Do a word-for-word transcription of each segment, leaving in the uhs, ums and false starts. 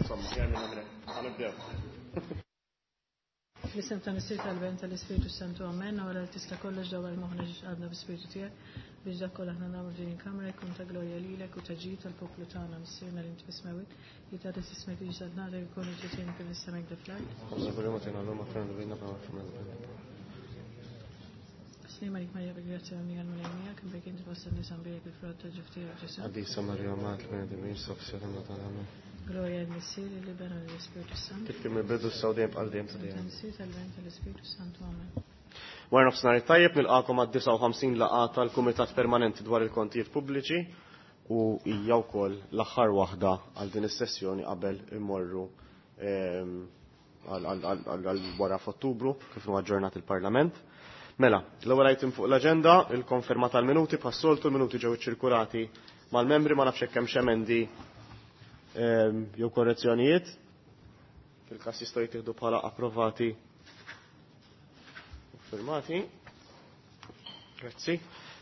Insomma, aħjar minna minn hekk. Ħa nibdew. Fl-isem ta' Missier, tal-Iben, tal-Ispirtu Santu, amen. Għala li tista' kollox, dawwal moħħna ġiex għadna bi-Spiritu tiegħek biex dak kollha aħna nagħmlu din il-kamra jkun ta' glorja lilek u ta' ġid tal-poplu tagħna. Missierna li inti fis-smewwiet, jitqaddes ismek, tiġi saltnatek, ikun il-ġitien kif fis-sema hekk fl-art. Ħobżna kuljum agħtina llum, aħfir dnubietna bħalma naħfru Sliem għalik Marija, bil-grazzja l-Mulej miegħek, imberka inti fost in-nisa, mbierek il-frott ta' ġuf tiegħek, Ġesù. Qaddisa Marija, Omm tal-bnedmin, itlob għalina. Amen. Glorja lill-Missier, lill-Iben u lill-Ispirtu Santu. Kif kien mill-bidu, issa u dejjem, għal dejjem ta' dejjem. Missier, tal-Iben, tal-Ispirtu Santu, amen. Wara nofsinhar tajjeb, nilqagħkom għad-disgħa u ħamsin laqgħa tal-Kumitat Permanenti dwar il-Kontijiet Pubbliċi u hija wkoll l-aħħar waħda għal din is-sessjoni qabel immorru ehm, għal wara f'Ottubru, kif huwa aġġornat il-Parlament. Mela, l-ewwel item fuq l-aġenda, il-konferma tal-minuti. Bħas-soltu l-minuti ġew iċċirkulati mal-membri, ma nafx hekk hemm emendi ehm, jew korrezzjonijiet. Fil-każ jistgħu jittieħdu bħala approvati u firmati. Grazzi.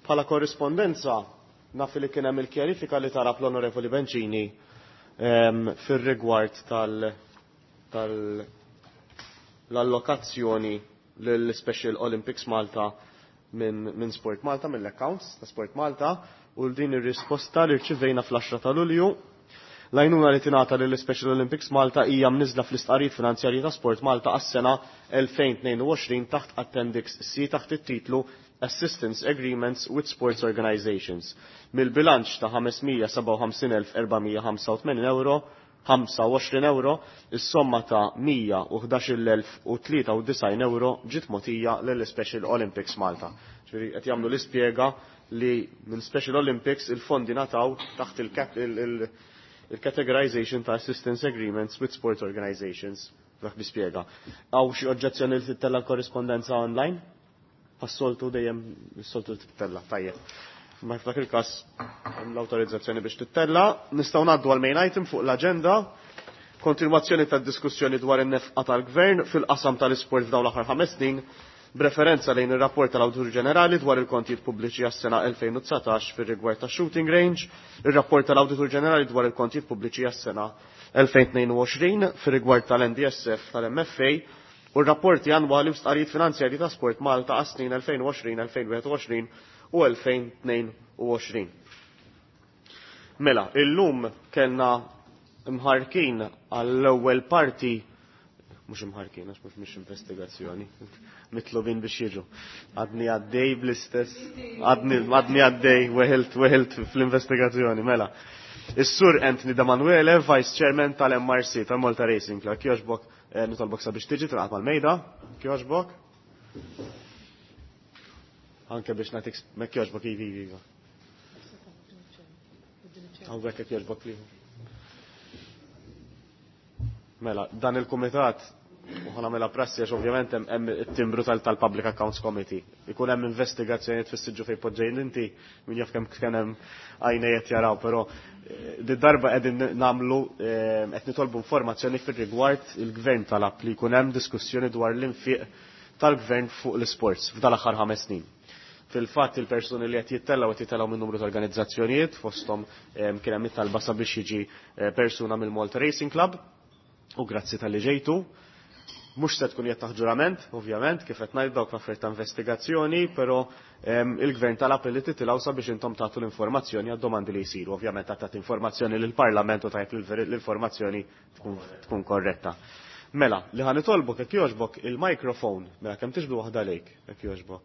Bħala korrispondenza, naf li kien hemm il-kjarifika li talab l-Onorevoli Bencini ehm, fir-rigward tal tal l-allokazzjoni l-Special Olympics Malta minn min Sport Malta, mill-accounts ta' Sport Malta, u din ir-risposta li rċivejna fl-għaxra ta' Lulju. L-għajnuna li tingħata lill Special Olympics Malta hija mniżla fl-istqarrijiet finanzjarji ta' Sport Malta għas-sena elfejn u tnejn u għoxrin taħt Appendix C taħt it-titlu Assistance Agreements with Sports Organizations. Mill-bilanċ ta' ħames mija sebgħa u ħamsin elf erba' mija ħamsa u tmenin euro, ħamsa u għoxrin euro, is-somma ta' mija u ħdax-il elf u tlieta u disgħin euro ġiet mogħtija lill Special Olympics Malta. Ġifieri qed jagħmlu l-ispjega li minn Special Olympics il-fondi ngħataw taħt il-categorization ta' Assistance Agreements with Sports Organizations. Dak bispjega. Hawn xi oġġezzjoni li tittella l-korrispondenza online? Bħas-soltu dejjem is-soltu tittella, tajjeb. Ma f'dak il-każ l-awtorizzazzjoni biex tittella. Nistgħu ngħaddu għal main item fuq l-aġenda. Kontinwazzjoni tad-diskussjoni dwar in-nefqa tal-Gvern fil-qasam tal-isport f'dawn l-aħħar ħames snin, b'referenza lejn ir-rapport tal-Awditur Ġenerali dwar il-kontijiet pubbliċi għas-sena elfejn u dsatax fir-rigward ta' shooting range, ir-rapport tal-Awditur Ġenerali dwar il-kontijiet pubbliċi għas-sena elfejn u tnejn u għoxrin fir-rigward tal-N D S F tal-M F A u r-rapporti annwali u stqarrijiet finanzjarji ta' Sport Malta għas-snin elfejn u għoxrin, elfejn u wieħed u għoxrin u elfejn u tnejn u għoxrin. Mela, illum kellna mħarrkin għall-ewwel parti, mhux imħarrkin, għax mhux mhix investigazzjoni, mitlubin biex jiġu. Għadni għaddej bl-istess, għadni għadni għaddej, weħilt weħilt fl-investigazzjoni, mela. Is-Sur Anthony Demanuele, Vice Chairman tal-M R C, tal-Malta Racing Club. Kjoġbok, eh, nitolbok sabiex tiġi tilqaq mal-mejda. Kjoġbok. Anke biex nagħtik mek jogħġbok, ivi, ivi. Hawnhekk jekk jogħġbok liħu. Mela, dan il-kumitat, u ħa nagħmilha prassi għax ovvjament hemm it-timbru tal-Public Accounts Committee. Ikun hemm investigazzjonijiet fis-siġġu fejn poġġejn inti, min jaf kemm kien hemm għajnejn jaraw, però eh, di darba qegħdin nagħmlu, eh, qed nitolbu informazzjoni fir-rigward il-gvern talab li jkun hemm diskussjoni dwar l-infiq tal-gvern fuq l-sports f'dan l-aħħar ħames snin. Fil-fatt il-persuni li qed jittellgħu qed jittellgħu minn numru ta' organizzazzjonijiet, fosthom eh, kien hemm it-talba sabiex jiġi persuna mill-Malta Racing Club, u grazzi talli ġejtu. Mhux se tkun qed ġurament, ovvjament, kif qed ngħid, dawk l-affarijiet ta' investigazzjoni, però il-gvern talab li titilgħu sabiex intom tagħtu l-informazzjoni għad-domandi li jsiru. Ovvjament tagħtu informazzjoni lill-Parlament u tajb l-informazzjoni tkun korretta. Mela, li ħa nitolbok, jekk jogħġbok, il-mikrofon, mela kemm tiġbdu waħda lejk, jekk jogħġbok.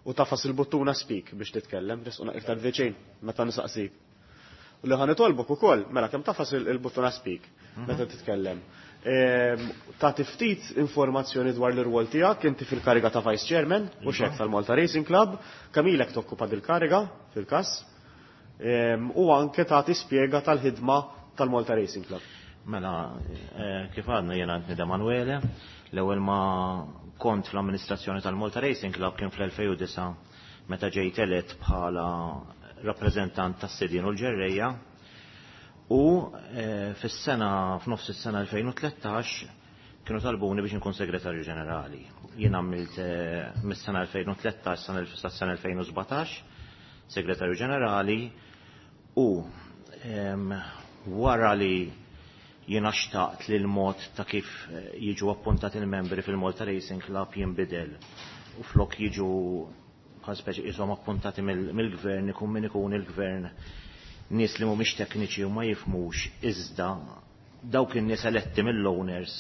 U tagħfas il-buttuna speak biex titkellem, resquna iktar viċin meta nisaqsik. U li ħa nitolbok ukoll, mela kemm tagħfas il-buttuna speak meta titkellem. Tagħti ftit informazzjoni dwar l-irwol tiegħek, inti fil-kariga ta' Vice Chairman u xek tal-Malta Racing Club, kemm ilek tokkupa dil-kariga fil-każ, u anke tagħti spjega tal-ħidma tal-Malta Racing Club. Mela, eh, kif għadna, jena Anthony Demanuele, l-ewwel ma kont fl-amministrazzjoni tal-Malta Racing Club kien fl-elfejn u disgħa meta ġejt elett bħala rappreżentant tas-sidien u l-ġerreja u eh, fis-sena f'nofs is-sena elfejn u tlettax kienu talbuni biex nkun segretarju ġenerali. Jien għamilt eh, mis-sena elfejn u tlettax sas-sena elfejn u sbatax segretarju ġenerali u wara li Jiena xtaqt li l-mod ta' kif jiġu appuntati il-membri fil-Malta Racing Club jinbidel. U flok jiġu bħal speċi qishom appuntati mill-gvern, ikun min ikun il-gvern, nies li mhumiex tekniċi u ma jifhmux, iżda dawk in-nies eletti mill-owners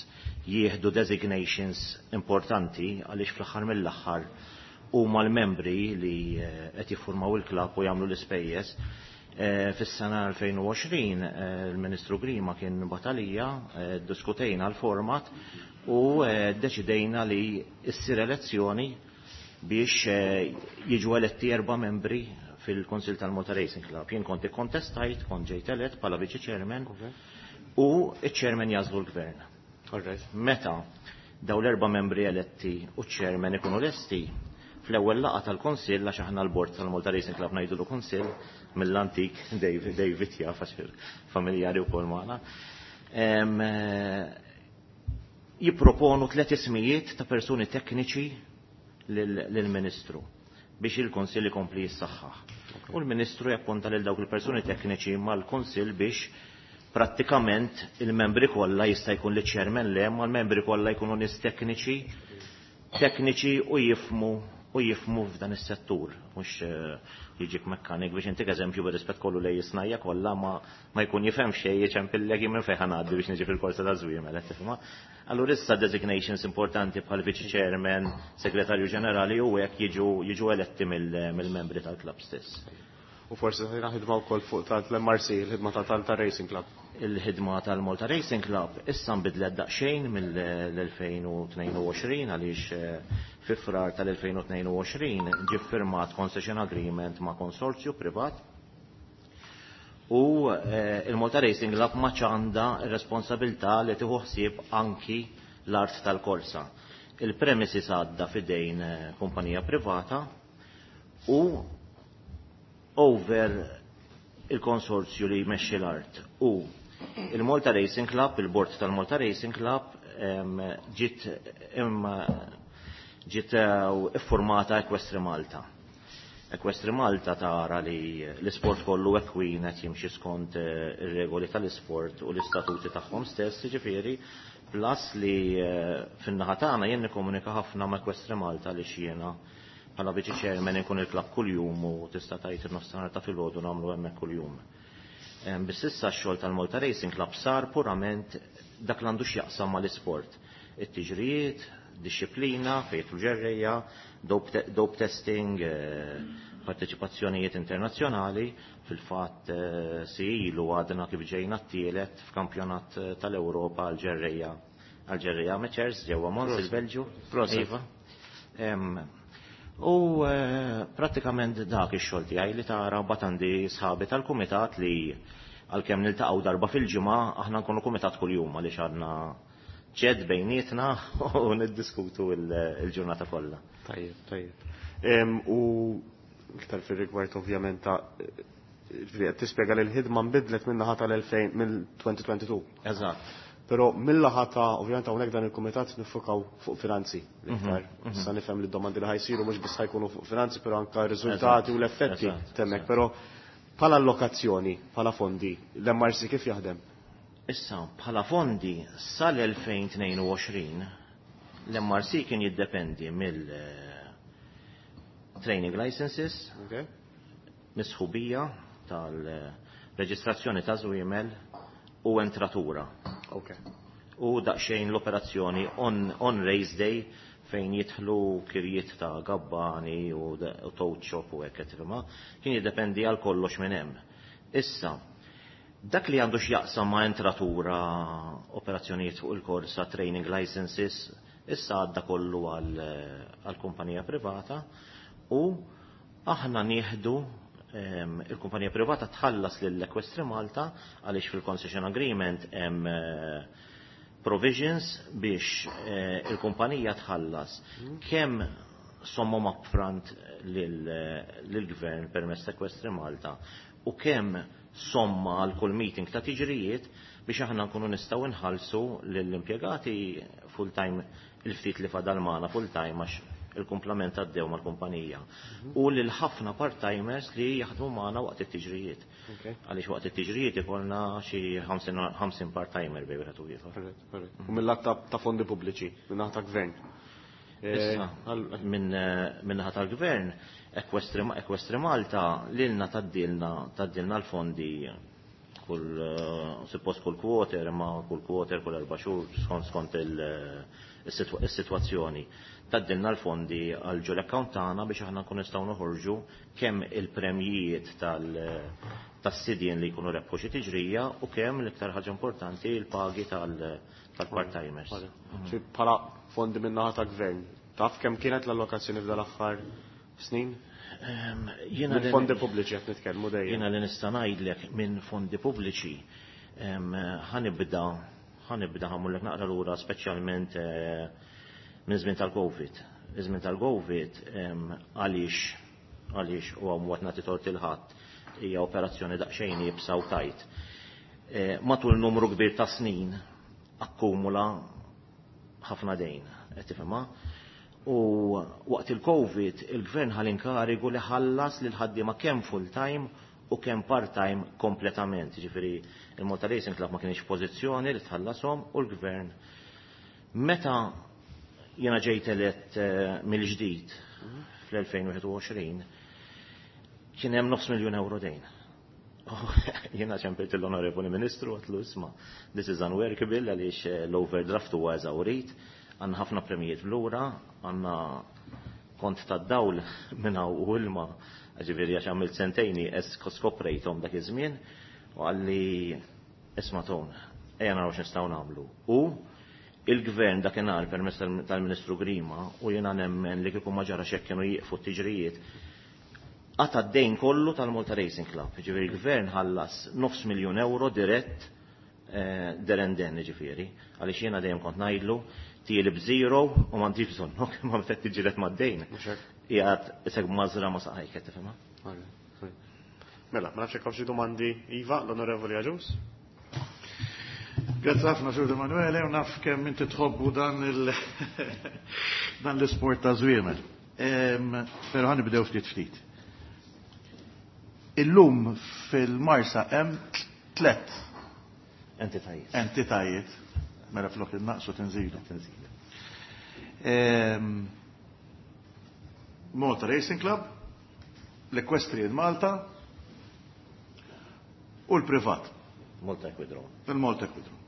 jieħdu designations importanti għaliex fl-aħħar mill-aħħar huma l-membri li qed jiffurmaw il-klabb u jagħmlu l-ispejjeż. Fis-sena elfejn u għoxrin il-Ministru Grima kien batalija, diskutejna l-format u deċidejna li ssir elezzjoni biex jiġu eletti erba' membri fil-Konsil tal-Malta Racing Club. Jien kont ikkontestajt, kont ġejt elett bħala viċi chairman u iċ-chairman jażlu l-gvern. Meta daw l-erba' membri eletti u ċ-chairman ikunu lesti, fl-ewwel laqgħa tal-Kunsill, għax aħna l-bord tal-Malta Racing Club ngħidulu Kunsill mill-antik, David, David jaf għax familjari wkoll magħna, jipproponu tliet ismijiet ta' persuni tekniċi lill-Ministru biex il-Kunsill ikompli jissaħħaħ. U l-Ministru jappunta lil dawk il-persuni tekniċi mal-Kunsill biex prattikament il-membri kollha jista' jkun li chairman le, ma l-membri kollha jkunu nies tekniċi, tekniċi u jifmu u jifmu f'dan is-settur, mhux jiġik mekkanik biex intik eżempju bir-rispett kollu lej jisnajja kollha ma ma jkun jifhem xejn jiċempillek minn fejn ħanaddi biex niġi fil-korsa ta' żwiemel, qed tifhimha. Allura issa designations importanti bħal viċi chairman, segretarju ġenerali u hekk jiġu jiġu eletti mill-membri tal-klabb stess. U forsi ħajna ħidma wkoll fuq tal-M R C, il-ħidma tal-Malta Racing Club. Il-ħidma tal-Malta Racing Club issa nbidlet daqsxejn mill-elfejn u tnejn u għoxrin għaliex fi frar tal-elfejn u tnejn u għoxrin ġie ffirmat concession agreement ma' konsorzju privat u il-Malta Racing Club ma għandha r-responsabilità li tieħu ħsieb anki l-art tal-korsa. Il-premises għadda fidejn kumpanija privata u over il-konsorzju li jmexxi l-art u il-Malta Racing Club, il-bord tal-Malta Racing Club ġiet ġiet iffurmata Equestri Malta. Equestri Malta tara li l-isport kollu ekwin qed jimxi skont ir-regoli tal-isport u l-istatuti tagħhom stess, jiġifieri plus li fin-naħa tagħna jien nikkomunika ħafna ma' Equestri Malta li jiena bħala viċi chairman inkun il-klabb kuljum u tista' tgħid in-nofsinhar ta' filgħodu nagħmlu hemmhekk kuljum. Biss issa x-xogħol tal-Malta Racing Club sar purament dak l-għandu x'jaqsam mal-isport. It-tiġrijiet, disċiplina, fejn ġerrejja, dope testing, parteċipazzjonijiet internazzjonali, fil-fatt si ilu għadna kif ġejna t-tielet f'kampjonat tal-Ewropa għal-ġerrejja għal-ġerrejja amateurs ġewwa Mons il-Belġju. Iva. U prattikament dak ix-xogħol tiegħi li tara mbagħad għandi sħabi tal-kumitat li għalkemm niltaqgħu darba fil-ġimgħa aħna nkunu kumitat kuljum għaliex għandna ċed bejnietna u niddiskutu l-ġurnata kollha. Tajjeb, tajjeb. U iktar fir-rigward ovvjament ta' qed tispjega li l-ħidma nbidlet min-naħa tal-elfejn mill-twenty twenty-two. Eżatt. Però mill-laħa ta' ovvjament hawnhekk dan il-kumitat nifukaw fuq finanzi l-iktar. Issa nifhem li d-domandi li ħajsiru mhux biss ħajkunu fuq finanzi, però anke r-riżultati u l-effetti temmek. Però bħala allokazzjoni, bħala fondi, l-M R C kif jaħdem? Issa, bħala fondi sal-elfejn tnejn u għoxrin l-M R C kien jiddependi mill training licenses, misħubija tal-reġistrazzjoni ta' żwiemel u entratura. U daqsxejn l-operazzjoni on, on race day fejn jidħlu kirjiet ta' gabbani u, u toad shop u hekk qed kien jiddependi għal kollox minn hemm. Issa, dak li għandu x'jaqsam ma' entratura, operazzjonijiet fuq il-korsa, training licenses, issa għadda kollu għal kumpanija privata u aħna nieħdu il-kumpanija privata tħallas lill Equestri Malta għaliex fil-concession agreement hemm provisions biex il-kumpanija tħallas kemm sommom upfront lill-gvern permezz ta' Equestri Malta u kemm somma għal kull meeting ta' tiġrijiet biex aħna nkunu nistgħu nħallsu lill-impjegati full-time il-ftit li fadal magħna full-time għax il-kumplament għaddew mal-kumpanija. U lil ħafna part-timers li jaħdmu magħna waqt it-tiġrijiet. Għaliex waqt it-tiġrijiet ikollna xi ħamsin part-timer bejn wieħed u ieħor. U mill-lat ta' fondi pubbliċi, minn ta' gvern. Issa, minn naħa tal-gvern, Equestri Malta lilna taddilna taddilna l-fondi kull suppost kull quarter, ma kull quarter, kull erba' xhur skont skont il-sitwazzjoni. Taddilna l-fondi għal ġol account tagħna biex aħna nkun nistgħu noħorġu kemm il-premjijiet tas-sidien li jkunu rebħu xi tiġrija u kemm l-iktar ħaġa importanti l-pagi tal-part-timers. Bħala fondi minn naħa ta' gvern, taf kemm kienet l-allokazzjoni f'dal aħħar snin? Minn fondi pubbliċi qed nitkellmu dejjem. Jiena li nista' ngħidlek minn fondi pubbliċi ħanibda ħanibda ħamullek naqra lura speċjalment minn żmien tal-Covid. Iż-żmien tal-Covid għaliex għaliex u għam waqt nagħti tort il-ħadd hija operazzjoni daqsxejn iebsa u tajt. Matul numru kbir ta' snin akkumula ħafna dejn, qed tifhimha? U waqt il-Covid il-gvern ħal inkarigu li ħallas lil ħaddiema kemm full-time u kemm part-time kompletament. Ġifieri il-Malta Racing Club ma kienx pożizzjoni li tħallashom u l-gvern. Meta jiena ġejt elett mill-ġdid fl-elfejn u wieħed u għoxrin kien hemm nofs miljun euro dejn. Jiena ċempilt l-Onorevoli Ministru għatlu isma' this is unworkable għaliex l-overdraft huwa eżawrit, għandna ħafna premijiet lura, għandna kont tad-dawl minn hawn u ilma, ġifieri għax għamilt sentejni skoprejthom dak iż-żmien, u għalli isma' ton, ejja naraw x'nistgħu nagħmlu. U il-gvern dakinhar permezz tal-Ministru Grima u jiena nemmen li kieku ma ġara x'hekk kienu jieqfu t-tiġrijiet, qata' d-dejn kollu tal-Malta Racing Club. Ġifieri il-gvern ħallas nofs miljun euro dirett derenden, ġifieri, għaliex jiena dejjem kont ngħidlu tieli b'zero u m'għandix bżonnok, ma meta tiġilet mad-dejn. Qiegħed isek mażra ma saqajk, qed tifhimha? Mela, ma nafx hekk hawn xi domandi. Iva, l-Onorevoli Agius. Grazzi ħafna Sur Emanuele, u naf kemm inti tħobbu dan il dan l-isport ta' żwiemel. Però ħanibdew ftit ftit. Illum fil-Marsa hemm tliet entitajiet. Entitajiet. Mela flok innaqsu tinżilu. Tinżilu. Malta Racing Club, l-Equestrian Malta u l-Privat. Malta Equidrome. Il-Malta Equidrome.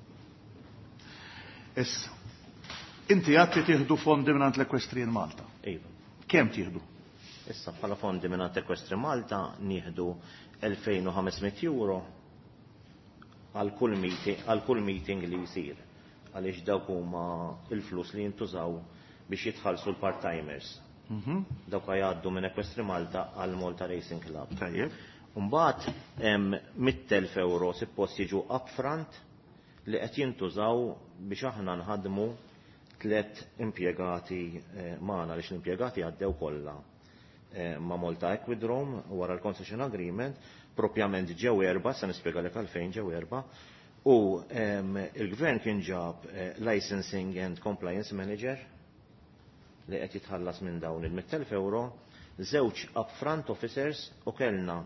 Issa, inti għad li tieħdu fondi minn l-Equestrian Malta. Iva. Kemm tieħdu? Issa bħala fondi minn Equestrian Malta nieħdu elfejn u ħames mitt euro għal kull meeting, għal kull meeting li jsir. Għaliex dawk huma il-flus li jintużaw biex jitħallsu l-part-timers. Dawk jgħaddu minn Equestrian Malta għal Malta Racing Club. Tajjeb. Mbagħad hemm mitt elf euro suppost jiġu upfront li qed jintużaw biex aħna nħadmu tliet impjegati magħna, għaliex l-impjegati għaddew kollha ma' Malta Equidrome wara l-concession agreement, propjament ġew erba', se nispjegalek għalfejn ġew erba', u il-gvern kien ġab licensing and compliance manager li qed jitħallas minn dawn il-mitt elf euro, żewġ upfront officers u kellna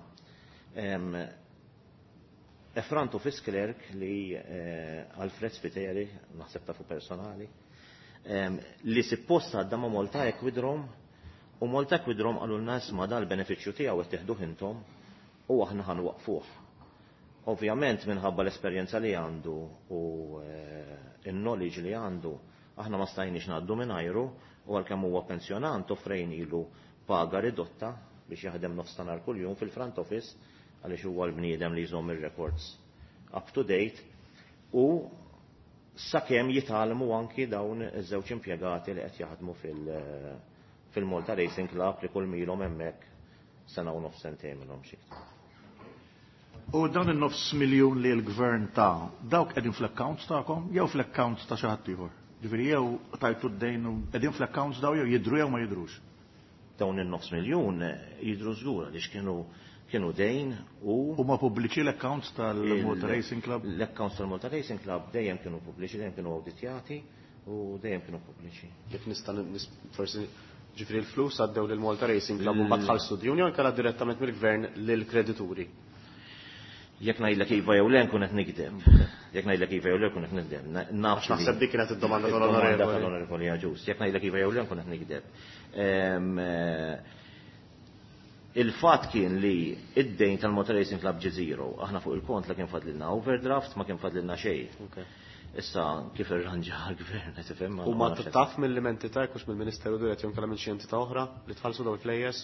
a front office clerk li Alfred Spiteri, naħseb tafu personali, li suppost għadda ma' Malta Equidrome, u Malta Equidrome qalulna isma' dal-benefiċċju tiegħu qed teħduh intom u aħna ħanwaqfuh. Ovvjament minħabba l-esperjenza li għandu u il-knowledge li għandu, aħna ma stajniex ngħaddu mingħajru, u għalkemm huwa pensjonant offrejnilu paga ridotta biex jaħdem nofs ta' nhar kuljum fil-front office, għaliex huwa l-bniedem li jżomm ir-records up to date, u sakemm jitgħallmu anki dawn iż-żewġ impjegati li qed jaħdmu fil-Malta Racing Club li kull milhom hemmhekk sena u nofs sentejn minnhom xi iktar. U dawn in-nofs miljun li l-gvern ta' dawk qegħdin fl-accounts tagħkom jew fl-accounts ta' xi ħadd ieħor? Ġifieri jew tajtu d-dejn u qegħdin fl-accounts daw jew jidhru jew ma jidhrux? Dawn in-nofs miljun jidhru żgur għaliex kienu kienu dejn u Huma pubbliċi l-accounts tal-Malta Il- Racing Club? L-accounts tal-Malta Racing Club dejjem kienu pubbliċi, dejjem kienu awditjati u dejjem kienu pubbliċi. Kif nista' nis-, forsi Ġifieri l-flus għaddew lil Malta Racing Club u mbagħad ħallsu djun jew inkella direttament mill-gvern lill-kredituri. Jekk ngħidlek iva jew le nkun qed nikdeb. Jekk ngħidlek iva jew le nkun qed nikdeb. Naf naħseb dik kienet id-domanda tal-onorevoli. Tal-onorevoli Agius. Jekk ngħidlek iva jew le nkun qed nikdeb. Il-fatt kien li id-dejn tal-Malta Racing Club ġie zero. Aħna fuq il-kont la kien fadlilna overdraft, ma kien fadlilna xejn. Issa kif irranġa l-gvern qed tifhem. U ma taf mill-entità jekk hux mill-Ministeru dirett jew inkella minn xi entità oħra li tħallsu dawn il-flejjes?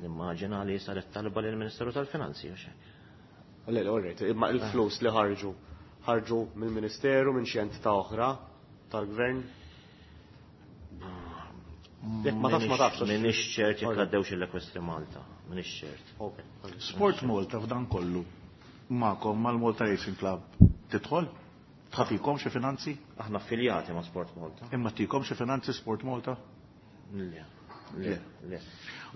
Nimmaġina li saret talba lill-Ministeru tal-Finanzi u xejn. Le, le, all right, imma il-flus li ħarġu ħarġu mill-Ministeru minn xi entità oħra tal-gvern? Jekk ma tafx ma tafx. M'iniex ċert jekk għaddewx l-Equestri Malta, m'iniex ċert. Sport Malta f'dan kollu magħkom mal-Malta Racing Club tidħol? Tħafikom xi finanzi? Aħna affiljati ma' Sport Malta. Imma tikom xi finanzi Sport Malta? Le, le, le.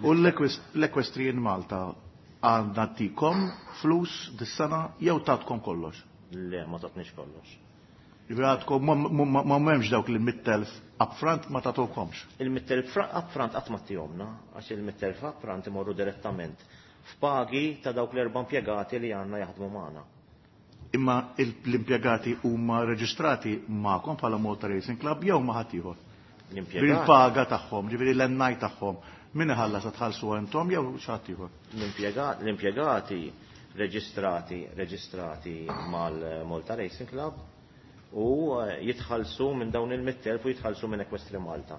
U l-Equestrian Malta għandna tikom flus dis-sena jew tatkom kollox? Le, ma tatniex kollox. Ġifieri għadkom ma m'hemmx dawk li mitt elf upfront ma tagħtukomx. Il-mitt elf upfront qatt ma ttihomna, għax il-mitt elf upfront imorru direttament f'pagi ta' dawk l-erba' impjegati li għandna jaħdmu magħna. Imma l-impjegati huma reġistrati magħkom bħala Malta Racing Club jew ma' ħadd ieħor? L-impjegati. Il-paga tagħhom, ġifieri l-N I tagħhom, min iħallas tħallsu intom jew xi ħadd ieħor? L-impjegati reġistrati reġistrati mal-Malta Racing Club u jitħallsu minn dawn il-mitt elf u jitħallsu minn Equestri Malta.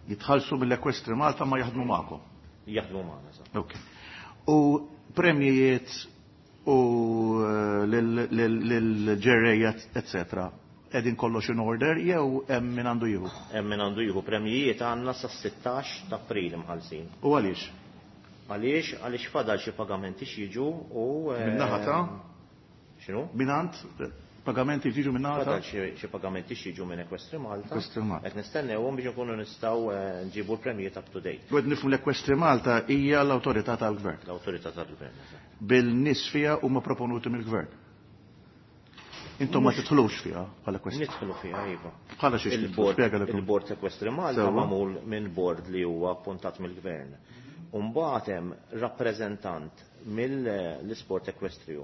Jitħallsu mill-Equestri Malta ma jaħdmu magħkom? Jaħdmu magħna, sa. Ok. U premjijiet u l-ġerrejja, eccetera, qegħdin kollox in order jew hemm min għandu jieħu? Hemm min għandu jieħu. Premjijiet għandna sas-sittax ta' April imħallsin. U għaliex? Għaliex? Għaliex fadal xi pagamenti x'jiġu u Min-naħa ta'? X'inhu? Minant? Pagamenti jiġu min-naħa ta'? Fadal xi pagamenti x'jiġu minn Equestri Malta. Equestri Malta. Qed nistennewhom biex inkunu nistgħu nġibu l-premjijiet up to date. U qed nifhmu l-Equestri Malta hija l-awtorità tal-gvern. L-awtorità tal-gvern, eżatt. Bil-nies fiha huma proponuti mill-gvern. Intom ma tidħlux fiha bħala Equestri? Nidħlu fiha, iva. Bħala xiex tidħlu? Spjega li Il-Bord Equestri Malta magħmul minn bord li huwa appuntat mill-gvern. U mbagħad hemm rappreżentant mill-isport ekwestriju.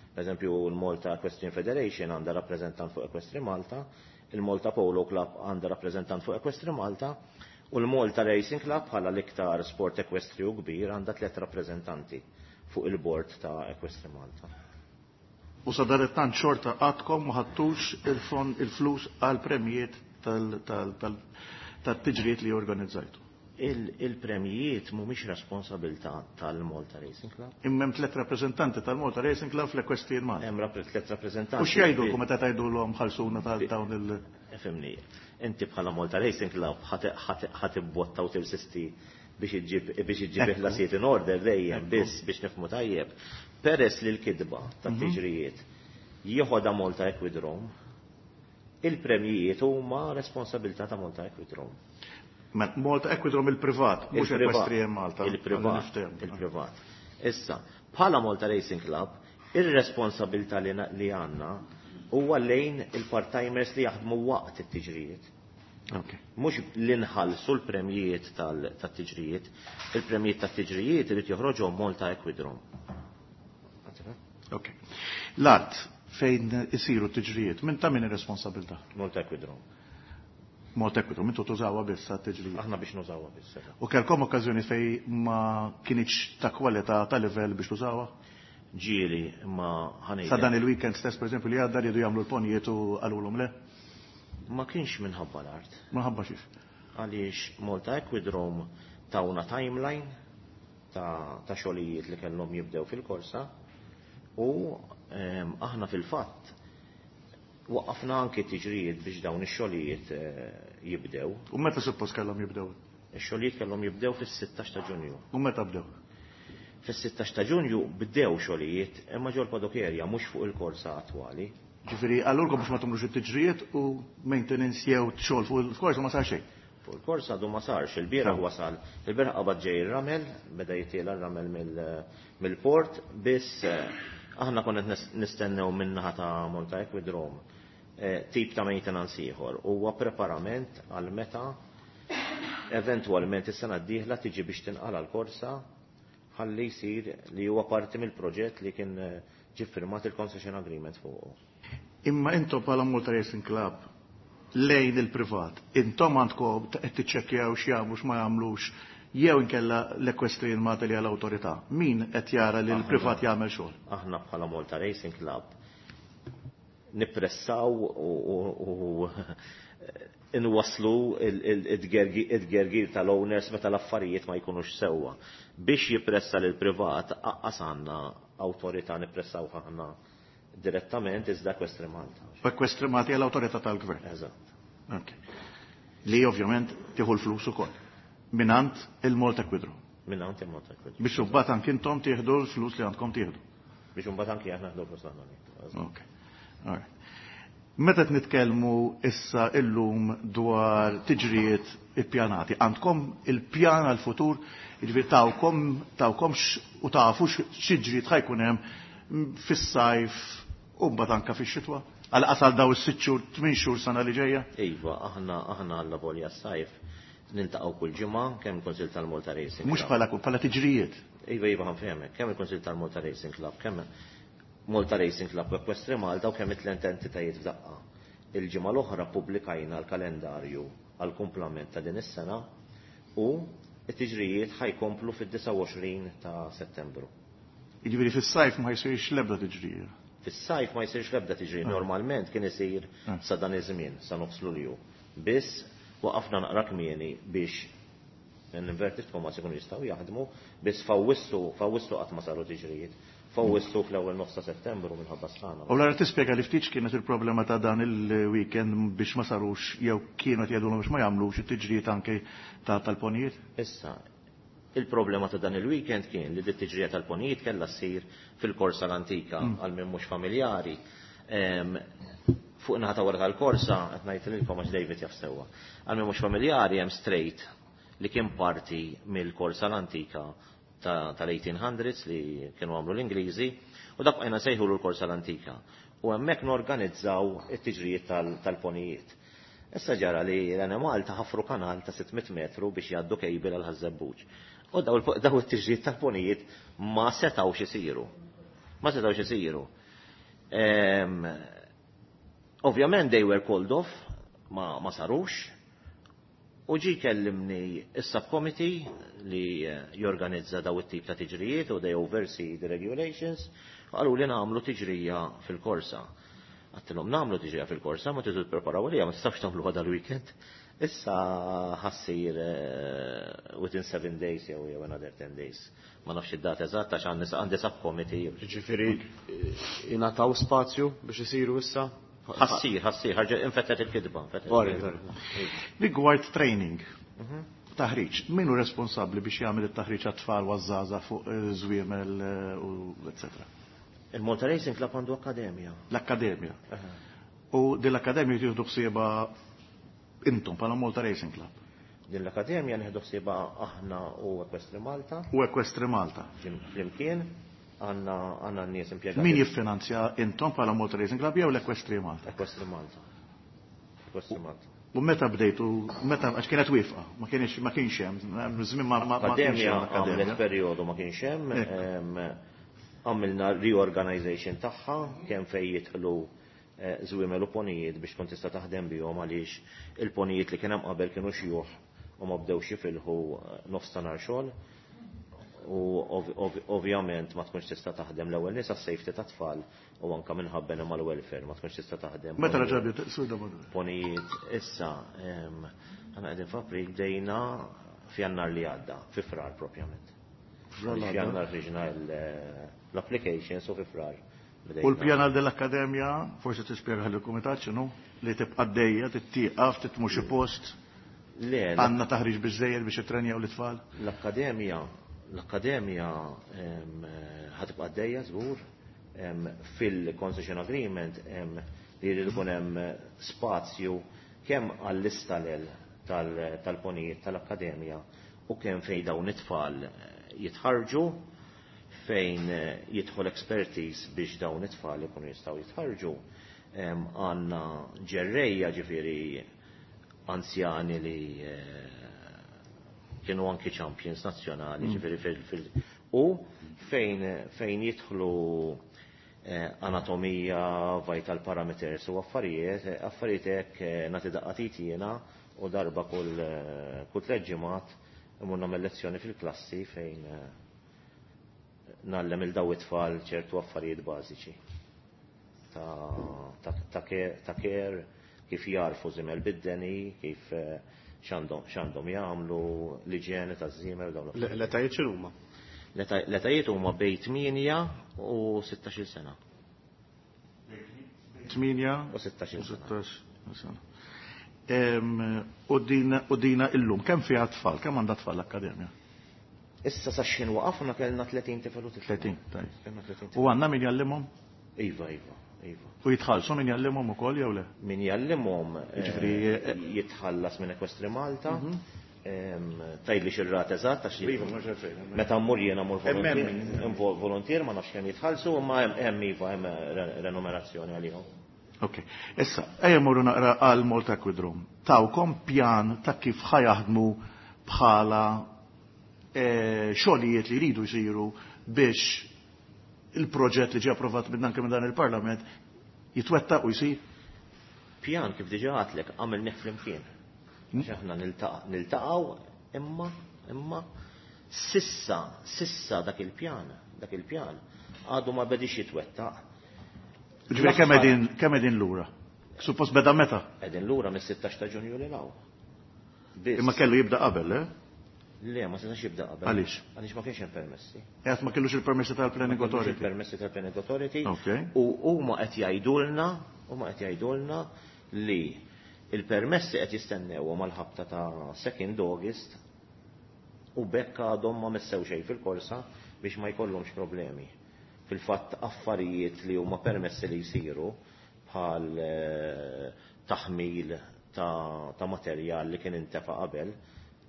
Per eżempju, l-Malta Equestrian Federation għandha rappreżentant fuq Equestri Malta, il-Malta Polo Club għandha rappreżentant fuq Equestri Malta, u l-Malta Racing Club bħala l-iktar sport ekwestriju kbir għandha tliet rappreżentanti fuq il-bord ta' Equestri Malta. U sadanittant xorta għadkom ma ħadtux il-fond il-flus għal premjiet tal-tiġrijiet li organizzajtu. Il-premjijiet mhumiex responsabilità tal-Malta Racing Club. Imma hemm tliet rappreżentanti tal-Malta Racing Club fl-Equestrian Malta. Hemm tliet rappreżentanti. U x'jgħidulkom meta tgħidulhom ħallsuna tal dawn il- Ifhimni, inti bħala Malta Racing Club ħa tibbotta u tirsisti biex iġġib biex iġġib il-ħlasijiet in order dejjem biss biex nifhmu tajjeb. Peress li l-kidba tat-tiġrijiet jieħodha Malta Equidrome, il-premjijiet huma responsabilità ta' Malta Equidrome. Malta Equidrome il-privat, mhux Equestrian Malta. Il-privat, il-privat. Issa, bħala Malta Racing Club, ir-responsabilità li għandna huwa lejn il-part-timers li jaħdmu waqt it-tiġrijiet. Mhux li nħallsu l-premjijiet tat-tiġrijiet, il-premjijiet tat-tiġrijiet irid joħroġhom Malta Equidrome. Ok. L-art fejn isiru t-tiġrijiet, minn ta' min ir-responsabilità? Malta Equidrome. Malta Equidrome, intu tużawha biss għat-tiġrijiet. Aħna biex nużawha biss. U kellkom okkażjoni fejn ma kinitx ta' kwalità ta' livell biex tużawha? Ġieli, ma ħanejja. Sa dan il-weekend stess, per eżempju, li għadda riedu jagħmlu l-ponijiet u qalulhom le? Ma kienx minħabba l-art. Minħabba xiex? Għaliex Malta Equidrome tawna timeline ta', ta' xogħlijiet li kellhom jibdew fil-korsa u ehm, aħna fil-fatt waqqafna anki tiġrijiet biex dawn ix-xogħlijiet jibdew. U meta suppost kellhom jibdew? Ix-xogħlijiet kellhom jibdew fis-sittax ta' Ġunju. U meta bdew? Fis-sittax ta' Ġunju bdew xogħlijiet imma ġol paddock area mhux fuq il-korsa attwali. Ġifieri qalulkom biex ma tagħmlux it-tiġrijiet u maintenance jew xogħol fuq il-korsa ma sar xejn. Fuq il-korsa għadu ma sarx, il-bieraħ wasal, il-bieraħ qabad ġej ir-ramel, beda jitiela r-ramel mill-port, biss aħna konna nistennew min-naħa ta' Malta Equidrome tip ta' maintenance ieħor. Huwa preparament għal meta Eventwalment is-sena d-dieħla tiġi biex tinqala l-korsa ħalli jsir li huwa parti mill-proġett li kien ġie firmat il-concession agreement fuqu. Imma intom bħala Malta Racing Club lejn il-privat, intom għandkom qed tiċċekkjaw x'jagħmlu x'ma jagħmlux jew inkella l-Equestrian Malta li għall-awtorità. Min qed jara li l-privat jagħmel xogħol? Aħna bħala Malta Racing Club nippressaw u inwaslu id-gergir tal-owners meta l-affarijiet ma jkunux sewwa. Biex jippressa lil privat aqqas għandna awtorità nippressaw aħna direttament iżda Equestri Malta. Equestri Malta hija l-awtorità tal-gvern. Eżatt. Okay. Li ovvjament tieħu l-flus ukoll. Minant il-Malta Equidro. Minant il-Malta Equidro. Biex imbagħad anki intom tieħdu l-flus li għandkom tieħdu. Biex imbagħad anki aħna nieħdu l-flus li għandna. Okay. All right. Meta qed nitkellmu issa illum dwar tiġrijiet ippjanati, għandkom il-pjan għal-futur, jiġifieri tawkom tawkom u tafu x'tiġrijiet ħa jkun hemm fis-sajf u mbagħad anke fix-xitwa? Għal qasal daw is-sitt xhur, tmien xhur sena li ġejja? Iva, aħna aħna għalla volja s-sajf niltaqgħu kull ġimgħa kemm il-Kunsill tal-Malta Racing. Mhux bħala bħala tiġrijiet. Iva, iva ħa nfehmek, kemm il-Kunsill tal-Malta Racing Club, kemm Malta Racing Club Equestri Malta u kemm it-tliet entitajiet f'daqqa. Il-ġimgħa l-oħra pubblikajna l-kalendarju għal kumplament ta' din is-sena u t-tiġrijiet ħa jkomplu fid-disgħa u għoxrin ta' Settembru. Jiġifieri fis-sajf ma jsirx l-ebda tiġrija. Fis-sajf ma jsirx l-ebda tiġrija. Normalment kien isir sa dan iż-żmien, sa nofs Lulju. Biss waqafna naqra kmieni biex l-inverted commas ikunu jistgħu jaħdmu, biss f'Awwissu, f'Awwissu qatt ma saru tiġrijiet. F'Awwissu fl-ewwel nofs ta' Settembru minħabba sħana. U l-ara tispjega li ftit kienet il-problema ta' dan il-weekend biex ma sarux jew kienu qed jgħidulhom biex ma jagħmlux it-tiġrijiet anke tal-ponijiet? Issa, il-problema ta' dan il-weekend kien li dit-tiġrija tal-ponijiet kellha ssir fil-korsa l-antika għal min mhux familjari. Fuq naħa ta' wara tal-korsa, qed ngħid lilkom għax David jaf sewwa. Għal min mhux familjari hemm straight li kien parti mill-korsa l-antika tal-eighteen hundreds li kienu għamlu l-Ingliżi u dak bqajna sejħu l-korsa l-antika. U hemmhekk norganizzaw it-tiġrijiet tal-ponijiet. Issa ġara li l-Enemalta ħafru kanal ta' sitt mitt metru biex jgħaddu kejbil għal Ħaż-Żebbuġ. U daw it-tiġrijiet tal-ponijiet ma setgħux isiru. Ma setgħux isiru. Ovvjament they were called off, ma, ma sarux. U ġi kellimni is-subcommittee li jorganizza daw it-tip ta' tiġrijiet u they oversee the regulations, qalu li nagħmlu tiġrija fil-korsa. Għattilhom nagħmlu tiġrija fil-korsa, ma tridu tippreparaw għalija, ma tistax tagħmluha dal-weekend. Issa ħassir within seven days jew jew another ten days. Ma nafx id-data eżatta għax għandi għandi subcommittee. Jiġifieri ingħataw spazju biex isiru issa? Ħassir, ħassir, ħarġet infettet il-kitba, infettet il-kitba. Rigward training, taħriġ, min hu responsabbli biex jagħmel it-taħriġ għat-tfal u għaż-żgħażagħ fuq żwiemel u eċetera? Il-Malta Racing Club għandu akkademja. L-akkademja. U din l-akkademja tieħdu ħsiebha intom bħala Malta Racing Club. Din l-akkademja nieħdu ħsiebha aħna u Equestri Malta. U Equestri Malta. Flimkien għandna għandna n-nies impjegati. Min jiffinanzja intom bħala Malta Racing Club jew l-Equestri Malta? Equestri Malta. Equestri Malta. U meta bdejtu, meta għax kienet wieqfa, ma kienx ma kienx hemm, żmien ma ma kienx hemm akkademja. Għamlet perjodu ma kienx hemm, għamilna reorganization tagħha kemm fejn jidħlu żwiemel u ponijiet biex tkun tista' taħdem bihom għaliex il-ponijiet li kien hemm qabel kienu xjuħ u ma bdewx jifilħu nofs ta' nhar xogħol. U ovvjament ma tkunx tista' taħdem l-ewwel nies għas-safety tat-tfal u anke minħabba animal welfare ma tkunx tista' taħdem. Meta raġa' bdiet sur domanda? Ponijiet issa aħna qegħdin f'April bdejna f'Jannar li għadda, fi Frar propjament. F'Jannar ħriġna l-applications u fi Frar. U l-pjan għal dell-akkademja, forsi tispjega lill-kumitat x'inhu, li tibqa' għaddejja, tittieqaf, titmur xi post. Le, għandna taħriġ biżżejjed biex ittrenjaw l-itfal? L-akkademja L-akkademja ħatibqa' għaddejja żgur fil-concession agreement li jrid ikun hemm spazju kemm għall-istalel tal-ponijiet tal-akkademja u kemm fejn dawn it-tfal jitħarġu, fejn jidħol expertise biex dawn it-tfal ikunu jistgħu jitħarġu. Għandna ġerrejja ġifieri anzjani li Kienu anki champions nazzjonali, ġifieri fil, fil u fejn fejn jidħlu eh, anatomija, vital parameters u affarijiet, eh, affarijiet hekk eh, nagħti daqqa t'id jiena u darba kull eh, kull tliet ġimgħat imur nagħmel lezzjoni fil-klassi fejn eh, ngħallem lil daw it-tfal ċertu affarijiet bażiċi ta' ta' ta' care, ta' care kif jarfu żiemel bid-deni, kif eh, x'għandhom x'għandhom jagħmlu, l-iġjene taż-żiemel dawn l-affarijiet. L-etajiet x'inhuma? L-eta- L-etajiet huma bejn tmienja u sittax-il sena. tmienja U sittax-il sena. sittax sena. Em, U dina u dina illum, kemm fiha tfal, kemm għandha tfal l-akkademja? Issa sa x'ħin waqafna kellna tletin tifel u tifla. tletin, tajjeb. Kellna tletin U tifel. għandna min jallimhom? Iva, iva, iva. U jitħallsu min jallimhom ukoll jew le? Min jallimhom eh, Jiġifieri, eh, jitħallas minn Equestri Malta. Em, Tgħidli xir-rata eżatt għax Iva, mhux għalfejn. Meta mmur jiena mmur Hemm volontier, hemm. hemm volontier ma nafx kemm jitħallsu, imma hemm hemm iva hemm re- renumerazzjoni għalihom. Ok, issa, ejja morru naqra għal Malta Equidrome. Tawkom pjan ta' kif ħa jaħdmu bħala eh, xogħlijiet li jridu jsiru biex il-proġett li ġie approvat minn anke minn dan il-Parlament jitwettaq u jsir? Pjan kif diġà għedtlek għamilnieh flimkien. Għax aħna niltaqa' niltaqgħu imma imma sissa sissa dak il-pjan, dak il-pjan għadu ma bedix jitwettaq. Ġifieri kemm qegħdin kemm qegħdin lura? Suppost beda meta? Qegħdin lura mis-sittax ta' Ġunju lil hawn. Biss. Imma kellu jibda qabel, eh? Le, ma setax jibda qabel. Għaliex? Għaliex ma kienx hemm permessi. Għad ma kellux il-permessi tal-Planning Ma kellux Authority. il-permessi tal-Planning Authority. Ok. U huma qed jgħidulna, huma qed jgħidulna li il-permessi qed jistennew mal-ħabta ta' second August u bekk għadhom ma messew xejn fil-korsa biex ma jkollhomx problemi. Fil-fatt affarijiet li huma permessi li jsiru bħal eh, taħmil ta', ta' materjal li kien intefa' qabel,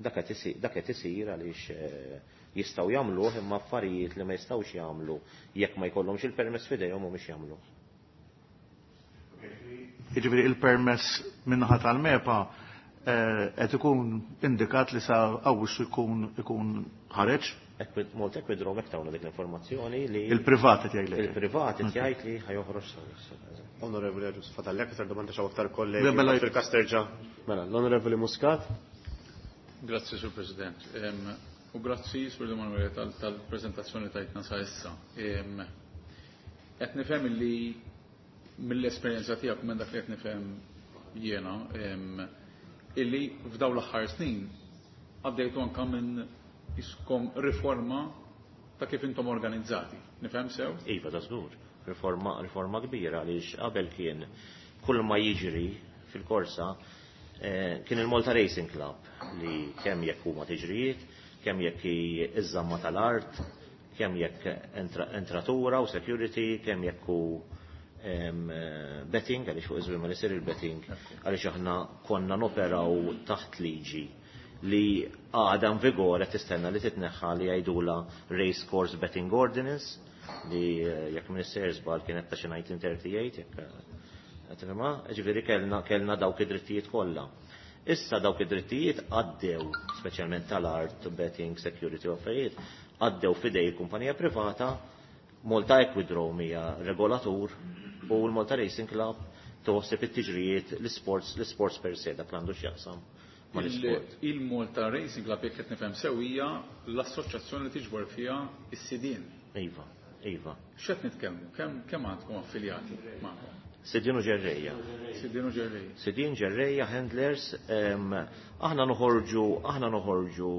dak qed isir, dak qed isir għaliex eh, jistgħu jagħmluh imma affarijiet li ma jistgħux jagħmlu jekk ma jkollhomx il-permess f'idejhom mhumiex jagħmlu. Jiġifieri il-permess min-naħa tal-MEPA eh, qed ikun indikat li sa Awwissu jkun ikun ħareġ. Equid- Malta Equidrome hekk tawna dik l-informazzjoni li Il-privat qed jgħidlek. il-privat qed jgħid li ħa joħroġ sa Awwissu. Onorevoli Agius, fadallek aktar domanda xaw aktar kollegi. Le, mela- Fil-kas terġa'. Mela, l-Onorevoli Muscat. Grazzi, Sur President. Em, U grazzi, Sur Emanuele, tal-prezentazzjoni tajtna sa issa. Em, Qed nifhem li mill-esperjenza tiegħek u minn dak li qed nifhem jiena, em, illi f'dawn l-aħħar snin għaddejtu anka minn iskom riforma ta' kif intom organizzati. Nifhem sew? Iva, da żgur. Riforma, riforma kbira għaliex qabel kien kull ma jiġri fil-korsa eh, kien il-Malta Racing Club li kemm jekk huma tiġrijiet, kemm jekk hi iż-żamma tal-art, kemm jekk entra, entratura u security, kemm jekk hu em, eh, betting, għaliex fuq iż-żmien ma isir il-betting, għaliex aħna konna noperaw taħt liġi li għadha in vigore tistenna li titneħħa li jgħidula Race Course Betting Ordinance li eh, jekk m'iniex żball kienet ta' xi elf disa' mija u tlieta u tletin jekk eh, tifhimha, ġifieri kellna kellna dawk id-drittijiet kollha. Issa dawk id-drittijiet għaddew, speċjalment tal-art, betting, security u affarijiet, għaddew f'idej kumpanija privata, Malta Equidrome hija regolatur u l-Malta Racing Club toħseb it-tiġrijiet l-sports, l-sports per se, dak l għandu x'jaqsam mal-sport. Il-Malta Racing Club, jekk qed nifhem sew, hija l-assoċjazzjoni li tiġbor fiha is-sidien. Iva, iva. X'qed nitkellmu? Kemm kemm għandkom affiljati magħkom? Sidien u ġerrejja. Sidien u ġerrejja. Sidien ġerrejja, handlers, em, aħna noħorġu, aħna noħorġu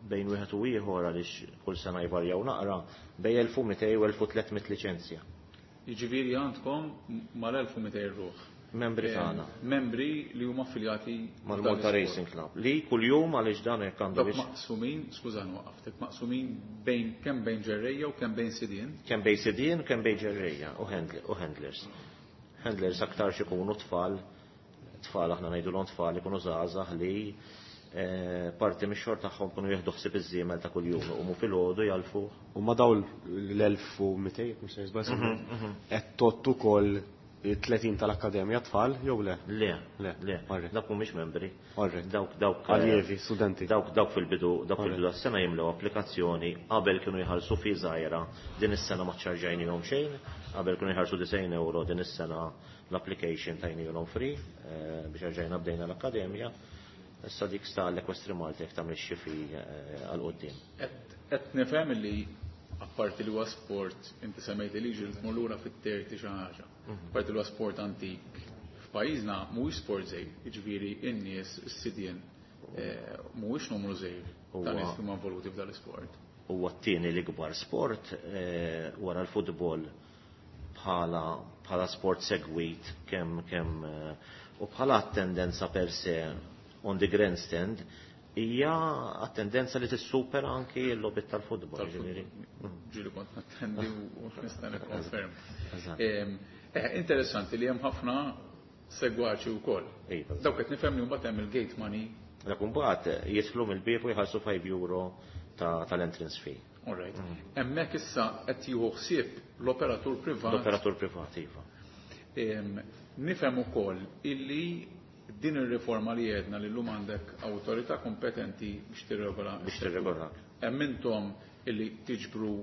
bejn wieħed u ieħor għaliex kull sena jvarjaw naqra bejn elf u mitejn u elf u tliet mitt liċenzja. Jiġifieri għandkom mal-elf u mitejn ruħ. Membri Em, tagħna. Membri li huma affiljati Mal-Malta f'dan Racing Club. Li kuljum għaliex dan hekk għandu Dawk biex maqsumin, skużani waqaftek, maqsumin bejn kemm bejn ġerrejja u kemm bejn sidien. Kemm bejn sidien, kemm bejn ġerrejja u handl- u handlers. Handlers aktar ikunu tfal, tfal aħna ngħidulhom tfal ikunu żgħażagħ li eh, parti mix-xogħol tagħhom kunu jieħdu ħsieb iż-żiemel ta' kuljum, iqumu filgħodu jalfu. U ma daw l-elf u mitejn, mhux se żball, qed tgħodd ukoll Tletin tal-Akkademja tfal jew le? Le, Le, le, alright. Dawk mhumiex membri. Alright. Dawk dawk Allievi, studenti. Dawk dawk fil-bidu, dawk fil-bidu tas-sena jimlew applikazzjoni, qabel kienu jħallsu fee żgħira, din is-sena ma ċarġajnihom xejn, qabel kienu jħallsu disgħin euro, din is-sena l-application tajnihom free eh, biex rġajna bdejna l-akkademja. Issa dik sta l-Equestri Malta jekk tagħmel xi fee eh, għal quddiem. Qed nifhem li apparti li huwa sport, inti semmejt li ġil tmur lura fit-terti xi ħaġa. Apparti li huwa sport antik f'pajjiżna mhuwiex sport żgħir, jiġifieri n-nies is-sidien eh, mhuwiex numru żgħir ta' Huwa- nies li huma involuti f'dan l-isport. Huwa t-tieni l-ikbar sport eh, wara l-futbol bħala bħala sport segwit kemm kemm eh, u bħala attendenza per se on the grandstand hija attendenza li tissupera anki l-logħbiet tal-futbol. Ġifieri. Ġieli kont nattendi u nista' nikkonferm. Eżatt. Em, eh, Interessanti li hemm ħafna segwaċi wkoll. Iva. Dawk qed nifhem li mbagħad hemm il-gate money. Dak imbagħad jidħlu mill-bieb u jħallsu five euro ta' tal-entrance fee. All right. Hemmhekk issa qed jieħu ħsieb l-operatur privat. L-operatur privat, iva. Em, Nifhem ukoll illi din ir-riforma li għedna li llum għandek awtorità kompetenti biex tirregola. Biex tirregola. Hemm intom illi tiġbru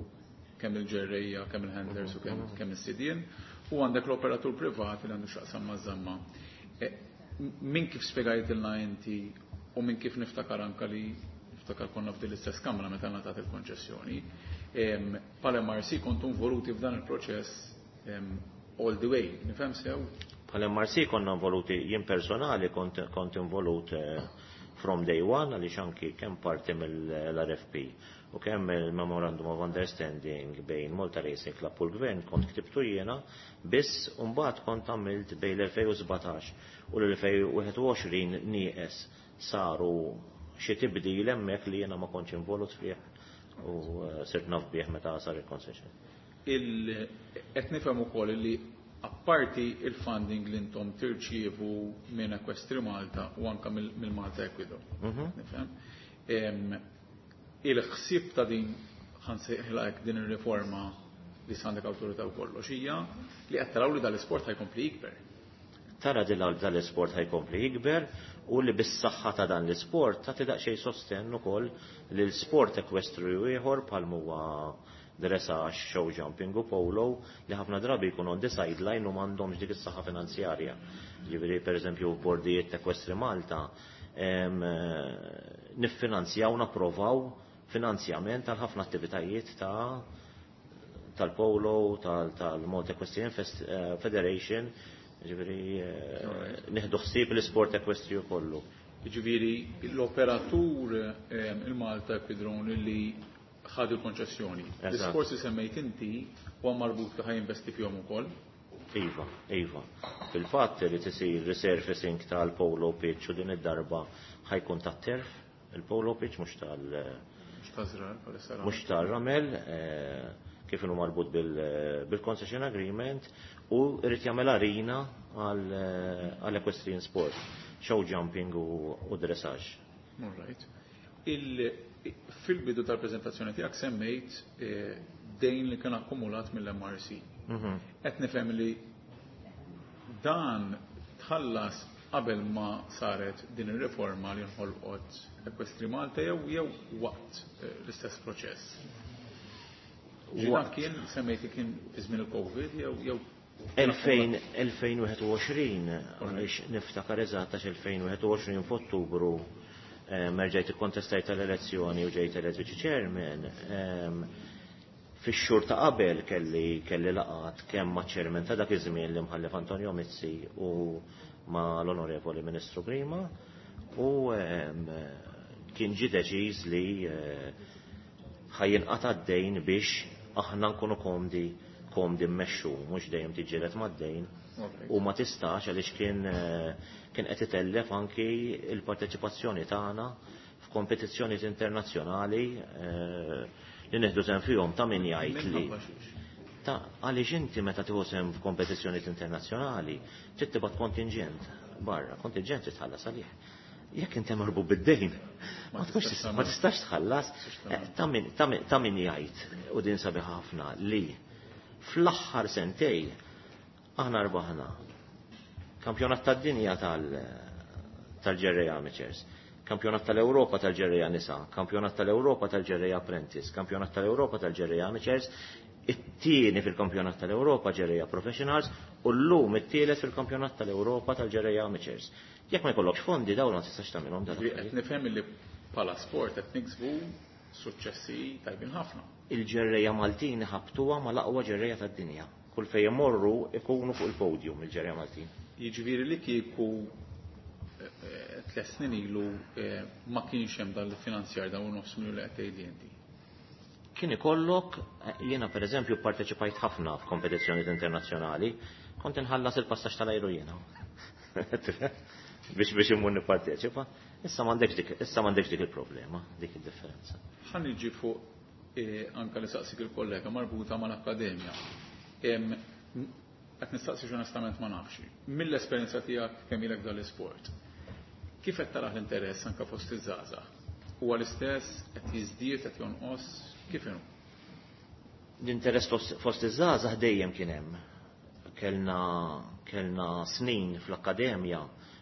kemm il-ġerrejja, kemm il-handlers u kemm kemm is-sidien, u għandek l-operatur privat li għandu x'jaqsam maż-żamma. E, Min kif spjegajtilna inti u minn kif niftakar anka li niftakar konna f'din l-istess kamra meta ngħatat il-konċessjoni, em, bħala M R C kontu involuti f'dan il-proċess em, all the way, nifhem sew? Bħala M R C konna involuti, jien personali kont, kont involut eh, from day one, għaliex anki kemm parti mill-R F P u kemm il-Memorandum of Understanding bejn Malta Racing Club u l-Gvern kont ktibtu jiena, biss mbagħad kont għamilt bejn l-elfejn u sbatax u l-elfejn u wieħed u għoxrin nieqes saru xi tibdil hemmhekk li jiena ma kontx involut fih u eh, sirt naf bih meta sar il-concession. Il qed nifhem ukoll li apparti il-funding li intom tirċievu minn Equestri Malta u anka mill- mill-Malta Equidrome. Nifhem. Em, Il-ħsieb ta' din, ħa nsejħilha hekk, din ir-riforma li għandek awtorità u kollox hija li qed taraw li dal-isport ħa jkompli jikber. Tara li dal-isport ħa jkompli jikber u li bis-saħħa ta' dan l-isport ta' daqsxejn sostenn ukoll li l-sport ekwestri ieħor bħal huwa dressage, show jumping u polo li ħafna drabi jkunu on the sideline u m'għandhomx dik is-saħħa finanzjarja. Ġifieri, pereżempju, bordijiet Equestri Malta em, eh, niffinanzjaw, napprovaw finanzjament tal ħafna attivitajiet ta' tal-polo, tal-Malta Equestrian Fest- eh, Federation, ġifieri eh, nieħdu ħsieb l-isport ekwestri kollu. Jiġifieri l-operatur em, il-Malta Equidrome li ħadu l-konċessjoni. Eżatt. L-isforzi semmejt inti huwa marbut li ħa jinvesti fihom ukoll. Iva, iva. Fil-fatt li tisir resurfacing tal-polo pitch u din id-darba ħa jkun tat-turf, il-polo pitch mhux tal- Mhux ta' żrar bħalissa. Mhux tal-ramel, eh, kif inhu marbut bil- bil-concession agreement u irid jagħmel arena għal equestrian sport, show jumping u, u dressage. All right. Il, fil-bidu tal-prezentazzjoni tiegħek semmejt eh, dejn li kien akkumulat mill-M R C. Qed nifhem li dan tħallas qabel ma saret din ir-riforma li nħolqot Equestri Malta jew jew waqt eh, l-istess proċess? Ġi dan Waqt. kien semmejt li kien fi żmien il-Covid jew jew elfejn u wieħed u għoxrin, għaliex niftakar eżatt għax elfejn u wieħed u għoxrin f'Ottubru eh, merġajt ikkontestajt tal-elezzjoni u ġejt elett viċi chairman. em, Fix-xhur ta' qabel kelli kelli laqat kemm ma' chairman ta' dak iż-żmien li mħallef Antonio Mizzi u ma' l-Onorevoli Ministru Grima u em, kien ġi deċiż li eh, ħa jinqata' d-dejn biex aħna nkunu komdi komdi mmexxu, mhux dejjem tiġġieled mad-dejn Alright. u ma tistax għaliex kien eh, kien qed itellef anki il-parteċipazzjoni tagħna f'kompetizzjonijiet internazzjonali eh, li nieħdu sehem fihom. Ta' min jgħid li Minħabba xiex. Ta' għaliex inti meta tieħu sehem f'kompetizzjonijiet internazzjonali trid tibgħat kontingent barra, kontingent titħallas għalih. Jekk inti marbu bid-dejn, ma Ma tkunx tistax tista' ma tistax tħallas. Tistax Eh, Ta' min ta' min- ta' min jgħid u din sabiħa ħafna li fl-aħħar sentej Aħna rbaħna kampjonat tad-dinja tal-ġerreja amateurs, kampjonat tal-Ewropa tal-ġerreja nisa, kampjonat tal-Ewropa tal-ġerreja apprentice, kampjonat tal-Ewropa tal-ġerreja amateurs, it-tieni fil-kampjonat tal-Ewropa ġerreja professionals u llum it-tielet fil-kampjonat tal-Ewropa tal-ġerreja amateurs. Jekk ma jkollokx fondi dawn ma tistax tagħmilhom dan. Qed nifhem li bħala sport qed niksbu suċċessi tajbin ħafna. Il-ġerreja Maltin ħabtuha mal-aqwa ġerreja tad-dinja. Kull fejn imorru ikunu fuq il-podium il-ġerreja Maltin. Jiġifieri li kieku tliet snin ilu ma kienx hemm dan il-finanzjar dawn nofs miljun li qed tgħidli inti. Kien ikollok, jiena pereżempju pparteċipajt ħafna f'kompetizzjonijiet internazzjonali, kont inħallas il-passaġġ tal-ajru jiena. Biex biex immur nipparteċipa. Issa m'għandekx dik, issa m'għandekx dik il-problema, dik id-differenza. Ħa niġi fuq anke li saqsik il-kollega marbuta mal-akkademja. Qed nistaqsi onestament ma nafx. Mill-esperjenza tiegħek kemm ilek dal-isport, kif qed taraħ l-interess anke fost iż-żgħażagħ? Huwa l-istess, qed jiżdied, qed jonqos, kif inhu? L-interess fost iż-żgħażagħ dejjem kien hemm. Kellna kellna snin fl-akkademja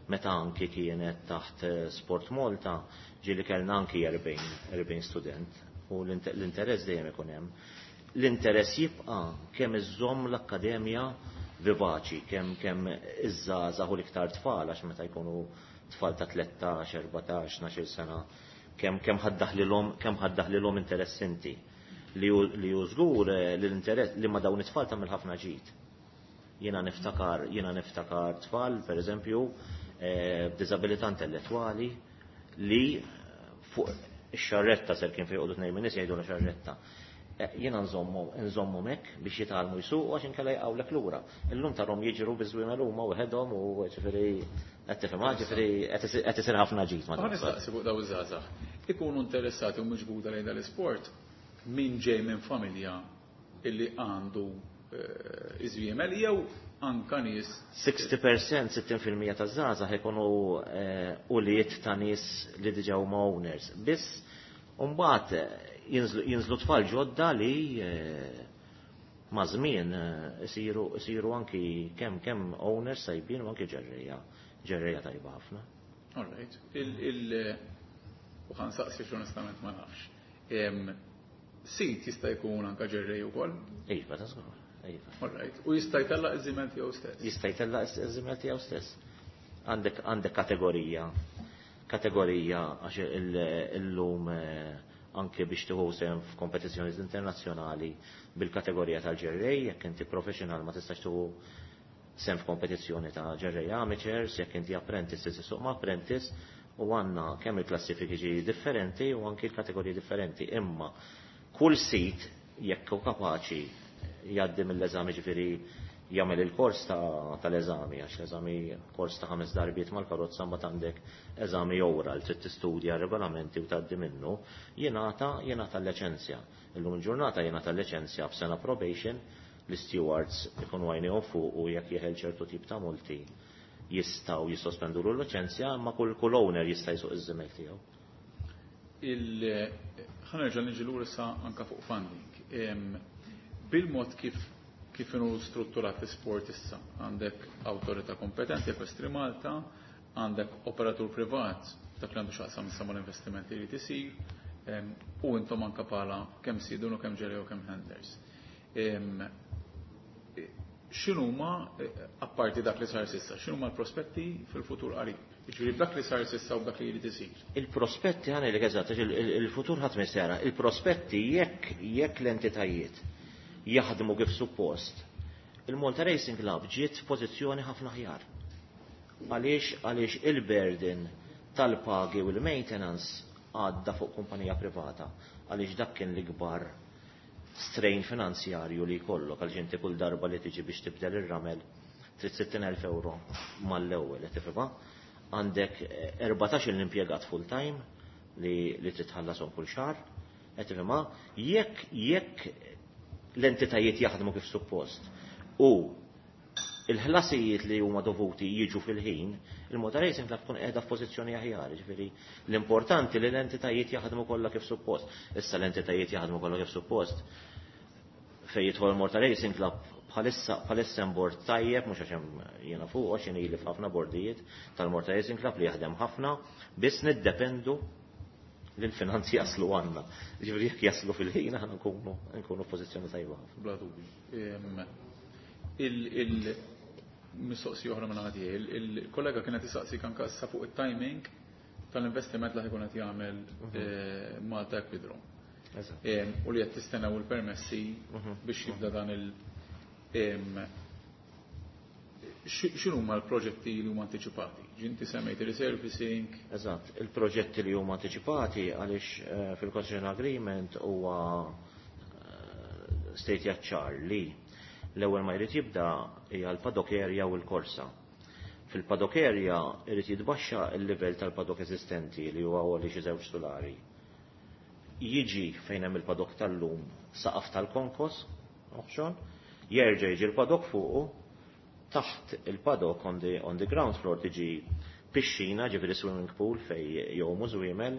meta anki kienet taħt Sport Malta, ġieli kellna anki erbgħin student u l-interess dejjem ikun hemm. L-interess jibqa' kemm iżżomm l-akkademja vivaċi, kemm kemm iż-żgħażagħ u l-iktar tfal, għax meta jkunu tfal ta' tlettax, erbatax, tnax-il sena, kemm kemm ħaddaħlilhom, kemm ħaddaħlilhom interess inti. Li hu, li hu żgur li l-interess li ma dawn it-tfal tagħmel ħafna ġid. Jiena niftakar, jiena niftakar tfal, pereżempju, b'diżabilità intellettwali li fuq ix-xarretta ser kien fejn joqogħdu tnejn min-nies jgħidulha xarretta. Jiena nżommu, nżommu hekk biex jitgħallmu jsuqu għax inkella jqawlek lura. Illum tarhom jiġru biż-żwiemel huma waħedhom u ġifieri qed tifhem, ġifieri qed isir ħafna ġid ma Ħa nistaqsi fuq dawn iż-żgħażagħ. Ikunu interessati u miġbuda lejn dal-isport min ġej minn familja illi għandu iż-żwiemel jew anka nies. sixty percent, sittin fil-mija taż-żgħażagħ ikunu ulied ta' nies li diġà huma owners. Biss mbagħad jinżlu tfal ġodda li ma' żmien isiru, isiru anki kemm, kemm owners sajbin u anki ġerrejja, ġerrejja tajba ħafna. All right. Il, il, u ħa nsaqsi onestament ma nafx. Sit jista' jkun anka ġerrej ukoll? Iva, ta' żgur. Iva. All right. U jista' jtellaq iż-żiemel tiegħu stess? Jista' jtellaq iż-żiemel tiegħu stess. Għandek, għandek kategorija, kategorija għax illum anke biex tieħu sehem f'kompetizzjonijiet internazzjonali bil-kategorija tal-ġerrej, jekk inti professional ma tistax tieħu sehem f'kompetizzjoni ta' ġerrej amateurs, jekk inti apprentice tista' tissuq ma' apprentice, u għandna kemm il-klassifiki differenti u anke l-kategoriji differenti. Imma kull sit jekk hu kapaċi jgħaddi mill-eżami, ġifieri jagħmel il-kors ta', tal-eżami, għax l-eżami kors ta' ħames darbiet mal-karozza mbagħad għandek eżami oral, trid tistudja regolamenti u tgħaddi minnu, jingħata, jingħata l-liċenzja. Illum il-ġurnata jingħata l-liċenzja b'sena probation, l-stewards ikunu għajnejhom fuq u jekk jeħel ċertu tip ta' multi jistgħu jissospendu l-liċenzja, imma kull, kull owner jista' jsuq iż-żiemel tiegħu. Il-, ħa nerġa' niġi lura issa anka fuq funding. Em, bil-mod kif, kif inhu strutturat l-isport issa, għandek awtorità kompetenti, Equestri Malta, għandek operatur privat, dak li għandu x'jaqsam issa mal-investimenti li tisir, em, u intom anka bħala kemm sidun u kemm ġerrej u kemm handlers. Em, x'inhuma, apparti dak li sar sissa, x'inhuma l-prospetti fil-futur qarib? Jiġifieri b'dak li sar sissa u b'dak li jrid isir. Il-prospetti ħa ngħidlek eżatt, għax il-, il-, il-futur ħadd ma jista' jara. Il-prospetti jekk, jekk l-entitajiet jaħdmu kif suppost, il-Malta Racing Club ġiet f'pożizzjoni ħafna aħjar. Għaliex, għaliex il-burden tal-pagi u l-maintenance għadda fuq kumpanija privata, għaliex dak kien l-ikbar strain finanzjarju li jkollok, għaliex inti kull darba li tiġi biex tibdel ir-ramel trid sittin elf euro mal-ewwel, qed tifhimha? Għandek erbatax il impjegat full time li, li trid tħallashom kull xahar, qed tifhimha? Jekk, jekk l-entitajiet jaħdmu kif suppost u il-ħlasijiet li huma dovuti jiġu fil-ħin, il-Malta Racing Club tkun qiegħda f'pożizzjoni aħjar, ġifieri l-importanti li l-entitajiet jaħdmu kollha kif suppost. Issa l-entitajiet jaħdmu kollha kif suppost fejn jidħol Malta Racing Club Bħalissa bħalissa hemm bord tajjeb, mhux għax hemm jiena fuq, għax jien ili f'ħafna bordijiet tal-Malta Racing Club li jaħdem ħafna, biss niddependu li l-finanzi jaslu għandna. Ġifieri jekk jaslu fil-ħin aħna nkunu nkunu f'pożizzjoni tajba ħafna. Bla dubju. Il-mistoqsija oħra minn għadi, il-kollega kienet isaqsik anka issa fuq it-timing tal-investiment li ħa jkun qed jagħmel Malta Equidrom. U li qed tistennew il-permessi biex jibda dan il- X'inhuma l-proġetti li huma antiċipati? Ġinti semmejt il-resurfacing. Eżatt, il-proġetti li huma antiċipati għaliex fil-concession agreement huwa state ċar li l-ewwel ma jrid jibda hija l-paddock area u l-korsa. Fil-paddock area jrid jitbaxxa l-livell tal-paddock eżistenti li huwa għoli xi żewġ solari. Jiġi fejn hemm il-paddock tal-lum saqaf tal-konkos, oħxon, jerġa' jiġi l-paddock fuqu, taħt il-paddock on the, on the ground floor tiġi pixxina, ġifieri swimming pool fej jgħumu żwiemel,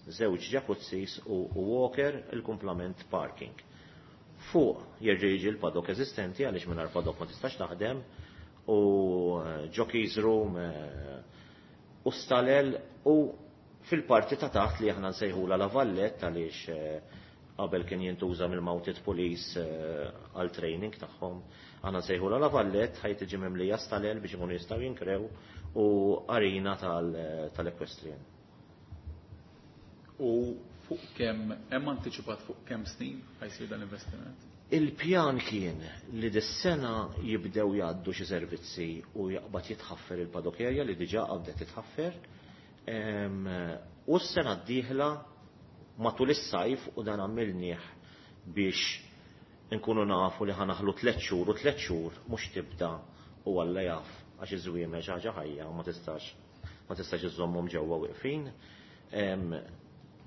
żewġ jacuzzis u, u walker, il-kumplament parking. Fuq jerġa' jiġi l-paddock eżistenti għaliex mingħajr paddock ma tistax taħdem u jockeys room u stalel u fil-parti ta' taħt li aħna nsejħula la Valletta għaliex qabel kien jintuża mill-Mounted Police għal training tagħhom. Aħna nsejħula la Valletta ħaj tiġi mimlija stalel biex ikunu jistgħu jinkrew u arena tal-equestrian. U fuq kemm hemm antiċipat fuq kemm snin ħa jsir dan l-investiment? Il-pjan kien li dis-sena jibdew jgħaddu xi servizzi u jaqbad jitħaffer il-paddock area li diġà qabdet titħaffer. U s-sena d-dieħla matul is-sajf u dan għamilnieh biex nkunu nafu li ħa naħlu tliet xhur u tliet xhur mhux tibda u Alla jaf għax iż-żwiemel xi ħaġa ħajja u ma tistax ma tistax iżommhom ġewwa wieqfin.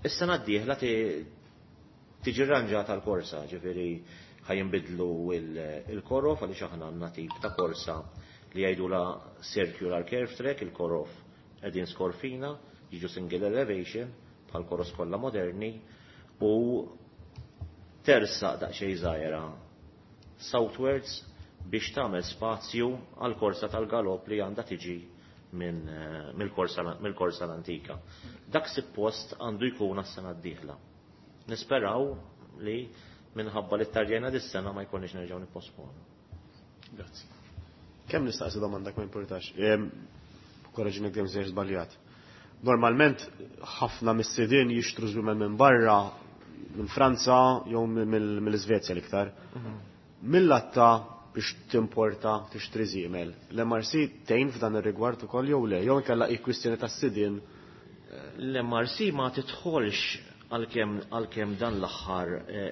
Is-sena d-dieħla tiġi rranġata l-korsa, ġifieri ħa jinbidlu il-korof għaliex aħna għandna tip ta' korsa li jgħidula circular curve track, il-korof qegħdin skorfina, jiġu single elevation bħal koros kollha moderni u tersaq daqsxejn żgħira southwards biex tagħmel spazju għal korsa tal-galop li għandha tiġi minn mill-korsa mill-korsa l-antika. Dak suppost għandu jkun għas-sena d-dieħla. Nisperaw li minħabba li tardjajna dis-sena ma jkunniex nerġgħu nipposponu. Grazzi. Kemm nistaqsi domanda ma importax. Korreġini kemm sejjer żbaljat. Normalment ħafna mis-sidien jixtru żwiemel minn barra, minn Franza jew mill-Iżvezja l-iktar. Mill-latta biex timporta tixtri żiemel. L-M R C tgħin f'dan ir-rigward ukoll jew le, jew inkella hi kwistjoni tas-sidien? L-M R C ma tidħolx għalkemm għalkemm dan l-aħħar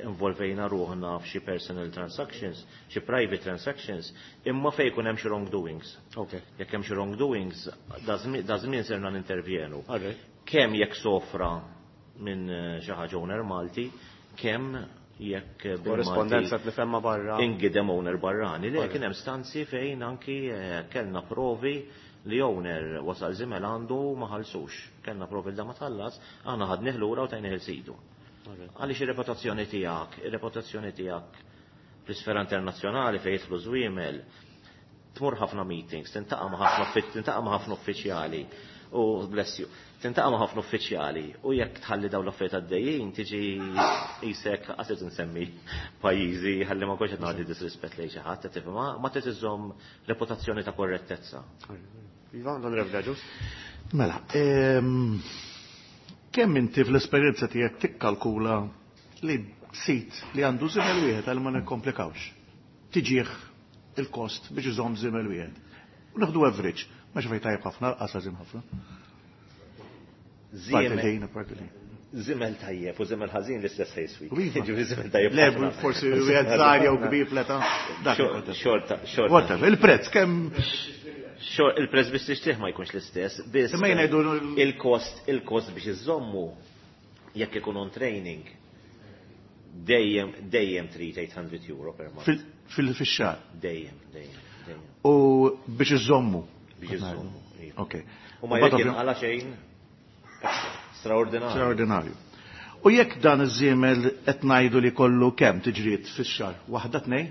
involvejna ruħna f'xi personal transactions, xi private transactions, imma fejn jkun hemm xi wrongdoings. Okay. Jekk hemm xi wrongdoings, da żmien serna nintervjenu. Alright. Kemm jekk sofra minn xi ħaġa owner Malti, kemm jekk Korrespondenza tifhem ma' barra. Ingidem owner barrani. Le, kien hemm stanzi fejn anki kellna provi li owner wasal żiemel għandu ma ħallsux. Kellna provi da ma tħallas, aħna ħadnih lura u tajnih il-sidu. Għaliex ir-reputazzjoni tiegħek, ir-reputazzjoni tiegħek fl-isfera internazzjonali fejn jidħlu żwiemel, tmur ħafna meetings, tintaqa' ma' ħafna tintaqa' ma' ħafna uffiċjali u bless you, tintaqa' ma' ħafna uffiċjali u jekk tħalli dawn l-affarijiet għaddejjin tiġi qisek qas nsemmi pajjiżi ħalli ma kontx qed nagħti disrispett lejn xi ħadd, tifhem, ma trid iżżomm reputazzjoni ta' korrettezza. Iva, l-Onorevoli Agius. Mela, kemm inti fl-esperjenza tiegħek tikkalkula li sit li għandu żiemel wieħed għal ma nikkomplikawx? Tiġih il-kost biex iżomm żiemel wieħed. U naħdu average, ma xi fejn tajjeb ħafna, qas ħafna. Żiemel Parti li. Żiemel tajjeb u żiemel ħażin l-istess ħejswi. Iva. Ġifieri żiemel tajjeb. Le, forsi wieħed żgħar jew kbir fl-età. Dak Xorta, xorta. Whatever, il-prezz kemm Xor, il-prezz biex tixtrih ma jkunx l-istess, biss Imma jien ngħidu il-kost, il-kost biex iżommu jekk ikun on training dejjem dejjem trid eight hundred euro per month. Fil-xahar. Dejjem, dejjem, dejjem. U biex iżommu. Biex iżommu. Iva. Ok. U ma jekk jinqala xejn straordinarju. Straordinarju. U jekk dan iż-żiemel qed ngħidu li kollu kemm tiġriet fix-xahar? Waħda, tnejn?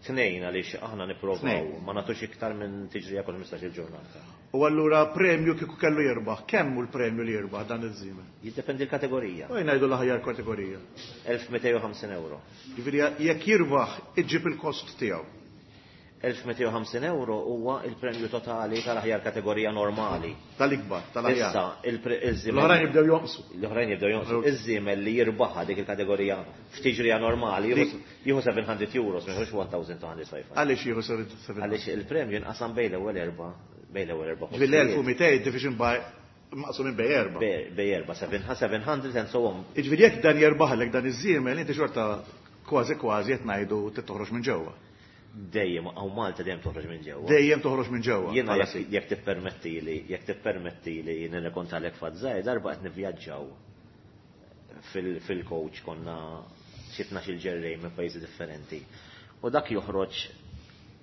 Tnejn għaliex aħna nipprovaw ma nagħtux iktar minn tiġrija kull ħmistax-il ġurnata. U allura premju kieku kellu jirbaħ, kemm hu l-premju li jirbaħ dan iż-żiemel? Jiddependi l-kategorija. U ngħidu l-aħjar kategorija. elf mitejn u ħamsin euro. Jiġifieri jekk jirbaħ iġib il-kost tiegħu. elf mitejn u ħamsin euro huwa il-premju totali tal-aħjar kategorija normali. Tal-ikbar, tal-aħjar. Issa, il-żiemel. L-oħrajn jibdew jonqsu. L-oħrajn jibdew jonqsu. Iż-żiemel li jirbaħha dik il-kategorija f'tiġrija normali jieħu seven hundred euros, ma jieħux one thousand two hundred five. Għaliex jieħu seven hundred? Għaliex il-premju jinqasam bejn l-ewwel erba', bejn l-ewwel erba' Ġifieri l-elf u mitejn division by maqsum minn bej erba'. Bej erba', seven hundred and so on. Jiġifieri jekk dan jirbaħlek dan iż-żiemel, inti xorta kważi kważi qed ngħidu toħroġ minn ġewwa. Dejjem, għaw Malta dejjem toħroġ minn ġewwa. Dejjem toħroġ minn ġewwa. Jiena jekk, jekk tippermetti li, jekk tippermetti li nirrekontalek fatt żgħir, darba qed nivvjaġġaw fil-coach konna xi tnax-il ġerrej minn pajjiżi differenti. U dak joħroġ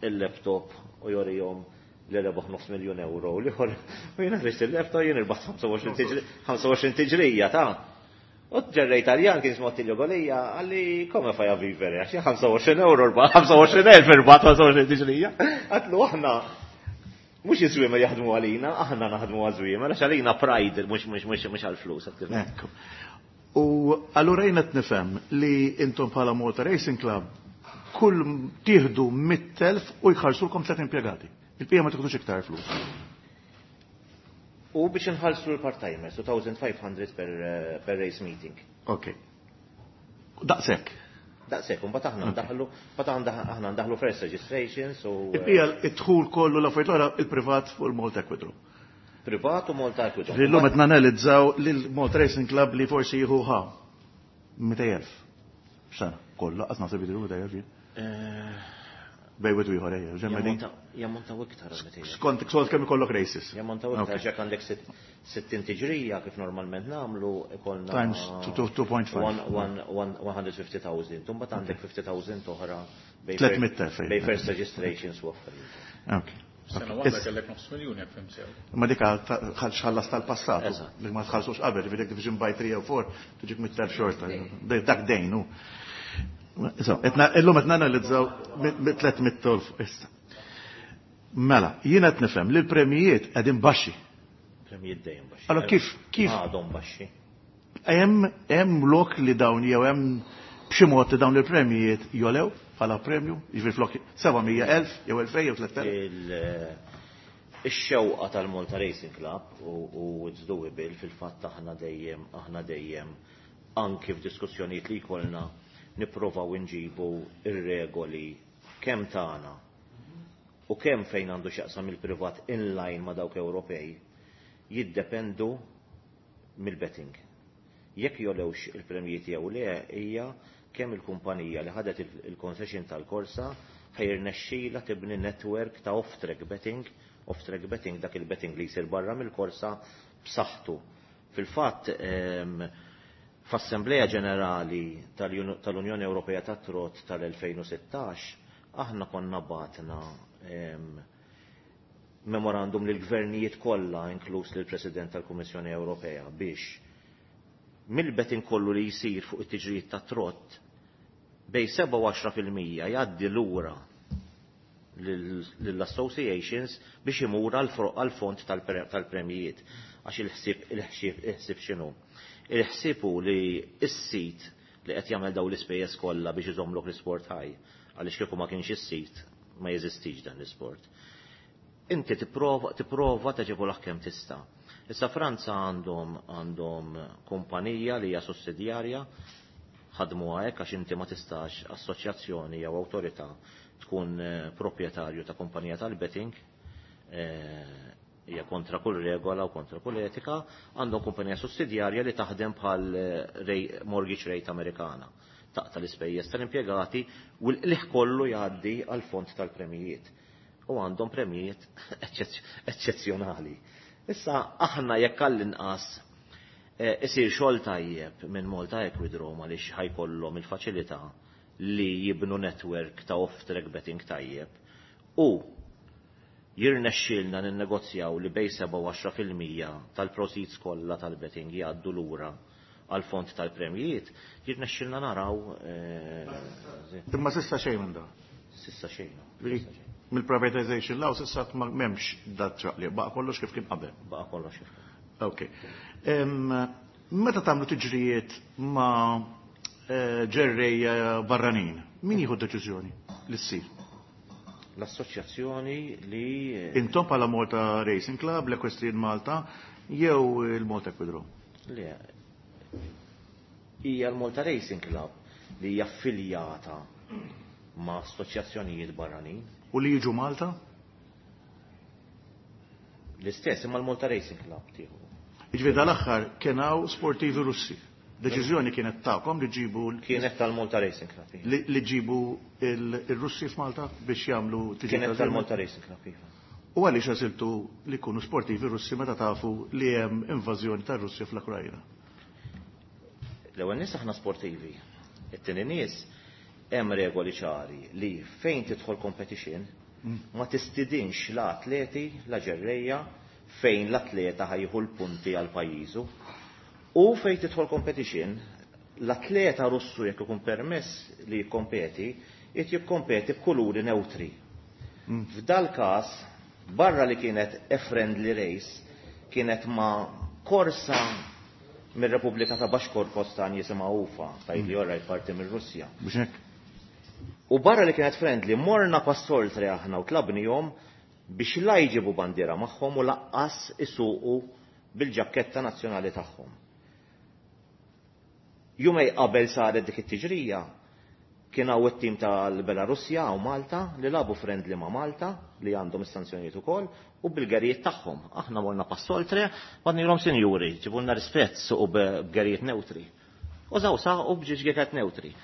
il-laptop u jorihom li rebaħ nofs miljun euro u l-ieħor, u jiena ħriġt il-laptop jien irbaħ ħamsa u għoxrin tiġrija ta' U ġerrej Taljan kien jismu Attilio Golija, għalli come fai a vivere, għax ħamsa u għoxrin euro rbaħ, ħamsa u għoxrin elf irbaħ, ħamsa u għoxrin tiġrija. Għatlu aħna, mhux iż-żwiemel jaħdmu għalina, aħna naħdmu għaż-żwiemel, għax għalina pride, mhux, mhux, mhux, mhux għall-flus, għat kif. Ekku. U allura jiena qed nifhem li intom bħala Malta Racing Club kull tieħdu mitt elf u jħallsulkom tliet impjegati. Il-pija ma tieħdux iktar flus. U biex nħallsu l-part-timers, two thousand five hundred per, per race meeting. Ok. Daqshekk. Daqshekk, u mbagħad aħna ndaħlu, mbagħad aħna aħna ndaħlu first registrations u, Il-pija id-dħul kollu l-affarijiet l-oħra il-privat fuq il-Malta Equidrom. Privat u Malta Equidrom. Ġifieri llum qed nanalizzaw lil Malta Racing Club li forsi jieħu ħa mitejn elf. X'sena, kollha qatt naħseb jidhru mitejn elf jien. Eh, Bej wieħed u ieħor ejja, ġemma din. Jammontaw iktar għal mitejn elf. Skont, skont kemm ikollok races. Jammontaw iktar, Ok. ġek għandek sitt-, sittin tiġrija kif normalment nagħmlu, ikollna Times two, two, two point five. One, one, one, one hundred fifty thousand. Imbagħad għandek fifty thousand oħra bej Tliet fir- mitt elf, ejja. bej first registrations u affarijiet. Ok. Sena Ok. waħda Is- kellek nofs miljun jekk fim sew. Ma dik xħallas tal-passat, Eżatt. li ma tħallsux qabel, ġifieri jekk division by three or four, tiġik mitt elf xorta. Dak dejn hu. Issa, etna, illum qed nanalizzaw tliet mitt elf issa. Mela, jiena qed nifhem li l-premijiet qegħdin baxxi. Premijiet dejjem baxxi. Allora kif, kif? Għadhom baxxi. Hemm, hemm lok li dawn jew hemm b'xi mod li dawn il-premijiet jolew bħala premju, jiġifieri flok seba' mija elf jew elfejn jew tliet elf. Il-, ix-xewqa tal-Malta Racing Club u, u it's doable fil-fatt aħna dejjem, aħna dejjem anki f'diskussjonijiet li jkollna nipprovaw inġibu ir-regoli kemm tagħna u kemm fejn għandu x'jaqsam il-privat inline ma' dawk Ewropej jiddependu mill-betting. Jekk jolewx il-premjiet jew le hija kemm il-kumpanija li ħadet il-, il-concession tal-korsa ħajrnexxila tibni network ta' off-track betting, off-track betting dak il-betting li jsir barra mill-korsa b'saħħtu. Fil-fatt, ehm, f'Assembleja Ġenerali tal-Uni-, tal-Unjoni Ewropea tat-Trot tal-elfejn u sittax, aħna konna batna, ehm, memorandum lill-gvernijiet kollha, inkluż lill-President tal-Kummissjoni Ewropea, biex mill-betting kollu li jsir fuq it-tiġrijiet tat-trot bej seba' u għaxra fil-mija jgħaddi lura lill-associations biex imur għall-fond tal-pre-, tal-premijiet. Għax il-ħsieb, il-ħsieb, il-ħsieb x'inhu? Il-ħsieb hu li s-sit li qed jagħmel dawn l-ispejjeż kollha biex iżommlok l-isport ħaj, għaliex kieku ma kienx is-sit ma jeżistix dan l-isport. Inti tipprova, tipprova taġevolah kemm tista'. Issa Franza għandhom, għandhom kumpanija li hija sussidjarja, ħadmuha hekk għax inti ma tistax assoċjazzjoni jew awtorità tkun, eh, proprjetarju ta' kumpanija tal-betting, eh, hija kontra kull regola u kontra kull etika, għandhom kumpanija sussidjarja li taħdem bħal, eh, rej-, mortgage rate Amerikana. Taqta l-ispejjeż tal-impjegati u l-qligħ kollu jgħaddi għal fond tal-premijiet. U għandhom premijiet eċċezzj-, eċċezzjonali. Issa aħna jekk għall-inqas, eh, isir xogħol tajjeb minn Malta Equidrome għaliex ħajkollhom il-faċilità li jibnu network ta' off-track betting tajjeb u jirnexxielna ninnegozjaw li bej seba' u għaxra fil-mija tal-proceeds kollha tal-betting jgħaddu lura għal fond tal-premijiet, jirnexxielna naraw, eh, Imma s'issa xejn minn da. S'issa xejn. Mill-privatization law s'issa m'hemmx dat ċaqliq, baqa' kollox kif kien qabel. Baqa' kollox kif kien. Ok. Meta tagħmlu tiġrijiet ma' ġerrejja barranin, min jieħu d-deċiżjoni li ssir? L-assoċjazzjoni li Intom bħala Malta Racing Club, l-Equestrian Malta, jew il-Malta Equidrome? Le. Hija l-Malta Racing Club li hija affiljata ma' assoċjazzjonijiet barranin. U li jiġu Malta? L-istess, imma l-Malta Racing Club tieħu. Jiġifieri dal-aħħar kien hawn sportivi Russi. Deċiżjoni kienet tagħkom li ġibu Kienet tal-Malta Racing Club. Iva. li ġibu il-Russi f'Malta biex jagħmlu tiġi Kienet tal-Malta Racing Club. Iva. U għaliex għażiltu li jkunu sportivi Russi meta tafu li hemm invażjoni tar-Russja fl-Ukrajna? L-ewwel nies aħna sportivi. It-tieni nies hemm regoli ċari li fejn tidħol competition ma tistidinx la atleti, la ġerrejja fejn l-atleta ħa jieħu l-punti għal pajjiżu. U fejn tidħol competition, l-atleta Russu jekk ikun permess li jikkompeti, qed jikkompeti b'kuluri neutri. F'dal każ, barra li kienet a friendly race, kienet ma' korsa mir-Repubblika ta' Bashkortostan jisimha Ufa, tajt li orrajt parti mir-Russja. Biex hekk? U barra li kienet friendly, morna pass oltre aħna u tlabnihom biex la jġibu bandiera magħhom u lanqas isuqu bil-ġakketta nazzjonali tagħhom. Jumejn qabel saret dik it-tiġrija, kien hawn it-tim tal-Belarusja u Malta li lagħbu friendly ma' Malta li għandhom is-sanzjonijiet ukoll u bil-gerijiet tagħhom. Aħna morna pass oltre, għednielhom sinjuri, ġibulna rispett suqu b'gerijiet neutri. U żaw saqu b'ġiġġieket neutri.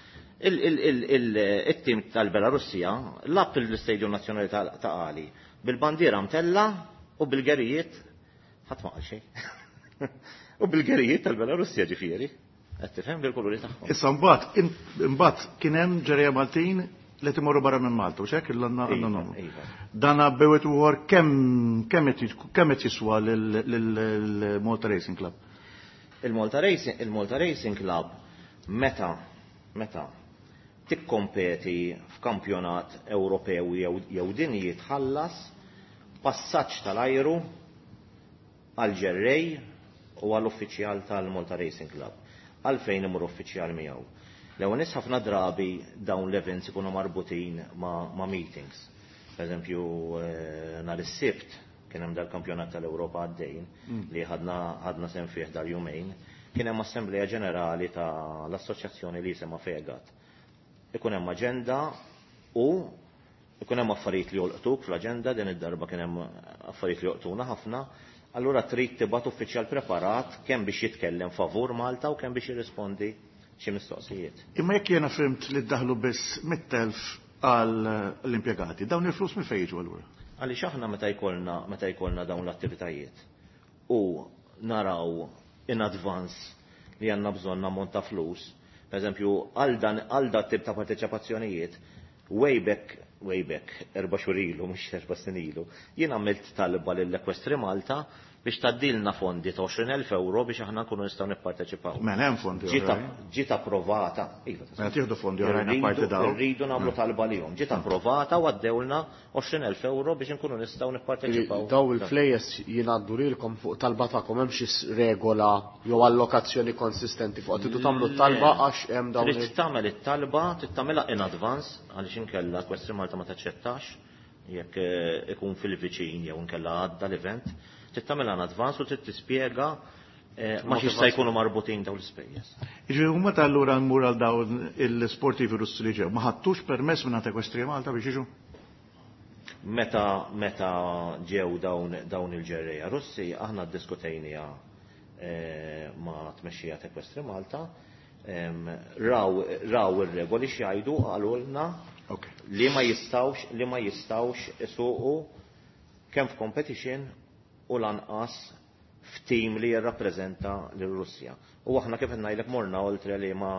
Il-tim tal-Belarusja lagħab fil-Stadium Nazzjonali ta' Qali bil-bandiera mtella u bil-gerijiet ħadd ma qal xejn. U bil-gerijiet tal-Belarusja ġifieri. Qed tifhem bil-kuluri tagħhom. Issa mbagħad imbagħad kien hemm ġerrejja Maltin li timorru barra minn Malta, u xek il-għandna Iva, nagħmlu. iva. Dan bewet uħor kemm kemm qed kemm qed jiswa lill-Malta Racing Club? Il-Malta Racing, il-Malta Racing Club meta meta tikkompeti f'kampjonat Ewropew jew jew dinji tħallas passaġġ tal-ajru għal ġerrej u għall uffiċjal tal-Malta Racing Club. Għalfejn imur uffiċjal miegħu. L-ewwel nies ħafna drabi dawn l-events ikunu marbutin ma', ma meetings. Per eżempju, eh, nhar is-Sibt kien hemm dal-kampjonat tal-Ewropa għaddejn li ħadna ħadna sehem fih dar jumejn, kien hemm assembleja ġenerali tal-assoċjazzjoni li jisimha FEGAT. Ikun hemm aġenda u ikun hemm affarijiet li jolqtuk fl-aġenda, din id-darba kien hemm affarijiet li jolqtuna ħafna, allura trid tibgħat uffiċjal preparat kemm biex jitkellem favur Malta u kemm biex jirrispondi xi mistoqsijiet. Imma jekk jiena fhimt li ddaħlu biss mitt elf għal l-impjegati, dawn il-flus minn fejn jiġu allura? Għaliex aħna meta jkollna meta jkollna dawn l-attivitajiet u naraw in advance li għandna bżonn ammont ta' flus, per eżempju, għal dan għal dat tip ta' parteċipazzjonijiet, way back, way back, erba' xhur ilu, mhux erba' snin ilu, jien għamilt talba lill-Equestri Malta biex tgħaddilna fondi ta' għoxrin elf euro biex aħna nkunu nistgħu nipparteċipaw. Mela hemm fondi Ġiet oħrajn. ġiet approvata. Iva, Mela tieħdu fondi oħrajn apparti dawn. Irridu nagħmlu talba lihom. Ġiet approvata u għaddewlna għoxrin elf euro biex nkunu nistgħu nipparteċipaw. Daw il-flejjes jingħaddu lilkom fuq talba tagħkom, hemm xi regola jew allokazzjoni konsistenti fuq tridu tagħmlu t-talba għax hemm dawn Trid tagħmel it-talba, trid tagħmilha in advance għaliex inkella Equestri Malta ma taċċettax jekk eh, ikun fil-viċin jew inkella għadda l-event, trid tagħmilha in advance u trid tispjega eh, ma x'jista' jkunu marbutin dawn l-ispejjeż. Jiġifieri huma ta' allura nmur għal dawn il-sportivi Russi li ġew, ma ħadtux permess minn Equestria Malta biex jiġu? Meta meta ġew dawn dawn il-ġerrejja Russi, aħna ddiskutejniha eh, ma' tmexxija ta' Equestri Malta, em, raw raw ir-regoli x'jgħidu qalulna Ok. li ma jistawx li ma jistawx isuqu kemm f'competition u lanqas f'tim li jirrappreżenta lir-Russja. U aħna kif qed ngħidlek morna oltre li ma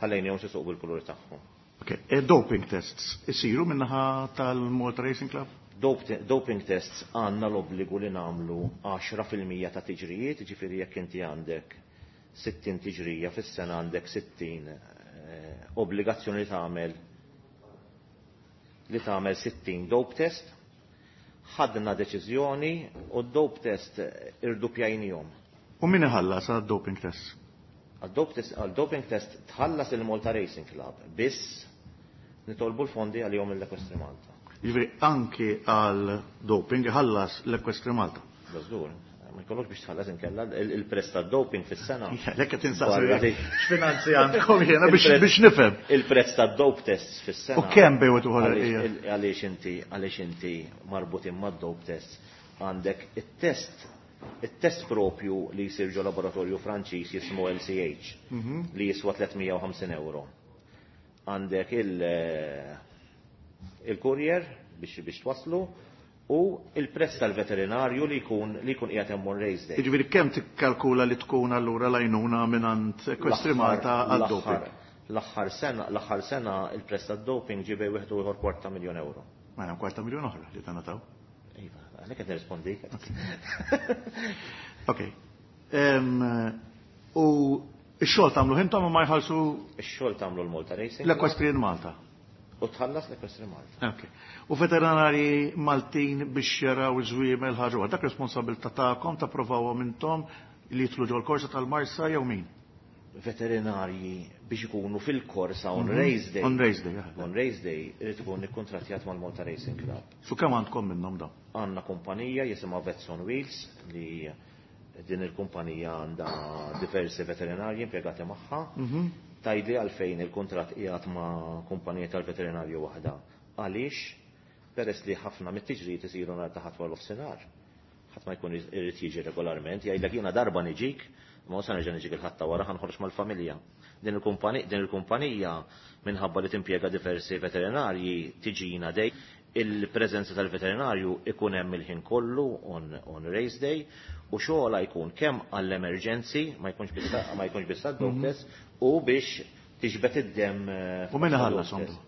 ħallejnihom isuqu bil-kulur tagħhom. Ok, e doping tests isiru minnaħa tal-Malta Racing Club? Dope- Doping tests għandna l-obbligu li nagħmlu għaxra fil-mija ta' tiġrijiet, ġifieri jekk inti għandek sittin tiġrija fis-sena għandek sittin, eh, obbligazzjoni li tagħmel li tagħmel sittin dope test, ħadna deċiżjoni u d-dope test irdupjajnihom. U min iħallas għad-doping test? Għal-doping test tħallas il-Malta Racing Club, biss nitolbu l-fondi għalihom l-Equestri Malta. Jiġifieri anki għal-doping iħallas l-Equestri Malta. Dażgur, ma jkollokx biex tħallas inkella il-prezz tad-doping fis-sena. Lekk qed insaqsi x'finanzi għandkom jiena biex nifhem. Il-prezz tad-dope test fis-sena. U kemm bejwet uħor għaliex inti għaliex inti marbutin mad-dope test għandek it-test it-test propju li jsir ġo laboratorju Franċiż jismu L C H li jiswa tliet mija u ħamsin euro. Għandek il-courier biex biex twaslu u il-prezz tal-veterinarju li jkun li jkun qiegħed hemm on race day. Jiġifieri kemm tikkalkula li tkun allura l-għajnuna mingħand Equestri Malta għad-doping? L-aħħar sena, l-aħħar sena il-prezz tad-doping ġie bejn wieħed u ieħor kwarta miljun euro. Mela kwarta miljun oħra li tangħataw. Iva, għalhekk qed nirrispondik. Ok. U x-xogħol tagħmlu intom u ma jħallsu? Ix-xogħol tagħmlu l-Malta Racing. L-Equestrian Malta. U tħallas l-Equestri Malta. Ok. U veterinari Maltin biex jaraw iż-żwiemel ħaġa, dak responsabilità tagħkom tapprovawhom intom li jidħlu ġol korsa tal-Marsa jew min? Veterinarji biex ikunu fil-korsa on Mhm. race day. On race day, jaħdem. On race day irid ikun ikkontrattjat mal-Malta Racing Club. Su kemm għandkom minnhom dawn? Għandna kumpanija jisimha Vets on Wheels li din il-kumpanija għandha diversi veterinarji impjegati magħha. Mhm. Tajdi għalfejn il-kuntratt qiegħed ma' kumpanija tal-veterinarju waħda. Għaliex? Peress li ħafna mit-tiġrijiet isiru nhar ta' ħadd wara nofsinhar. Ħadd ma jkun irid jiġi regolarment, jgħidlek jiena darba niġik, ma sa nerġa' niġik il-ħadd ta' wara ħanħorġ mal-familja. Din il-kumpani-, din il-kumpanija minħabba li timpjega diversi veterinarji tiġina dej, il-preżenza tal-veterinarju ikun hemm il-ħin kollu on, on race day u xogħla jkun kemm għall-emerġenzi, ma jkunx biss, ma jkunx biss għad-dope Mhm. test, u biex tiġbed id-dem, eh, U min għad-dope ħallasom test.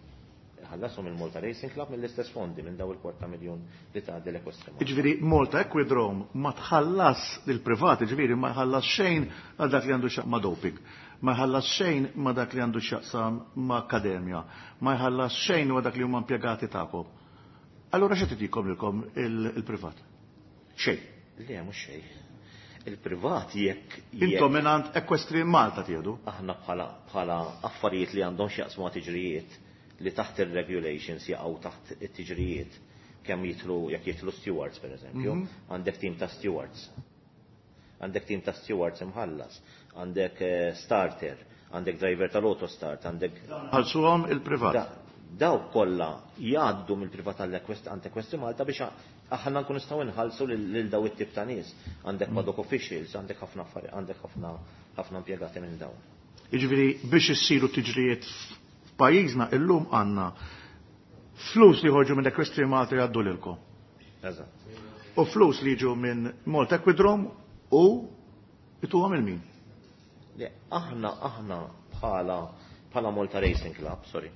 Ħallasom il-Malta Racing Club mill-istess fondi minn daw il-kwarta miljun li tgħaddi l-Equestri Malta. Jiġifieri Malta Equidrome ma tħallas lill-privat, jiġifieri ma jħallas xejn għal dak li għandu x'jaqsam ma' doping, ma jħallas xejn ma' dak li għandu x'jaqsam ma' akkademja, ma jħallas xejn ma' dak li huma impjegati tagħkom. Allura x'qed itikom lilkom il-, il-privat? Xejn. Le, mhux xejn. Il-privat jekk jekk Intom mingħand Equestri Malta tieħdu? Aħna bħala, bħala affarijiet li għandhom x'jaqsmu ma' tiġrijiet li taħt ir-regulations jaqgħu taħt it-tiġrijiet kemm jitlu jekk jitlu stewards pereżempju, Mhm. għandek tim ta' stewards. Għandek tim ta' stewards imħallas, għandek, eh, starter, għandek driver tal-autostart, għandek Ħallsuhom il-privat. Da-, dawk kollha jgħaddu mill-privat għall-Equest-, għand Equestri Malta biex aħna nkunu nistgħu nħallsu lil, lil daw it-tip ta' nies. Għandek Mm. paddock officials, għandek ħafna affari, għandek ħafna, ħafna impjegati minn dawn. Jiġifieri biex issiru tiġrijiet f'pajjiżna illum għandna flus li jħorġu minn Equestri Malta jgħaddu lilkom. Eżatt. U flus li jiġu minn Malta Equidrome u ituhom il-min? Le, aħna, aħna bħala, bħala Malta Racing Club, sorry.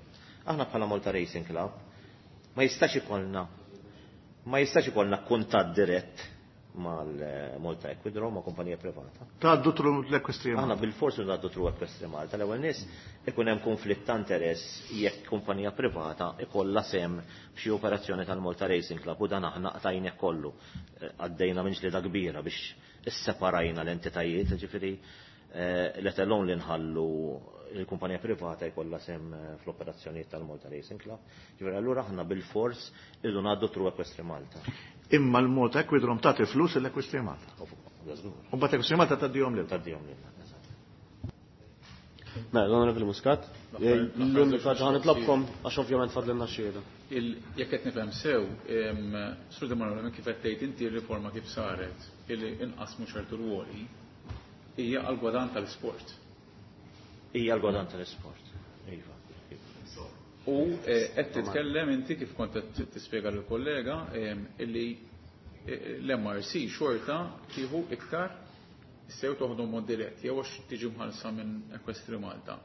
Aħna bħala Malta Racing Club ma jistax ikollna, ma jistax ikollna kuntatt dirett mal-Malta Equidrome, ma' kumpanija privata. Tgħaddu tru l-Equestri Malta. Aħna bil-forsi ngħaddu tru Equestri Malta. L-ewwel nies ikun hemm konflitt ta' interess jekk kumpanija privata ikollha sehem f'xi operazzjoni tal-Malta Racing Club u dan aħna qtajnieh kollu. Eh, għaddejna minn ġlieda kbira biex isseparajna l-entitajiet, ġifieri, eh, let alone li nħallu il-kumpanija privata jkollha sehem, eh, fl-operazzjonijiet tal-Malta Racing Club. Ġifieri allura aħna bil-fors irridu ngħaddu tru Equestri Malta. Imma l-Malta Equidrome tagħti flus l-Equestri Malta. Żgur. U mbagħad Equestri Malta tgħaddihom lilna. Tgħaddihom lilna, eżatt. Mela, l-Onorevoli Muscat, L-aħħar- l-unika ħaġa ħanitlobkom għax ovvjament fadlilna xhieda. Il-, jekk qed nifhem sew, em, Sur De Manuel, minn kif qed tgħid inti r-riforma kif saret illi inqasmu ċertu rwoli hija għal gwadan tal-isport. Hija għal gwadan tal-isport. Iva. U, eh, qed titkellem inti kif kont qed tispjega lill-kollega, em, illi, eh, l-M R C xorta tieħu iktar sew toħdu mod dirett jew għax tiġi mħallsa minn Equestri Malta.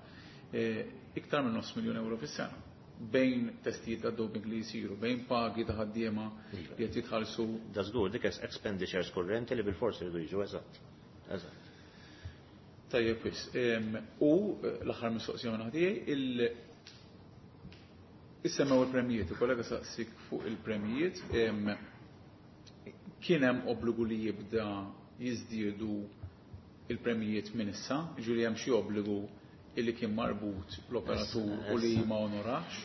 Eh, iktar minn nofs miljun euro fis-sena bejn testijiet ta' doping li jsiru, bejn pagi ta' ħaddiema Iva. li qed jitħallsu. Da żgur dik expenditures kurrenti li bil-forsi jridu jiġu, eżatt. Eżatt. Tajjeb wis. Em, u, eh, l-aħħar mistoqsija minn ħdejja, il Issemmew il-premijiet, il-kollega saqsik fuq il-premijiet, kien hemm obbligu li jibda jiżdiedu il-premijiet minn issa, ġifieri hemm xi obbligu illi kien marbut l-operatur u li ma onorax?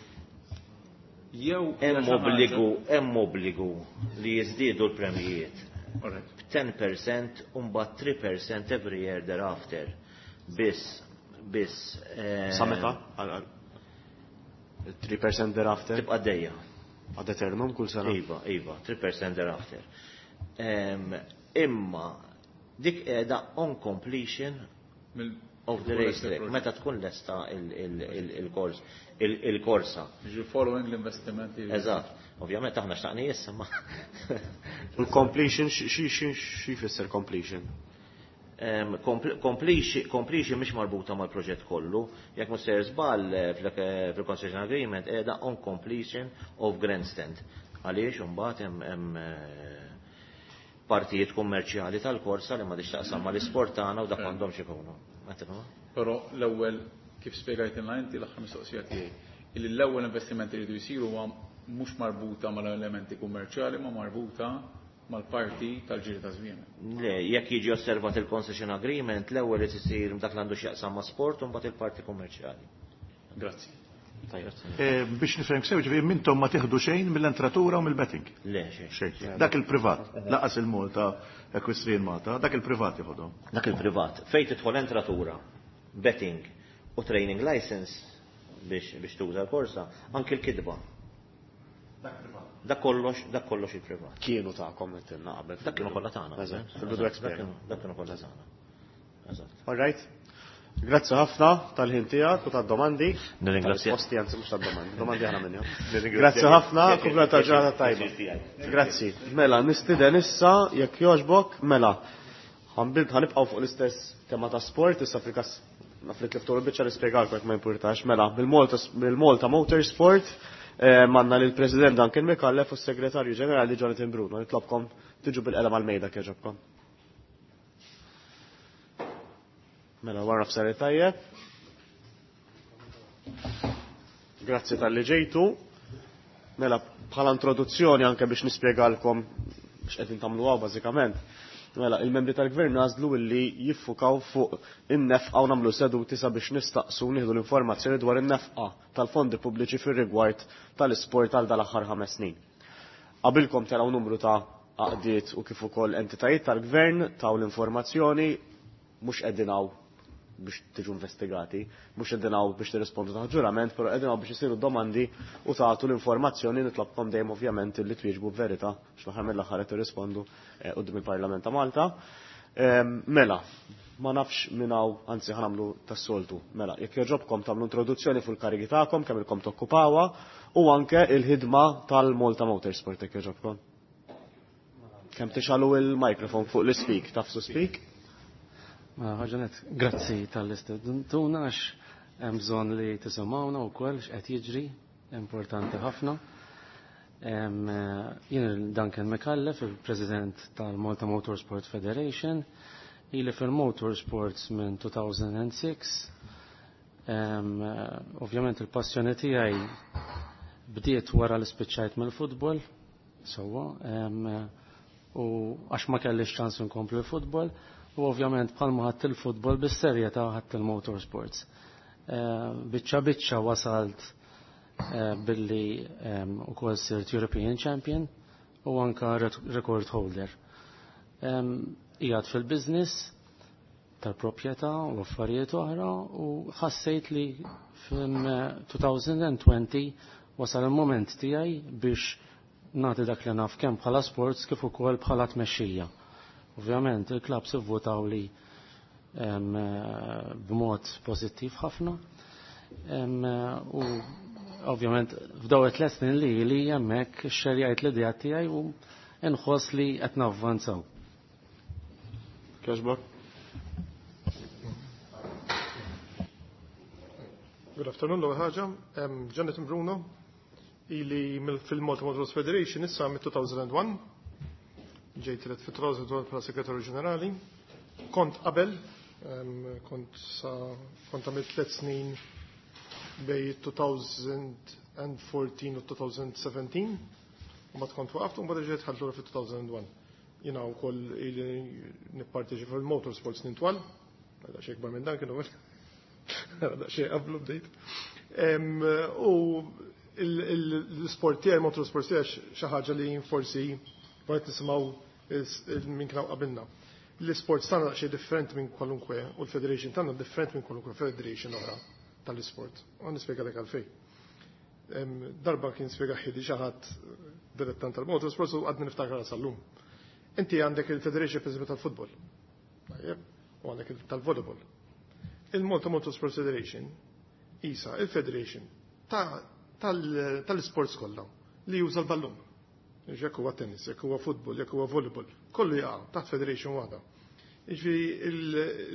Jew hemm obbligu, hemm obbligu li jiżdiedu l-premijiet. ten percent u mbagħad three percent every year thereafter. Biss, biss. Sa meta? three percent thereafter? Tibqa' dejja. Ad eternum kull sena? Iva, iva, three percent thereafter. Imma dik qiegħda on completion of the racetrack, meta tkun lesta il-kors, il-korsa. Ġi following l-investimenti. Eżatt. Ovvjament aħna xtaqni issa ma. Il-completion xi xi jfisser completion? Completion mhix marbuta mal-proġett kollu, jekk mhux ser żball fil-concession agreement qiegħda on completion of grandstand. Għaliex imbagħad hemm partijiet kummerċjali tal-korsa li ma tixtaqsam mal-isport tagħna u dak m'għandhomx ikunu. Però l-ewwel kif spjegajtilna inti l-aħħar mistoqsija tiegħi, illi l-ewwel investimenti li jridu jsiru huwa mhux marbuta mal-elementi kummerċjali ma marbuta mal-parti tal-ġiri ta' żmien. Le, jekk jiġi osservat il-concession agreement, l-ewwel li isir dak li għandu x'jaqsam ma' sport u mbagħad il-parti kummerċjali. Grazzi. Biex nifhem sew, ġifieri mintom ma tieħdu xejn mill-entratura u mill-betting. Le, xejn. Dak il-privat, laqas il-Malta Equestrian Malta, dak il-privat jieħodhom. Dak il-privat. Fejn tidħol entratura, betting u training license biex biex tuża l-korsa, anke l-kidba. Dak privat. Dak kollox, dak kollox il-privat. Kienu tagħkom qed qabel. Dak kienu kollha tagħna. Fil-bidu expert. Dak kienu kollha tagħna. Eżatt. All right. Grazzi ħafna tal-ħin tiegħek u tad-domandi. Nirringrazzja. Posti anzi mhux tad-domandi, domandi aħna minnhom. Grazzi ħafna, kompla ta' ġurnata tajba. Grazzi. Mela, nistieden issa jekk jogħġbok, mela. Ħanibqgħu fuq l-istess tema ta' sport, issa fil-każ naf li tliftu l-biċċa nispjegalkom jekk ma jimpurtax. Mela, bil-Malta Motorsport manna lill-President Duncan Micallef u s-Segretarju Ġenerali Jonathan Bruno. Nitlobkom tiġu bil-qelem għal-mejda kieġobkom. Mela, wara f'sari tajjeb. Grazzi tal-li ġejtu. Mela, bħala introduzzjoni anke biex nispjegalkom x'qegħdin tagħmlu hawn bażikament. Mela, il-membri tal-gvern għażlu li jiffukaw fuq in-nefqa u nagħmlu seduti sabiex nistaqsu nieħdu l-informazzjoni dwar in-nefqa tal-fondi pubbliċi fir-rigward tal-isport għal dal-aħħar ħames snin. Qabilkom taraw numru ta' għaqdiet u kif ukoll entitajiet tal-gvern taw l-informazzjoni mhux qegħdin hawn biex tiġu investigati, mhux qegħdin hawn biex tirrispondu taħt ġurament, però qegħdin hawn biex isiru domandi u tagħtu l-informazzjoni. Nitlobkom dejjem ovvjament li twieġbu b'verità x'l-aħħar mill-aħħar qed tirrispondu quddiem il-Parlament ta' Malta. Mela, ma nafx minn hawn, anzi ħanamlu tas-soltu. Mela, jekk jogħġobkom tagħmlu introduzzjoni fuq il-karigi tagħkom kemm ilkom tokkupawha u anke il-ħidma tal-Malta Motorsport jekk jogħġobkom. Kemm tixalu il-mikrofon fuq l-speak, tafsu speak? Mela, ħaġanet, grazzi tal-istedentuna għax hemm bżonn li tisimgħuna wkoll x'qed jiġri, importanti ħafna. Jien Duncan Micallef, il-President tal-Malta Motorsport Federation, ili fil-motorsports minn two thousand six. Ovvjament il-passjoni tiegħi bdiet wara li spiċċajt mill-futbol, sewwa, u għax ma kellix ċans inkompli l-futbol. U ovvjament bħalma ħadd il-futbol bis-serjetà ħadd il-motorsports. Biċċa biċċa wasalt billi ukoll sirt European Champion u anka record holder. Qiegħed fil-business tal-proprjetà u affarijiet oħra u ħassejt li fin two thousand twenty wasal il-moment tiegħi biex nagħti dak li naf kemm bħala sports kif ukoll bħala tmexxija. Ovvjament il-klabs ivvutaw li b'mod pożittiv ħafna. U ovvjament f'daw it-tliet snin li li hemmhekk xerjajt l-idea tiegħi u nħoss li qed navvanzaw. Kieġbok? Good afternoon, l-ewwel ħaġa. Jonathan Bruno, ili fil-Malta Motorsport Federation issa mit two thousand one. Ġejt elett fit two thousand one bħala Segretarju Ġenerali. Kont qabel, kont sa kont għamilt tliet snin bej two thousand twenty fourteen u twenty seventeen, u mbagħad kont waqaft u mbagħad ġejt dħalt lura fi two thousand one. Jiena wkoll ili nipparteċipa fil-motorsports nintwal, daqsxejn ikbar minn dan kienu, daqsxejn qablu bdejt. U l-sport tiegħi, motorsports tiegħi, xi ħaġa li forsi kont nisimgħu minn kien qabilna. L-sports tagħna daqsxejn differenti minn kwalunkwe u l-federation tagħna differenti minn kwalunkwe federation oħra tal-isport. U nispjegalek għalfejn. Darba kien spjega ħidi xi ħadd dilettant tal-motorsports u għadni niftakar sal-lum. Inti għandek il-Federation, per tal-futbol. Tajjeb, u għandek tal-volleyball. Il-Malta Motorsports Federation isa il-Federation tal-sports kollha li juża l-ballun. Jekk huwa tennis, jekk huwa futbol, jekk huwa volleyball, kollu jaqa' taħt federation waħda. Jiġifieri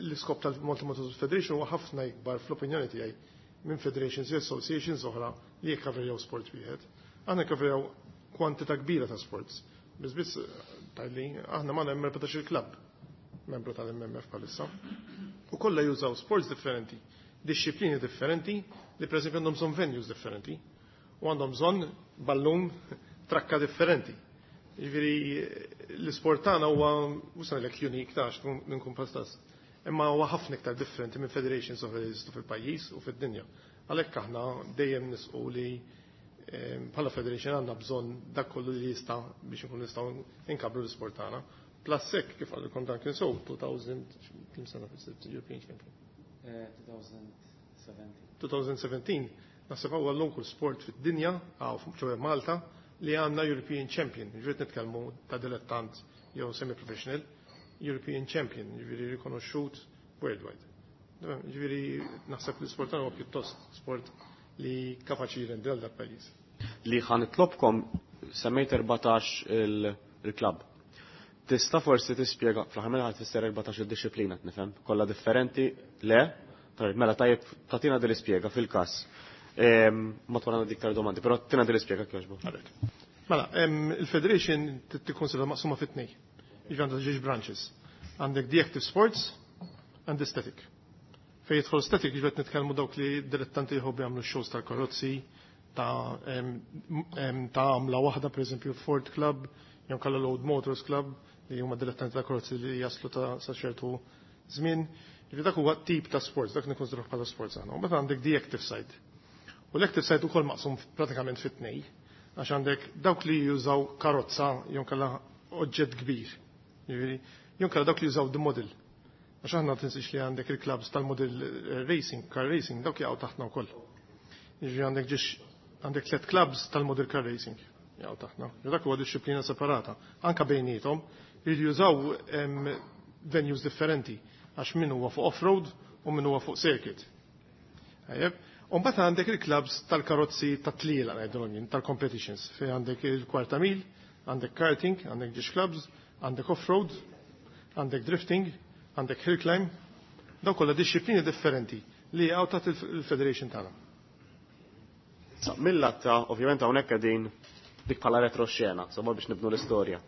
l-iskop tal-Malta Motorsport Federation huwa ħafna ikbar, fl-opinjoni tiegħi, minn federations u associations oħra li jikkaverjaw sport wieħed. Aħna jikkaverjaw kwantità kbira ta' sports. Biss biss tal-li aħna ma hemm erbatax il-klabb membru tal-M M F bħalissa. U kollha jużaw sports differenti, disċiplini differenti, li per esempio għandhom bżonn venues differenti u għandhom bżonn ballun, trakka differenti. Jiġifieri l-isport tagħna huwa mhux ngħidlek unique ta' nkun pastas, imma huwa ħafna iktar differenti minn federations oħra li jeżistu fil-pajjiż u fid-dinja. Għalhekk aħna dejjem nisqu li bħala federation għandna bżonn dak kollu li jista' biex nkun nistgħu inkabbru l-isport tagħna. Plus hekk, kif qalilkom dan kien so two thousand, kemm sena European Champion? twenty seventeen. twenty seventeen, naħseb huwa l-uniku sport fid-dinja, għaw ċoè Malta, li għandna European Champion, ġifieri nitkellmu ta' dilettant jew semi-professional, European Champion, ġifieri rikonoxxut worldwide. Ġifieri naħseb li sport huwa pjuttost sport li kapaċi jirendi għal dak pajjiż. Li ħa nitlobkom, semmejt erbatax il-klabb. Tista' forsi tispjega, fl-aħħar mill tfisser erbatax il-disciplina, nifhem, kollha differenti, le? Tajjeb, mela tajjeb tagħtina din l-ispjega fil-każ. Ma twarana diktar domandi, però tina din l-ispjega kjoġbu. Mela, il-Federation tikkonsidra maqsuma fit-tnej. Jiġi għandha żewġ branches. Għandek the active sports and the static. Fej jidħol static, jiġi nitkellmu dawk li dilettanti jħobbu jagħmlu shows tal-karozzi, ta' ta' għamla waħda, per eżempju Ford Club, jew kalla Load Motors Club, li huma dilettanti ta' karozzi li jaslu ta' sa ċertu żmien. Jiġi dak huwa tip ta' sports, dak nikkonsidrah bħala sports aħna. U meta għandek the active side. U l-active side ukoll maqsum pratikament fit-tnej, għax għandek dawk li jużaw karozza jew kalla oġġett kbir. Jiġifieri, jew kalla dawk li jużaw the model. Għax aħna tinsiex li għandek il-clubs tal-model racing, car racing, dawk jaqgħu taħtna wkoll. Jiġifieri għandek ġiex għandek tliet clubs tal-model car racing jaqgħu taħtna. Dak huwa disċiplina separata. Anka bejniethom jridu jużaw venues differenti, għax min huwa fuq off-road u min huwa fuq circuit. Tajjeb. U mbagħad għandek il-clubs tal-karozzi tat-tliela ngħidulhom jien, tal-competitions, fejn għandek il-kwarta mil, għandek karting, għandek ġiex clubs, għandek off-road, għandek drifting, għandek hill climb, daw kollha disċiplini differenti li jaqgħu taħt il-federation tagħna. Mill-latta, ovvjament hawnhekk qegħdin dik bħala retroxena, insomma biex nibnu l-istorja.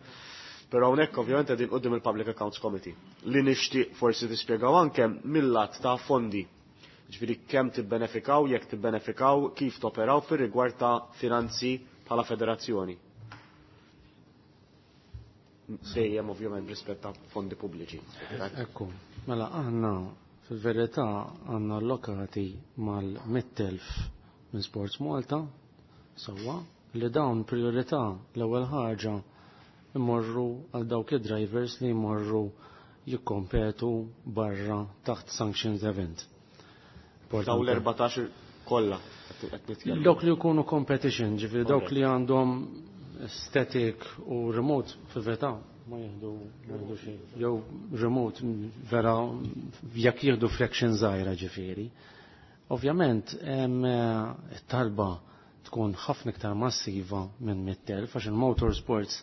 Però hawnhekk ovvjament qegħdin quddiem il-Public Accounts Committee li nixtieq forsi tispjegaw anke mill-lat ta' fondi. Ġifieri kemm tibbenefikaw, jekk tibbenefikaw, kif toperaw fir-rigward ta' finanzi bħala federazzjoni. Dejjem ovvjament rispett ta' fondi pubbliċi. Ekku, mela aħna fil-verità għandna allokati mal-mitt elf minn Sports Malta, sewwa, li dawn priorità l-ewwel ħaġa imorru għal dawk id-drivers li jmorru jikkompetu barra taħt sanctions event. Daw l-erbatax kollha qed nitkellmu. Dawk li jkunu competition, ġifieri dawk li għandhom static u remote, fil-verità ma jieħdu ma jieħdu xejn. Jew remote vera jekk jieħdu fraction żgħira ġifieri. Ovvjament hemm it-talba tkun ħafna iktar massiva minn mitt elf, għax il-motorsports,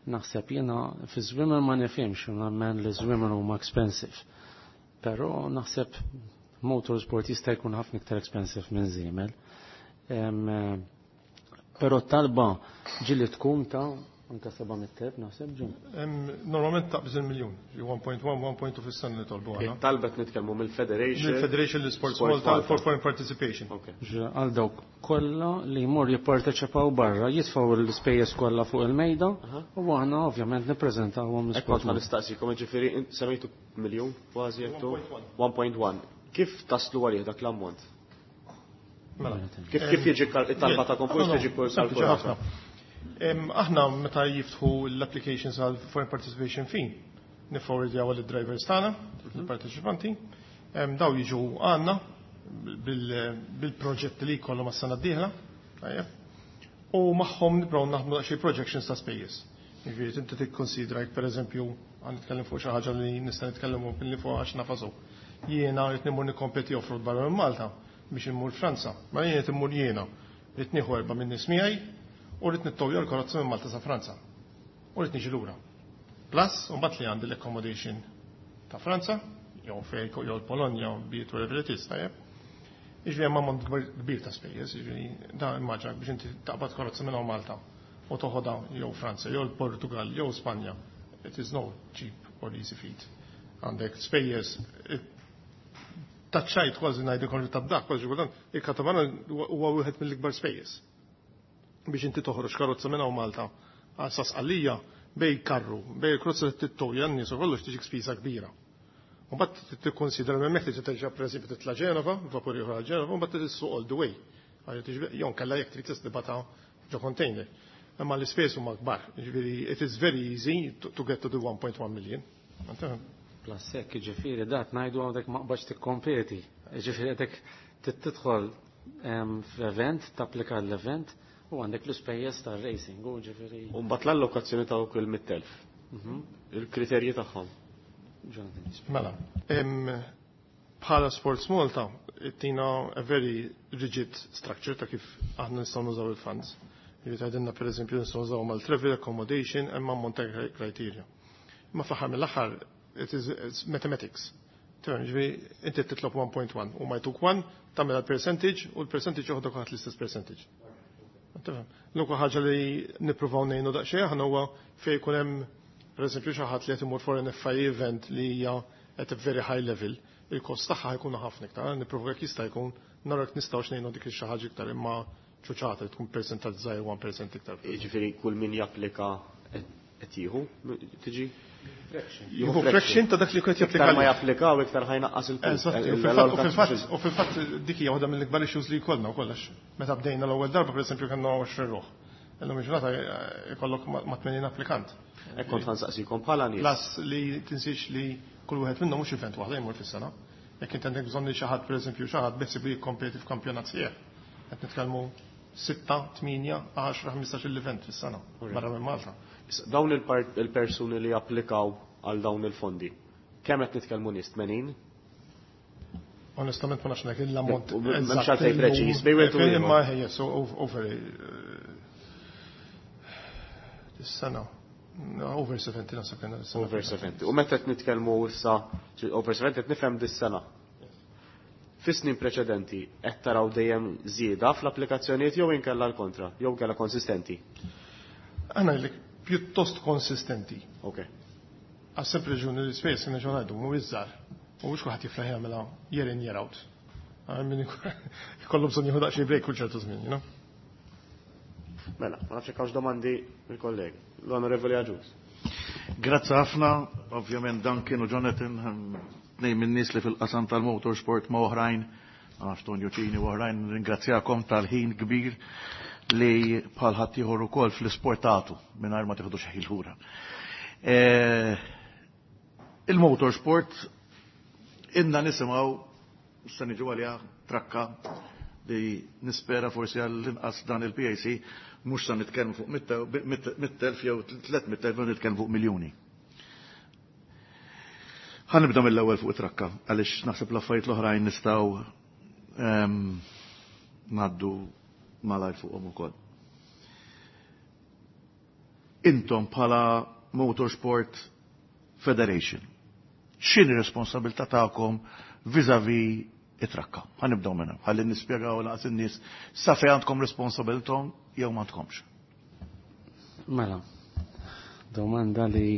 naħseb jiena, fi żwiemel ma nifhimx, nemmen li żwiemel huma expensive. Però naħseb motorsport jista' jkun ħafna iktar expensive minn żiemel. Però talba ġili tkun ta' Anka seba' mitt elf naħseb ġun. Normalment taqbiż il-miljun, one point one, one point two fis-sena li tolbu aħna. Talbet nitkellmu mill-Federation. Mill-Federation l-Sports Malta for foreign participation. Għal dawk kollha li jmur jipparteċipaw barra, jitfgħu l-ispejjeż kollha fuq il-mejda u aħna ovvjament nippreżentawhom l-Sport. Kont nistaqsikom, ġifieri semmejtu miljun kważi jettu one point one. Kif taslu għalih dak l-ammont? Mela. Kif kif jiġi it-talba ta' konkurs tiġi kalkulata? Aħna meta jiftħu l-applications għal foreign participation fee, nifforwardjaw għal drivers tagħna, il-parteċipanti, daw jiġu għandna bil-proġett li jkollhom għas-sena d-dieħla, u magħhom nibdew naħdmu xi projections ta' spejjeż. Jiġifieri inti tikkonsidra jekk, pereżempju, għan nitkellem fuq xi ħaġa li nista' nitkellem li fuq għax nafasu. Jiena qed immur nikkompeti off-road barra minn Malta biex immur Franza. Ma jien qed immur jiena, rrid nieħu erba' minn nies miegħi u rrid nittowja l-karozza minn Malta sa Franza. U rrid niġi lura. Plus, u mbagħad li għandi l-accommodation ta' Franza, jew fej jew l-Polonja, be it wherever it is, tajjeb. Jiġifieri hemm ammont kbir ta' spejjeż, jiġifieri da immaġina biex inti taqbad karozza minn Malta u toħodha jew Franza, jew l-Portugal, jew Spanja. It is no cheap or easy feat. Għandek spejjeż taċċajt kważi ngħidu konġu ta' dak, kważi kultant, il-katamaran huwa wieħed mill-ikbar spejjeż. Biex inti toħroġ karozza minn Malta għal sa Sqallija bejn karru, bejn il-karozza li tittowja n-nies u kollox tiġik spiża kbira. U mbagħad tikkonsidra minn hemmhekk li terġa', pereżempju, titla' Ġenova, vapur ieħor għal Ġenova, u mbagħad tissuq all the way. Jew kella jekk trid tistibata ġo container. Imma l-ispejjeż huma kbar, jiġifieri it is very easy to, to get to the one point one million. Plus hekk, ġifieri dat ngħidu għandek maqbax tikkompeti. Ġifieri għandek tidħol f'event, tapplika l-event u għandek l-ispejjeż tar-racing u ġifieri. U mbagħad l-allokazzjoni ta' kull mitt elf. Mhm. Il-kriterji tagħhom. Mela, bħala Sports Malta, tina a very rigid structure ta' kif aħna nistgħu nużaw il-funds. Jiġifieri tgħidilna, pereżempju, nistgħu nużaw mal-travel accommodation, hemm ammont ta' criteria. Ma fl-aħħar mill-aħħar it is it's mathematics. Tifhem, ġifieri inti titlob one point one u ma jtuk one, tagħmel percentage u l-percentage joħodok ħadd l-istess percentage. Tifhem. L-unika ħaġa li nippruvaw ngħinu daqsxejn aħna huwa fejn jkun hemm, pereżempju, xi ħadd li qed imur for an F I A event li hija at a very high level, il-kost tagħha jkun ħafna iktar, nippruvaw jekk jista' jkun naraw jekk nistgħux ngħinu dik xi ħaġa iktar, imma ċuċata li tkun percentaġġ żgħir, one percent iktar. Jiġifieri kull min japplika qed jieħu tiġi Jieħu fraction ta' dak li qed japplika. Iktar ma japplikaw iktar ħa jnaqqas il U fil-fatt dik hija waħda mill-ikbar issues li jkollna wkoll. Meta bdejna l-ewwel darba, pereżempju, kellna għoxrin ruħ. Illum il-ġurnata ikollok ma' tmenin applikant. Hekk kont ħa nsaqsikom bħala nies. Plus li tinsiex li kull wieħed minnhom mhux event waħda jmur fis-sena. Jekk inti għandek bżonn li xi ħadd, pereżempju, xi ħadd beħsib li jikkompeti f'kampjonat sieħ. Qed nitkellmu sitta, tmienja, għaxra, ħmistax il-event fis-sena barra minn Malta. Dawn il-persuni li applikaw għal dawn il-fondi, kemm qed nitkellmu nies, tmenin? Onestament ma nafx ngħid l-ammont. M'hemmx għalfejn preċiż, bejn wieħed u ieħor. Imma yes, over is-sena. Over seventy naħseb kien is-sena. Over seventy. U meta qed nitkellmu issa over seventy, qed nifhem dis-sena. Fis-snin preċedenti qed taraw dejjem żieda fl-applikazzjonijiet jew inkella l-kontra, jew inkella konsistenti? Aħna li pjuttost konsistenti. Ok. Għas sempliċi raġuni li l-ispejjeż kien ngħidu mhuwiex żgħar. U mhux kulħadd jiflaħ jagħmilha year in, year out. Min ikollu bżonn jieħu daqsxejn break kull ċertu żmien, you know? Mela, ma nafx hekk domandi mill-kollegi. L-Onorevoli Agius. Grazzi ħafna, ovvjament dan kienu Jonathan, tnejn minn nies li fil-qasam tal-motorsport ma' oħrajn, ma nafx Tonio Cini u oħrajn, ringrazzjakom tal-ħin kbir li bħal ħaddieħor ukoll fl-isport tagħtu mingħajr ma tieħdu xi lura. Il-motorsport inna nisimgħu se niġu għalija trakka li nispera forsi għall-inqas dan il-P A C mhux sa nitkellmu fuq mitt elf jew tliet mitt elf, nitkellmu fuq miljuni. Ħa nibda mill-ewwel fuq it-trakka għaliex naħseb l-affarijiet l-oħrajn nistgħu ngħaddu malajr fuqhom ukoll. Intom bħala Motorsport Federation, x'inhi responsabilità tagħkom vis-à-vis it-trakka? Ħa nibdew minnha, ħalli nispjegaw laqas in-nies sa fejn għandkom responsabilità jew m'għandkomx. Mela, Domanda li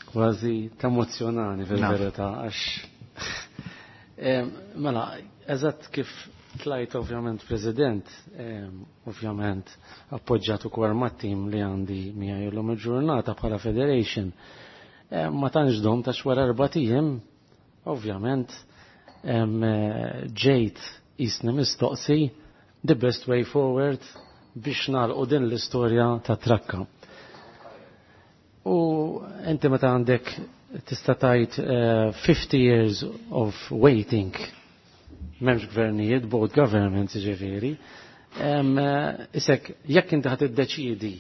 kważi temozzjonani fil-verità għax mela, eżatt kif tlajt ovvjament president, ovvjament appoġġjat ukoll mat-tim li għandi miegħi llum il-ġurnata bħala federation. Ma tantx dom ta' wara erba' ijiem, ovvjament ġejt jisni mistoqsi the best way forward biex nagħlqu din l-istorja ta' trakka. U inti meta għandek tista' tgħid fifty years of waiting, m'hemmx gvernijiet, both governments ġifieri, isek jekk inti ħad iddeċiedi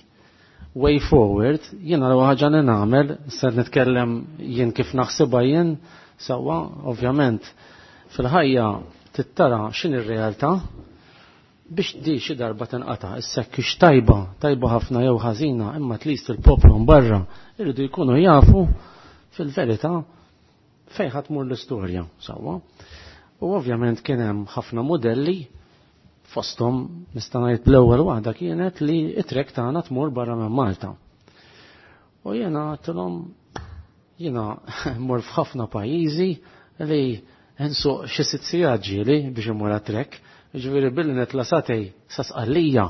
way forward, jiena l ħaġa li nagħmel, se nitkellem jien kif naħsibha jien, sewwa ovvjament fil-ħajja tittara x'in ir-realtà biex di xi darba tinqata' issa kix tajba, tajba ħafna jew ħażina, imma at least il-poplu barra irridu jkunu jafu fil-verità fejn ħadd tmur l-istorja sewwa. U ovvjament kien hemm ħafna modelli fosthom nista' ngħid l-ewwel waħda kienet li t-trek tagħna tmur barra minn Malta. U jiena għedtilhom jiena mmur f'ħafna pajjiżi li nsuq xi sitt sigħat ġieli biex immur għat-trek, ġifieri billi nitla' satej sa Sqallija.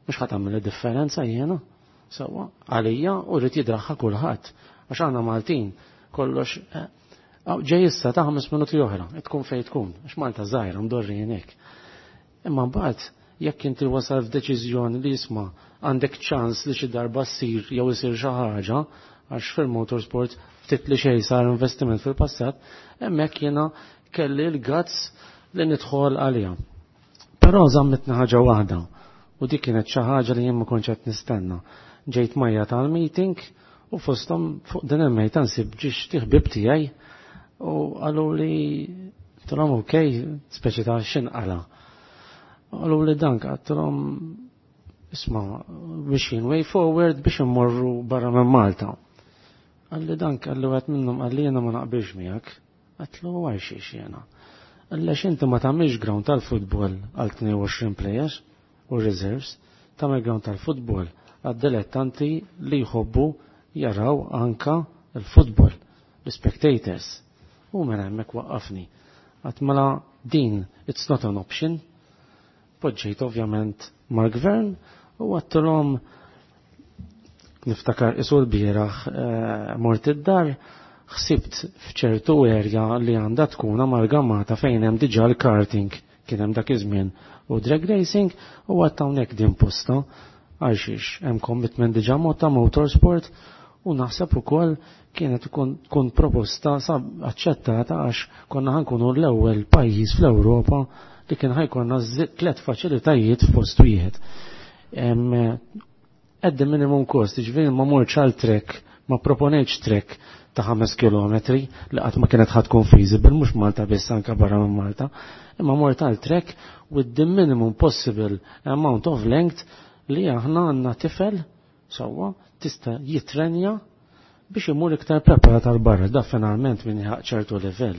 Mhux ħadd tagħmel differenza jiena, sewwa, għalija u rrid jidraħħa kulħadd. Għax aħna Maltin kollox ġej issa ta' ħames minuti oħra, tkun fejn tkun, għax Malta żgħira mdorri hekk. Imma mbagħad jekk inti wasal f'deċiżjoni li jisma' għandek ċans li xi darba ssir jew isir xi ħaġa, għax fil-motorsport ftit li xejn sar investiment fil-passat, hemmhekk jiena kelli l-guts li nidħol għalija. Però żammitna ħaġa waħda u dik kienet xi ħaġa li jien ma kontx qed nistenna. Ġejt majja tal-meeting u fosthom fuq din il-mejta nsib ġiex ħbieb tiegħi u qalu li għedtilhom ok, speċi ta' x'inqala. Qalu li dank għedtilhom isma' biex jien way forward biex immorru barra minn Malta. Qalli dank qalli wieħed minnhom qalli jiena ma naqbilx miegħek. Għedtlu għal xiex jiena. Għax inti ma tagħmilx ground tal-futbol għal tnejn u għoxrin players u reserves, tagħmel ground tal-futbol għad-dilettanti li jħobbu jaraw anka il-futbol, l-spectators. U mela hemmhekk waqqafni. Għedt mela din, it's not an option. Poġġejt ovvjament mal-gvern u għedtilhom niftakar isu l-bieraħ mort id-dar, ħsibt f'ċertu area li għandha tkun amalgamata fejn hemm diġà l-karting kien hemm dak iż-żmien u drag racing u għedt hawnhekk din posta għal xiex hemm commitment diġà mod ta' motorsport u naħseb ukoll kienet tkun proposta sab aċċettata għax konna ħankunu l-ewwel pajjiż fl-Ewropa li kien ħajkonna tliet faċilitajiet f'post wieħed. At the minimum cost, ġifieri ma mortx għal trek, ma proponejtx trek ta' ħames kilometri li qatt ma kienet ħadd tkun feasible, mhux Malta biss anke barra minn Malta, imma mort għal trek with the minimum possible amount of length li aħna għandna tifel sewwa tista' jitrenja biex imur iktar preparat għal barra, da finalment minn ċertu livell.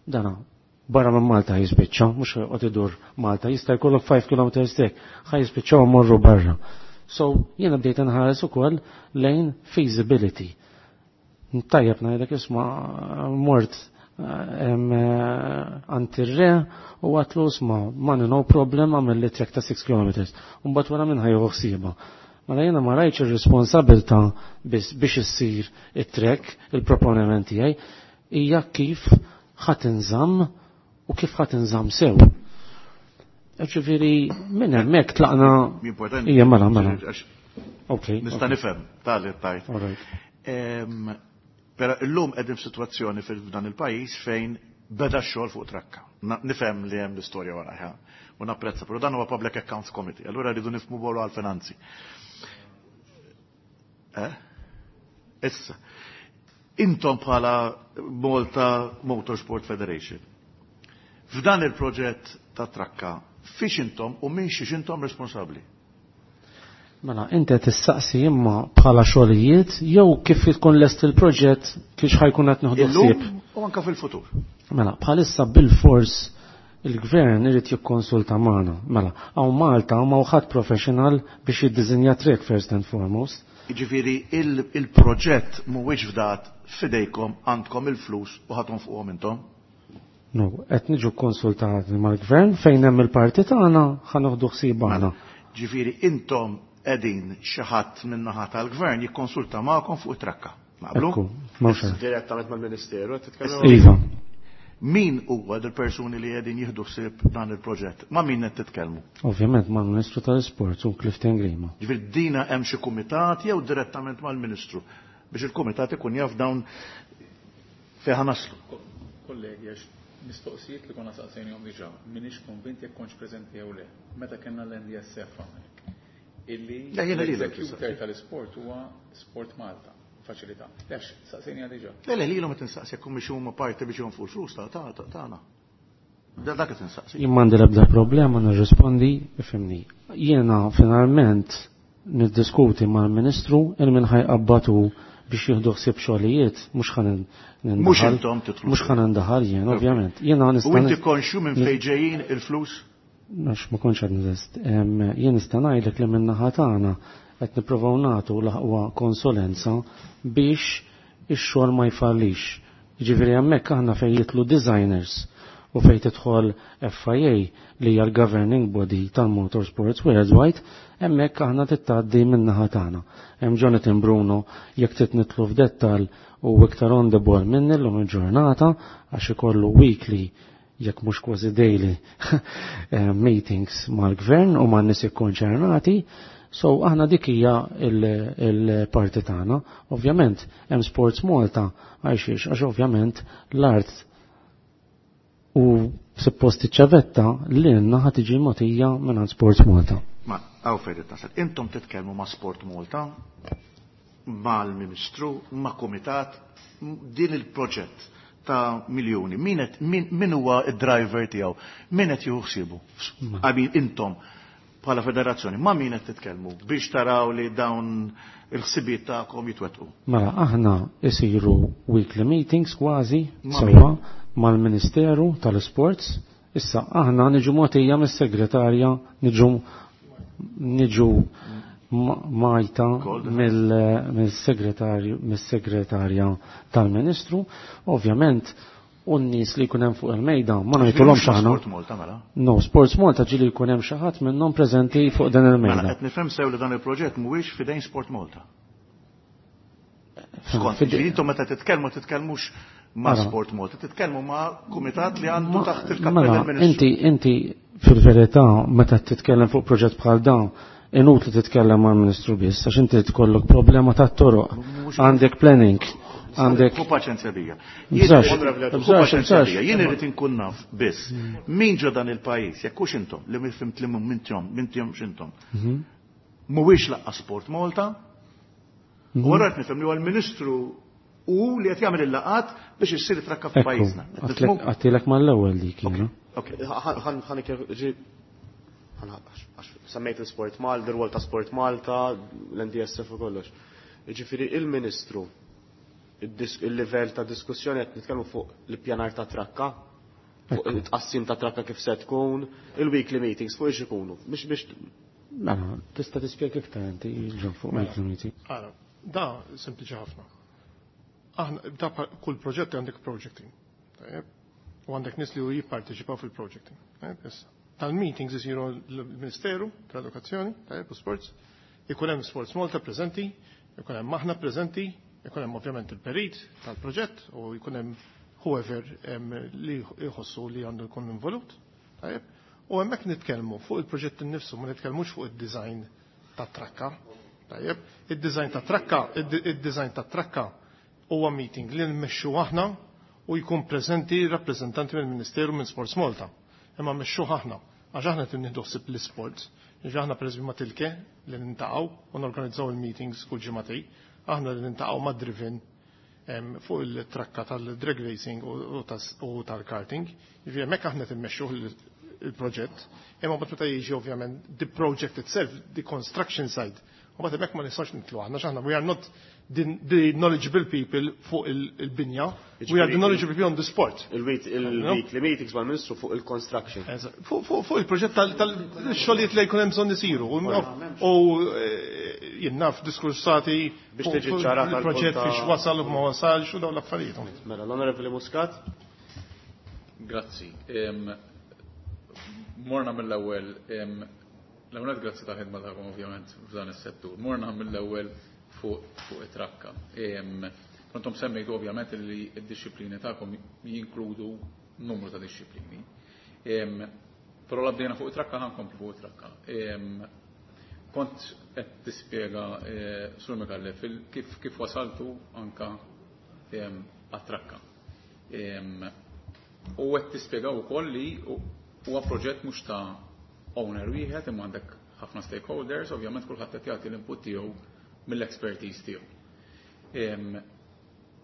Dana barra minn Malta jispiċċa, mhux joqgħod idur Malta, jista' jkollok five kilometers trek, ħa jispiċċaw morru barra. So jiena bdejt nħares ukoll lejn feasibility. Tajjeb ngħidlek isma' mort għand ir-re u għedtlu isma' money no problem, għamel li trek ta' six kilometers. Mbagħad wara minn ħa jieħu ħsiebha. Mela jiena ma rajtx ir-responsabilità biex issir it-trek, il-proponiment tiegħi hija kif ħa tinżamm u kif ħa tinżamm sew. Ġifieri minn hemmhekk tlaqna. Importanti. Ija mela mela. Ok. Nista' nifhem tali tajt. Però illum qegħdin f'sitwazzjoni f'dan il-pajjiż fejn beda x-xogħol fuq trakka. Nifhem li hemm l-istorja warajha u napprezza, però dan huwa Public Accounts Committee, allura rridu nifhmu bolu għal-finanzi. Eh? Issa, intom bħala Malta Motorsport Federation, f'dan il-proġett ta' trakka, fiex intom u minn xiex intom responsabbli? Mela, inti qed tissaqsi imma bħala xogħlijiet jew kif tkun lest il-proġett kif ħajkun qed nieħdu ħsieb. U anka fil-futur. Mela, bħalissa bil-fors il-gvern irid jikkonsulta magħna. Mela, hawn Malta ma ħadd professional biex jiddiżinja trek first and foremost. Jiġifieri il-proġett mhuwiex fdat f'idejkom, għandkom il-flus u ħatom fuqhom intom? No, qed niġu konsultati mal-gvern fejn hemm il-parti tagħna ħa noħdu ħsieb aħna. Ġifieri intom qegħdin xi ħadd min-naħa tal-gvern jikkonsulta magħkom fuq it-trakka. Naqblu? Ekku, m'hawnx. Direttament mal-Ministeru qed titkellem? Iva. Min huwa dil-persuni li qegħdin jieħdu ħsieb dan il-proġett? Ma' min qed titkellmu? Ovvjament mal-Ministru tal-Isport u Clifton Grima. Ġifieri dina hemm xi kumitat jew direttament mal-Ministru biex il-kumitat ikun jaf dawn fejn naslu. Kollegi, għax mistoqsijiet li konna saqsejnihom diġà, m'iniex konvint jekk kontx preżenti jew le. Meta kellna l-N D S F hawnhekk. Illi Le, jiena lilek l-executor tal-isport huwa Sport Malta. Faċilità. Lex, saqsejni għal diġà. Le, le, lilhom qed insaqsi jekk humiex huma parti biex jonfqu l-flus ta' ta' ta' tagħna. Da dak qed insaqsi. Jien m'għandi l-ebda problema nirrispondi, ifhimni. Jiena finalment niddiskuti mal-Ministru il min ħajqabbatu biex jieħdu ħsieb xogħlijiet, mhux ħa nin-, nindaħal. Mhux intom titlu. Mhux ħa nindaħal jien, ovvjament. Jiena nista' U inti nis- konxju minn nis- fejn ġejjin il-flus? Għax ma kontx għad nizest. Em, jien nista' ngħidlek li min-naħa tagħna qed nippruvaw nagħtu l-aqwa konsulenza biex ix-xogħol ma jfallix. Jiġifieri hemmhekk aħna fejn jitlu designers u fejn tidħol F I A li hija l-governing body tal-Motorsports Worldwide, hemmhekk aħna tittgħaddi min-naħa tagħna. Hemm Jonathan Bruno jekk trid nitlu f'dettall u iktar on the ball minni llum il-ġurnata għax ikollu weekly jekk mhux kważi daily eh, meetings mal-gvern u man-nies ikkonċernati. So aħna dik hija il-, il-parti tagħna. Ovvjament hemm Sports Malta għalxiex, għax ovvjament l-art u suppost iċ-ċavetta li għandna ħa tiġi mogħtija mingħand Sports Malta. Ma hawn fejn qed nasal. Intom titkellmu ma' Sport Malta, mal-Ministru, ma' Kumitat, din il-proġett ta' miljuni. Min qed, min, min huwa id-driver tiegħu? Min qed jieħu ħsiebu? Ma. I mean, intom bħala federazzjoni, ma' min qed titkellmu biex taraw li dawn il-ħsibijiet tagħkom jitwettqu? Mela aħna isiru weekly meetings kważi Ma' sewwa min? mal-Ministeru tal-Sports. Issa aħna niġu mogħtija mis-segretarja, niġu, niġu ma-, majta Gold. mill-, mill-segretarju, mis-segretarja tal-Ministru. Ovvjament, u n-nies li jkun hemm fuq il-mejda ma Ġifieri ngħidulhomx mhux aħna. Sport Malta, mela? No, Sports Malta ġieli jkun hemm xi ħadd minnhom preżenti fuq dan il-mejda. Mela qed nifhem sew li dan il-proġett mhuwiex f'idejn Sport Malta. Skont, Fidejn- ġifieri intom meta titkellmu titkellmux ma' Ara. Sport Malta, titkellmu ma' kumitat li għandu Ma- taħt il-kappell mela, il-Ministru. Inti, inti fil-verità meta titkellem fuq proġett bħal dan, inutli titkellem mal-Ministru biss, għax inti tkollok problema tat-toroq, Mhux- għandek planning, għandek Hu paċenzja bija. Bżax, Jien- bżax, Hu paċenzja bżax. bija. Jien irrid inkun naf biss min ġo dan il-pajjiż, jekk hux intom li fimt li mhum mintom, mintom x'intom. Mhm. Mhuwiex laqqa Sport Malta. Mhm. U wara qed nifhem li huwa l-Ministru u li qed jagħmel il-laqat biex issir trakka Ekku, f'pajjiżna. Qed għatlek- nifhmu? għattilek mal-ewwel dik jiena. Ok. Semmejt il-Sport Malta, ir-rwol ta' Sport Malta, l-N D S F u kollox. Jiġifieri il-Ministru, il-dis-, il-livell ta' diskussjoni qed nitkellmu fuq l-ippjanar ta' trakka, fuq Ekku. it-tqassim ta' trakka kif se tkun, il-weekly meetings fuq ix ikunu. Biex biex Mela, tista' tispjega iktar inti ġo fuq Mela. weekly meeting. Ara, da sempliċi ħafna. Aħna da pa-, kull proġett għandek project team. Tajjeb? U għandek nies li jipparteċipaw fil-project team. Tajjeb, issa. Tal-meetings isiru l-Ministeru tal-Edukazzjoni, tajjeb, u Sports, ikun hemm Sports Malta preżenti, ikun hemm aħna preżenti, ikun hemm ovvjament il-perit tal-proġett u jkun hemm whoever, em, li jħossu li għandu jkun involut. Tajjeb? U hemmhekk nitkellmu fuq il-proġett innifsu, ma nitkellmux fuq id-design tat-trakka. Tajjeb? Id-design tat-trakka, id-, id-design tat-trakka huwa meeting li nmexxu aħna u jkun preżenti rappreżentanti mill-Ministeru minn Sports Malta. Imma mmexxuh aħna, għax aħna qed nieħdu ħsieb l-isports. Jiġifieri aħna pereżempju ma' Tilke li nintaqgħu u norganizzaw il-meetings kull ġimagħtej, aħna li nintaqgħu ma' Driven, em, fuq il-trakka tal-drag racing u, u tas-, u tal-karting. Jiġifieri hemmhekk aħna qed immexxuh il-, il-proġett, imma mbagħad meta jiġi ovvjament the project itself, the construction side, u mbagħad hemmhekk ma nistgħux nitlu aħna, għax aħna we are not the, the knowledgeable people fuq il-, il-binja, we are the knowledgeable people on the sport. Il-week, il-weekly meetings mal-Ministru fuq il-construction. Eżatt. Fuq, fuq, fuq il-proġett tal-, tal-xogħlijiet li jkun hemm bżonn isiru. U, u, eh, jien naf diskursati biex tiġi ċarata il-proġett fiex wasal u ma wasalx u dawn l-affarijiet. Mela, l-Onorevoli Muscat. Grazzi. Morna mill-ewwel, l-ewwel grazzi ta' ħidma tagħkom ovvjament f'dan is-settur. Morna mill-ewwel fuq fuq it-trakka. Kontom semmejtu ovvjament li d-disciplini tagħkom jinkludu numru ta' disciplini. Però la bdejna fuq it-trakka ħa nkomplu fuq it-trakka. Kont qed tispjega Sur Micallef kif kif wasaltu anka għat-trakka. U qed tispjega wkoll li huwa proġett mhux ta' owner wieħed imma għandek ħafna stakeholders, ovvjament kulħadd qed jagħti l-input tiegħu mill-expertise tiegħu.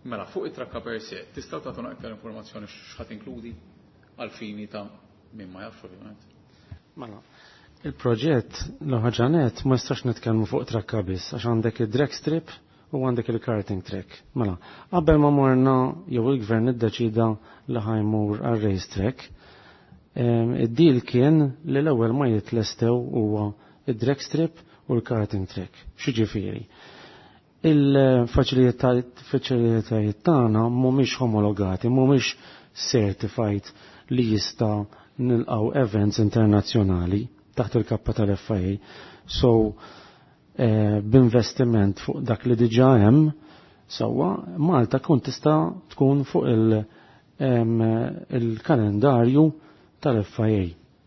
Mela, fuq it-trakka per se, tistgħu tagħtuna iktar informazzjoni x'ħadd inkludi għal fini ta' min ma jafx ovvjament. Mela, il-proġett l-ħaġanet ma jistax nitkellmu fuq trakka biss għax għandek id-drag strip u għandek il-karting track. Mela, qabel ma morna jew il-gvern iddeċida li ħa jmur għal race track, id-deal kien li l-ewwel ma jitlestew huwa id-drag strip u l-karting track. X'jiġifieri? Il-faċilitajiet tagħna mhumiex homologati, mhumiex certified li jista' nilqgħu events internazzjonali taħt il-kappa tal-F I A. So, eh, b'investiment fuq dak li diġà hemm, sewwa Malta kun tista' tkun fuq il-kalendarju tal-F I A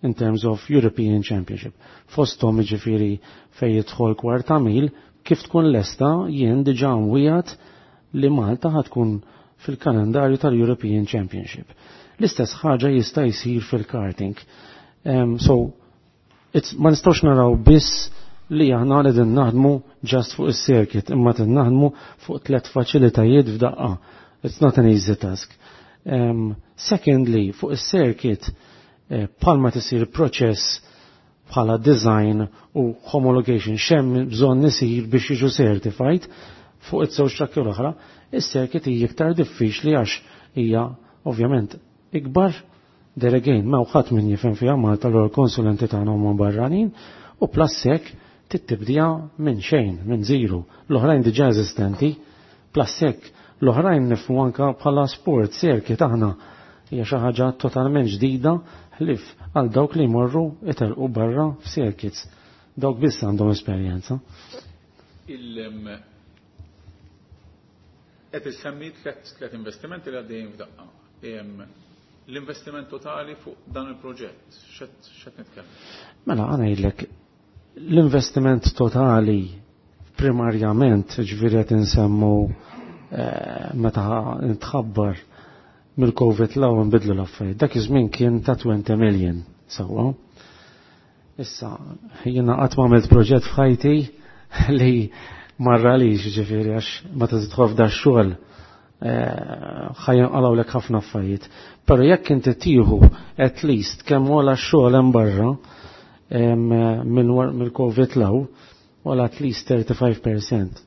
in terms of European Championship. Fosthom ġifieri fej jidħol kwarta mil, kif tkun lesta jien diġà mwiegħed li Malta ħatkun fil-kalendarju tal-European Championship. L-istess ħaġa jista' jsir fil-karting. Um, so, it's, ma nistgħux naraw biss li aħna qegħdin naħdmu just fuq is-circuit, imma qed naħdmu fuq tliet faċilitajiet f'daqqa. It's not an easy task. Um, secondly, fuq is-circuit, eh, palma tisir proċess bħala design u homologation x'hemm bżonn isir biex jiġu certified fuq it-żewġ trakki l-oħra, is-circuit hija iktar diffiċli għax hija ovvjament ikbar. There again, ma ħadd min jifhem fiha Malta, l konsulenti tagħna huma barranin u plus hekk tittibdija minn xejn, minn zero. L-oħrajn diġà eżistenti, plus hekk l-oħrajn nifhmu anka bħala sport circuit, aħna hija xi ħaġa totalment ġdida ħlif għal dawk li jmorru itelqu barra f'circuits. Dawk biss għandhom esperjenza. Il qed issemmi tliet tliet investimenti li għaddejjin f'daqqa. L-investiment totali fuq dan il-proġett, x'qed nitkellem? Mela, għana ngħidlek, l-investiment totali primarjament, ġifieri qed insemmu eh, meta nitħabbar mill-Covid law nbidlu l-affarijiet. Dak iż-żmien kien ta' twenty million sewwa. Issa, jiena qatt ma għamilt proġett f'ħajti li marra li ġifieri għax meta tidħol f'da xogħol ħajja lek ħafna affarijiet. Però jekk inti tieħu at least kemm wara x-xogħol hemm barra mill-Covid law, wala at least thirty-five percent.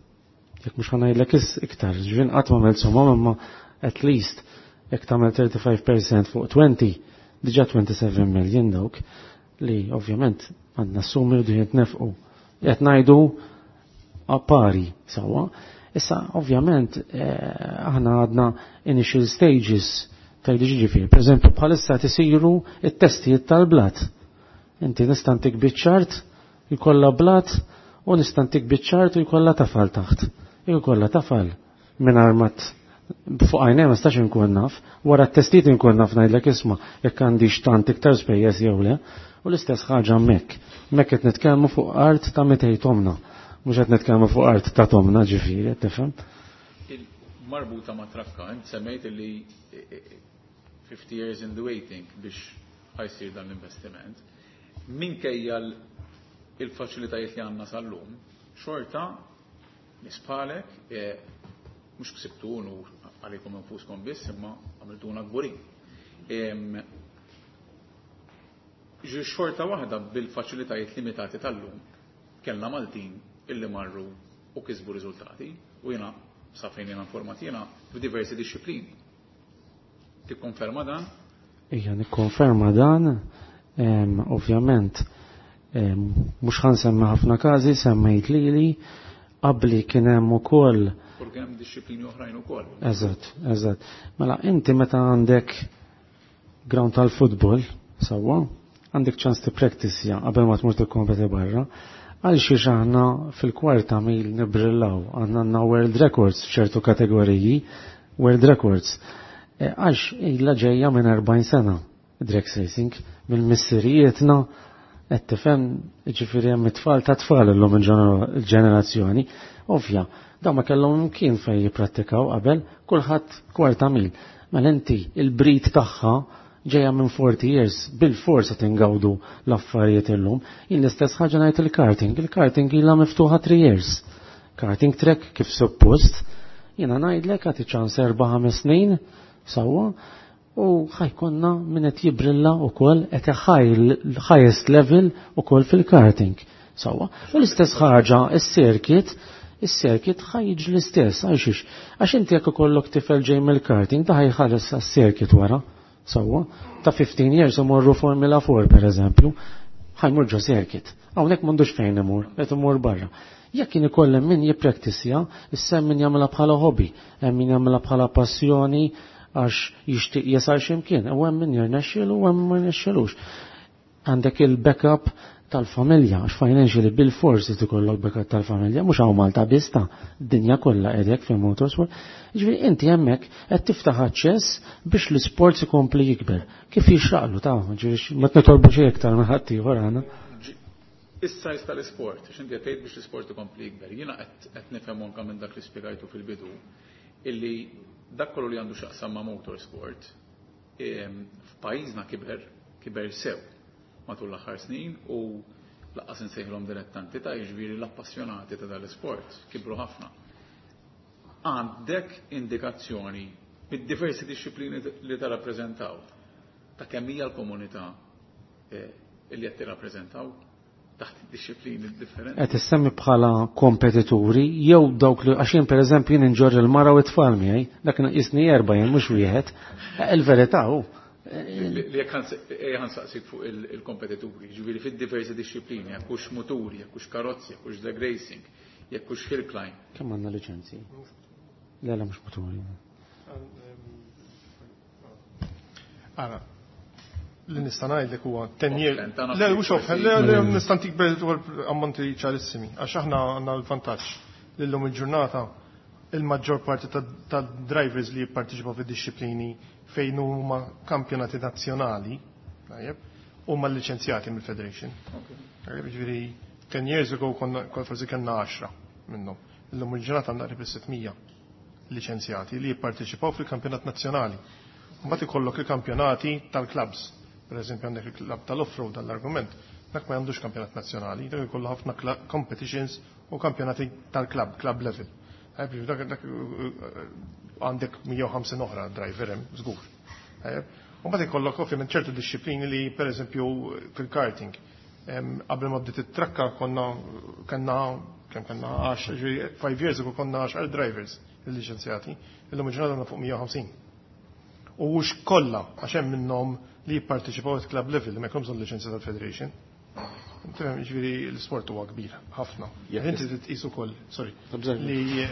Jekk mhux ħa ngħidlek iktar, ġvin qatt ma għamilt somma, imma at least jekk tagħmel thirty-five percent fuq twenty, diġà twenty-seven million dawk li ovvjament għandna summi u diġà nefqu. Qed ngħidu pari sewwa. Issa ovvjament eh, aħna għadna initial stages tajdi ġifieri. Per eżempju, bħalissa tisiru it-testijiet tal-blat. Inti nista' ntik biċ-ċart jkollha blat u nista' ntik biċ-ċart u jkollha tafal taħt. Jkollha tafal mingħajr ma fuq għajnej ma stax inkun naf, wara t-testijiet inkun naf ngħidlek isma' jekk għandix tant iktar spejjeż jew le, u l-istess ħaġa hemmhekk. Hemmhekk qed nitkellmu fuq art ta' mitej tomna. Mhux qed nitkellmu fuq art ta' tomna ġifieri, tifhem? Marbuta ma' trakka, int semmejt li fifty years in the waiting biex ħa jsir dan l-investiment. Minkejja il-faċilitajiet li għandna sal-lum, xorta nispalek, mhux ksibtu unur għalikom infuskom biss, imma għamiltuna kburin. Ġi xorta waħda bil-faċilitajiet limitati tal-lum, kellna Maltin illi marru u kisbu riżultati, u jena sa fejn jena informat jena f'diversi disciplini. Tikkonferma dan? Ija, nikkonferma dan, ovvjament, mhux ħa nsemmi ħafna każi, semmejt lili, Qabli kien hemm ukoll U kien hemm dixxiplini oħrajn ukoll. Eżatt, eżatt. Mela inti meta għandek ground tal-futbol, sewwa, għandek ċans tippractice qabel ma tmur tikkompeti barra, għal xiex aħna fil-kwarta mil nibrillaw, għandna għandna world records f'ċertu kategoriji, world records. E, għax ilha ġejja minn erbgħin sena drag racing, minn missirijietna, qed tifhem, ġifieri hemm it-tfal ta' tfal illum il-ġenerazzjoni, ovvja, dawn ma kellhom imkien fejn jipprattikaw qabel, kulħadd kwarta mil. Mela inti il-brit tagħha ġejja minn forty years, bil-forsa tingawdu l-affarijiet illum. Jien l-istess ħaġa ngħid il-karting, il-karting ilha miftuħa three years. Karting track kif suppost, jiena ngħidlek għati ċans erba' ħames snin, sewwa, u ħajkonna min qed jibrilla wkoll qed highest level ukoll fil-karting. Sewwa. U l-istess ħaġa is-circuit, is-circuit ħajġ l-istess, għalxiex? Għax inti jekk ikollok tifel ġej mill-karting, da ħajħares għas-circuit wara. Sewwa, ta' fifteen years imorru Formula four per eżempju, ħajmur ġo circuit. Hawnhekk m'għandux fejn imur, qed imur barra. Jekk kien ikollem min jippraktisja, issa hemm min jagħmilha bħala hobby, hemm min jagħmilha bħala passjoni għax jixtieq jasal x'imkien, u hemm min jirnexxielu u hemm ma jirnexxilux. Għandek il-backup tal-familja, għax financially bil-forsi tikollok backup tal-familja, mhux hawn Malta biss ta' dinja kollha qegħdek fil-motorsport. Jiġifieri inti hemmhekk qed tiftaħ aċċess biex l-isport ikompli jikber. Kif jixraqlu ta' ġifieri ma tnitolbu xejn iktar minn ħadd ieħor aħna. Is-sajz tal-isport, għax inti qed tgħid biex l-isport ikompli jikber. Jiena qed qed nifhem anke minn dak li spjegajtu fil-bidu illi dak kollu li għandu x'jaqsam ma' motorsport, em, f'pajjiżna kiber, kiber sew matul l-aħħar snin u laqqas insejħilhom dilettanti ta' jiġifieri l-appassjonati ta' dal-isport kibru ħafna. Għandek indikazzjoni mid-diversi dixxiplini li tarrappreżentaw ta' kemm hija l-komunità, eh, li qed tirrappreżentaw taħt dixxiplini differenti? Qed issemmi bħala kompetituri jew dawk li għax jien pereżempju jien inġorr il-mara u t-tfal miegħi, dak jisni erba' jien mhux wieħed. Il-verità hu. Li jekk ħansaqsik fuq il-, il-kompetituri, ġifieri fid-diversi dixxiplini, jekk hux muturi, jekk hux karozzi, jekk hux drag racing, jekk hux hill climb. Kemm għandna liċenzji? Le, le, mhux muturi. Ara, li nista' ngħidlek huwa ten years. Offhand, ta' nafsi Le, mhux offhand, le, le, Mm. nista' ntik dwar ammonti ċarissimi, għax aħna għandna l-vantaġġ li llum il-ġurnata il-maġġor parti ta', ta' drivers li jipparteċipaw fid-dixxiplini fejn huma kampjonati nazzjonali, tajjeb, huma liċenzjati mill-Federation. Tajjeb, ġifieri ten years ago konna konna forsi kellna għaxra minnhom. Illum il-ġurnata għandna qrib is-sitt mija liċenzjati li jipparteċipaw fil-kampjonat nazzjonali. Mbagħad ikollok il-kampjonati tal-clubs. Per eżempju għandek il-club tal-off-road dal-argument, dak ma għandux kampjonat nazzjonali, dak ikollu ħafna kla-, competitions u kampjonati tal-club, club level. Tajjeb, dak, dak, għandek mija u ħamsin oħra driver hemm, żgur. Tajjeb. U mbagħad ikollok ovvjament ċertu dixxiplini li per eżempju fil-karting. Em, qabel ma bdiet it-trakka konna kellna kemm kellna għax, ġifieri five years ago konna għaxar drivers il-liċenzjati, illum il-ġurnata għandna fuq mija u ħamsin. U mhux kollha għax hemm minnhom li jipparteċipaw at club level li ma jkollhomx bżonn liċenzja tal-Federation. Tifhem, ġifieri l-isport huwa kbir ħafna. Jekk Inti trid tqis ukoll, sorry, Tabżel. li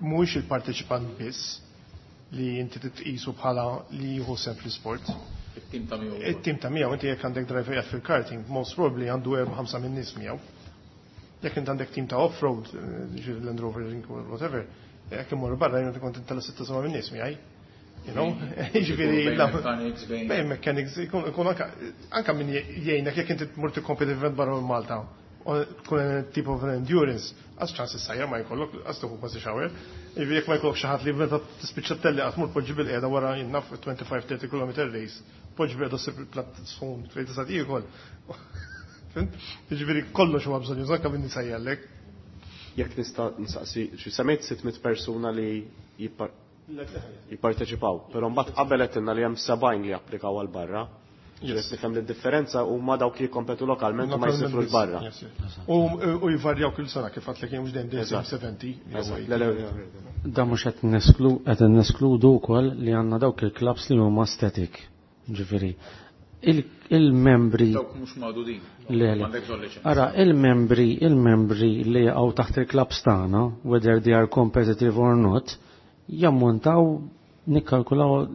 mhuwiex il-parteċipant biss li inti trid tqisu bħala li jieħu sehem fl-isport. It-tim ta' miegħu. It-tim ta' miegħu, inti jekk għandek driver qiegħed fil-karting, most probably għandu erba' ħamsa minn nies miegħu. Jekk inti għandek tim ta' off-road, ġifieri Land Rover, whatever, jekk imur barra jien kont intella' sitta seba' minn nies miegħi. You know? Ġifieri, Bejn la- mechanics, bejn bejn mechanics, ikun, ikun anka, anka min jgħinek jekk inti tmur tikkompeti event barra minn Malta, u tkun type of endurance, għax ċans issajjar ma jkollok, għax tuħu kważi shower. Ġifieri jekk ma jkollok xi ħadd li meta tispiċċa telli qatt mur poġġi bil-qiegħda wara jinnaf twenty-five thirty kilometer race, poġġi bil-qiegħda ssib il-platt sħun fejn tista' tiekol. Fhimt? Ġifieri kollox huwa bżonn juża anke min nisajjallek. Jekk nista' nsaqsi, xi semmejt sitt mitt persuna li jippar-, jipparteċipaw, però mbagħad qabel qed li hemm sebgħin li applikaw għal barra. Yes. Ġifieri nifhem li d-differenza huma dawk li jikkompetu lokalment u ma Lokalment jsifru biss. l-barra. Yes, yes. U, u jvarjaw kull sena kif għadlek jien mhux dejjem dejjem Eżatt. seventy, jew Eżatt. eighty. Le, le, le, le. Da mhux qed nesklu, qed neskludu wkoll li għandna dawk il-clubs li huma static. Ġifieri, Il-membri. Dawk mhux magħdudin. Le, le. Ara, il-membri, il-membri li jaqgħu taħt il-clubs tagħna, whether they are competitive or not, jammontaw nikkalkulaw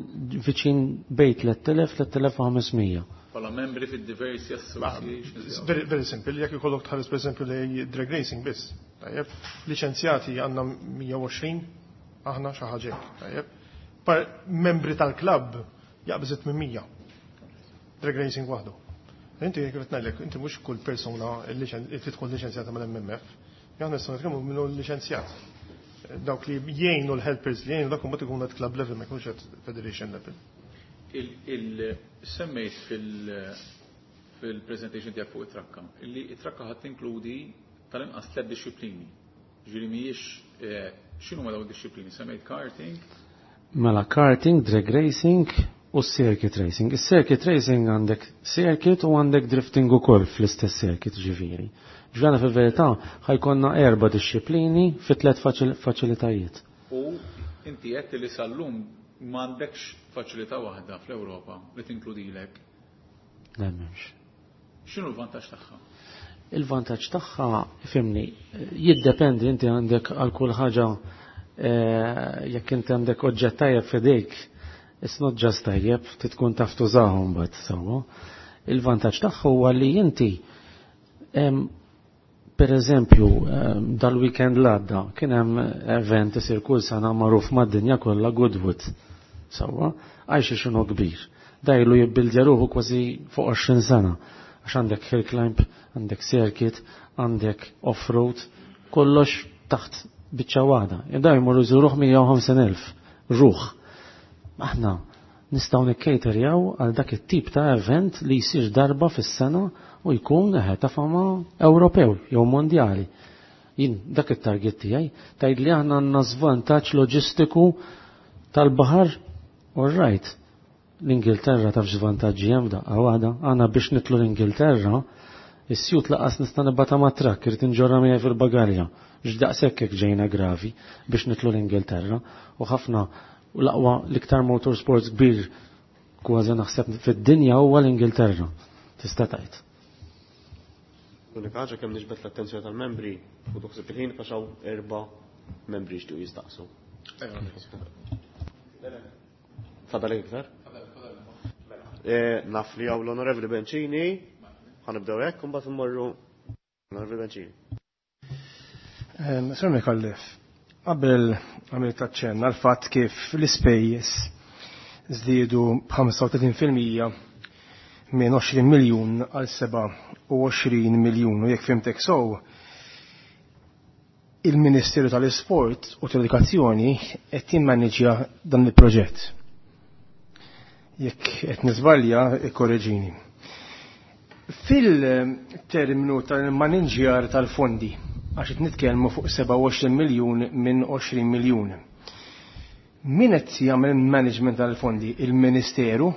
viċin bejn tliet elef tliet elef u ħames mija. Bħala membri fid-diversi associations. Very, very simple, jekk ikollok tħares per eżempju li drag racing biss. Tajjeb, liċenzjati għandna mija u għoxrin, aħna xi ħaġa hekk, tajjeb. Par membri tal-klabb jaqbżet minn mija. Drag racing waħdu. Inti jekk qed ngħidlek, inti mhux kull persuna li tidħol liċenzjata mal-M M F, aħna nistgħu nitkellmu minnu liċenzjat. Dawk li jgħinu l-helpers li jgħinu dak imbagħad ikunu at club level, ma jkunux at federation level. Il-semmejt fil-presentation tiegħek fuq it-trakka, illi it-trakka ħadd tinkludi tal-inqas tliet disċiplini. Ġifieri mhijiex, eh, x'inhuma dawn id-disċiplini? Semmejt karting? Mela karting, drag racing u circuit racing. Is-circuit racing għandek circuit u għandek drifting ukoll fl-istess circuit ġifieri. Ġvana fil-verità ħajkonna erba' disċiplini fi tliet faċilitajiet. U inti qed li sal-lum m'għandekx faċilità waħda fl-Ewropa li tinkludilek? Le, m'hemmx. X'inhu l-vantaġġ tagħha? Il-vantaġġ tagħha, fimni, jiddependi, inti għandek għal kull ħaġa, eh, jekk inti għandek oġġett tajjeb f'idejk, it's not just tajjeb, tkun taf tużahom mbagħad sewwa. Il-vantaġġ tagħha huwa li inti, em, per eżempju, em, dal-weekend l-għadda kien hemm event isir kull sena magħruf mad-dinja kollha Goodwood. Sewwa, għajx x'inhu kbir. Dajlu jibbildja ruħu kważi fuq għoxrin sena. Għax għandek hill climb, għandek circuit, għandek off-road, kollox taħt biċċa waħda. Jibda jmorru jżuruh mija u ħamsin elf ruħ. Aħna nistgħu nikkejterjaw għal dak it-tip ta' event li jsir darba fis-sena u jkun eħe ta' fama Ewropew jew mondjali. Jien dak it-target tiegħi tgħid li aħna għandna żvantaġġ loġistiku tal-baħar, all right. L-Ingilterra taf x'vantaġġi hemm daqqa waħda, aħna biex nitlu l-Ingilterra, is-sjut laqas nista' nibgħatha ma' trakk, irid inġorra miegħi fil-bagalja. X'daqshekk hekk ġejna gravi biex nitlu l-Ingilterra u ħafna u l-aqwa l-iktar motorsports kbir kważi naħseb fid-dinja huwa l-Ingilterra. Tista' tgħid. L-unika ħaġa kemm niġbed l-attenzjoni tal-membri u toħseb il-ħin għax hawn erba' membri jixtiequ jistaqsu. Fadalek iktar? Eh, naf li hawn l-Onorevoli Bencini, ħanibdew hekk u mbagħad immorru l-Onorevoli Bencini. Ehm, Sir Micallef, qabel għamilt aċċenn għal fatt kif l-ispejjeż żdiedu b'ħamsa u tletin fil-mija minn għoxrin miljun għal seba' u għoxrin miljun u jekk fimtek sew, il-Ministeru tal-Isport u tal-Edukazzjoni qed jimmaneġġja dan il-proġett. Jekk qed niżbalja, ikkoreġini. Fil-terminu tal-maniġjar tal-fondi, għax qed nitkellmu fuq seba' u għoxrin miljun minn għoxrin miljun. Min qed jagħmel management tal-fondi? Il-Ministeru?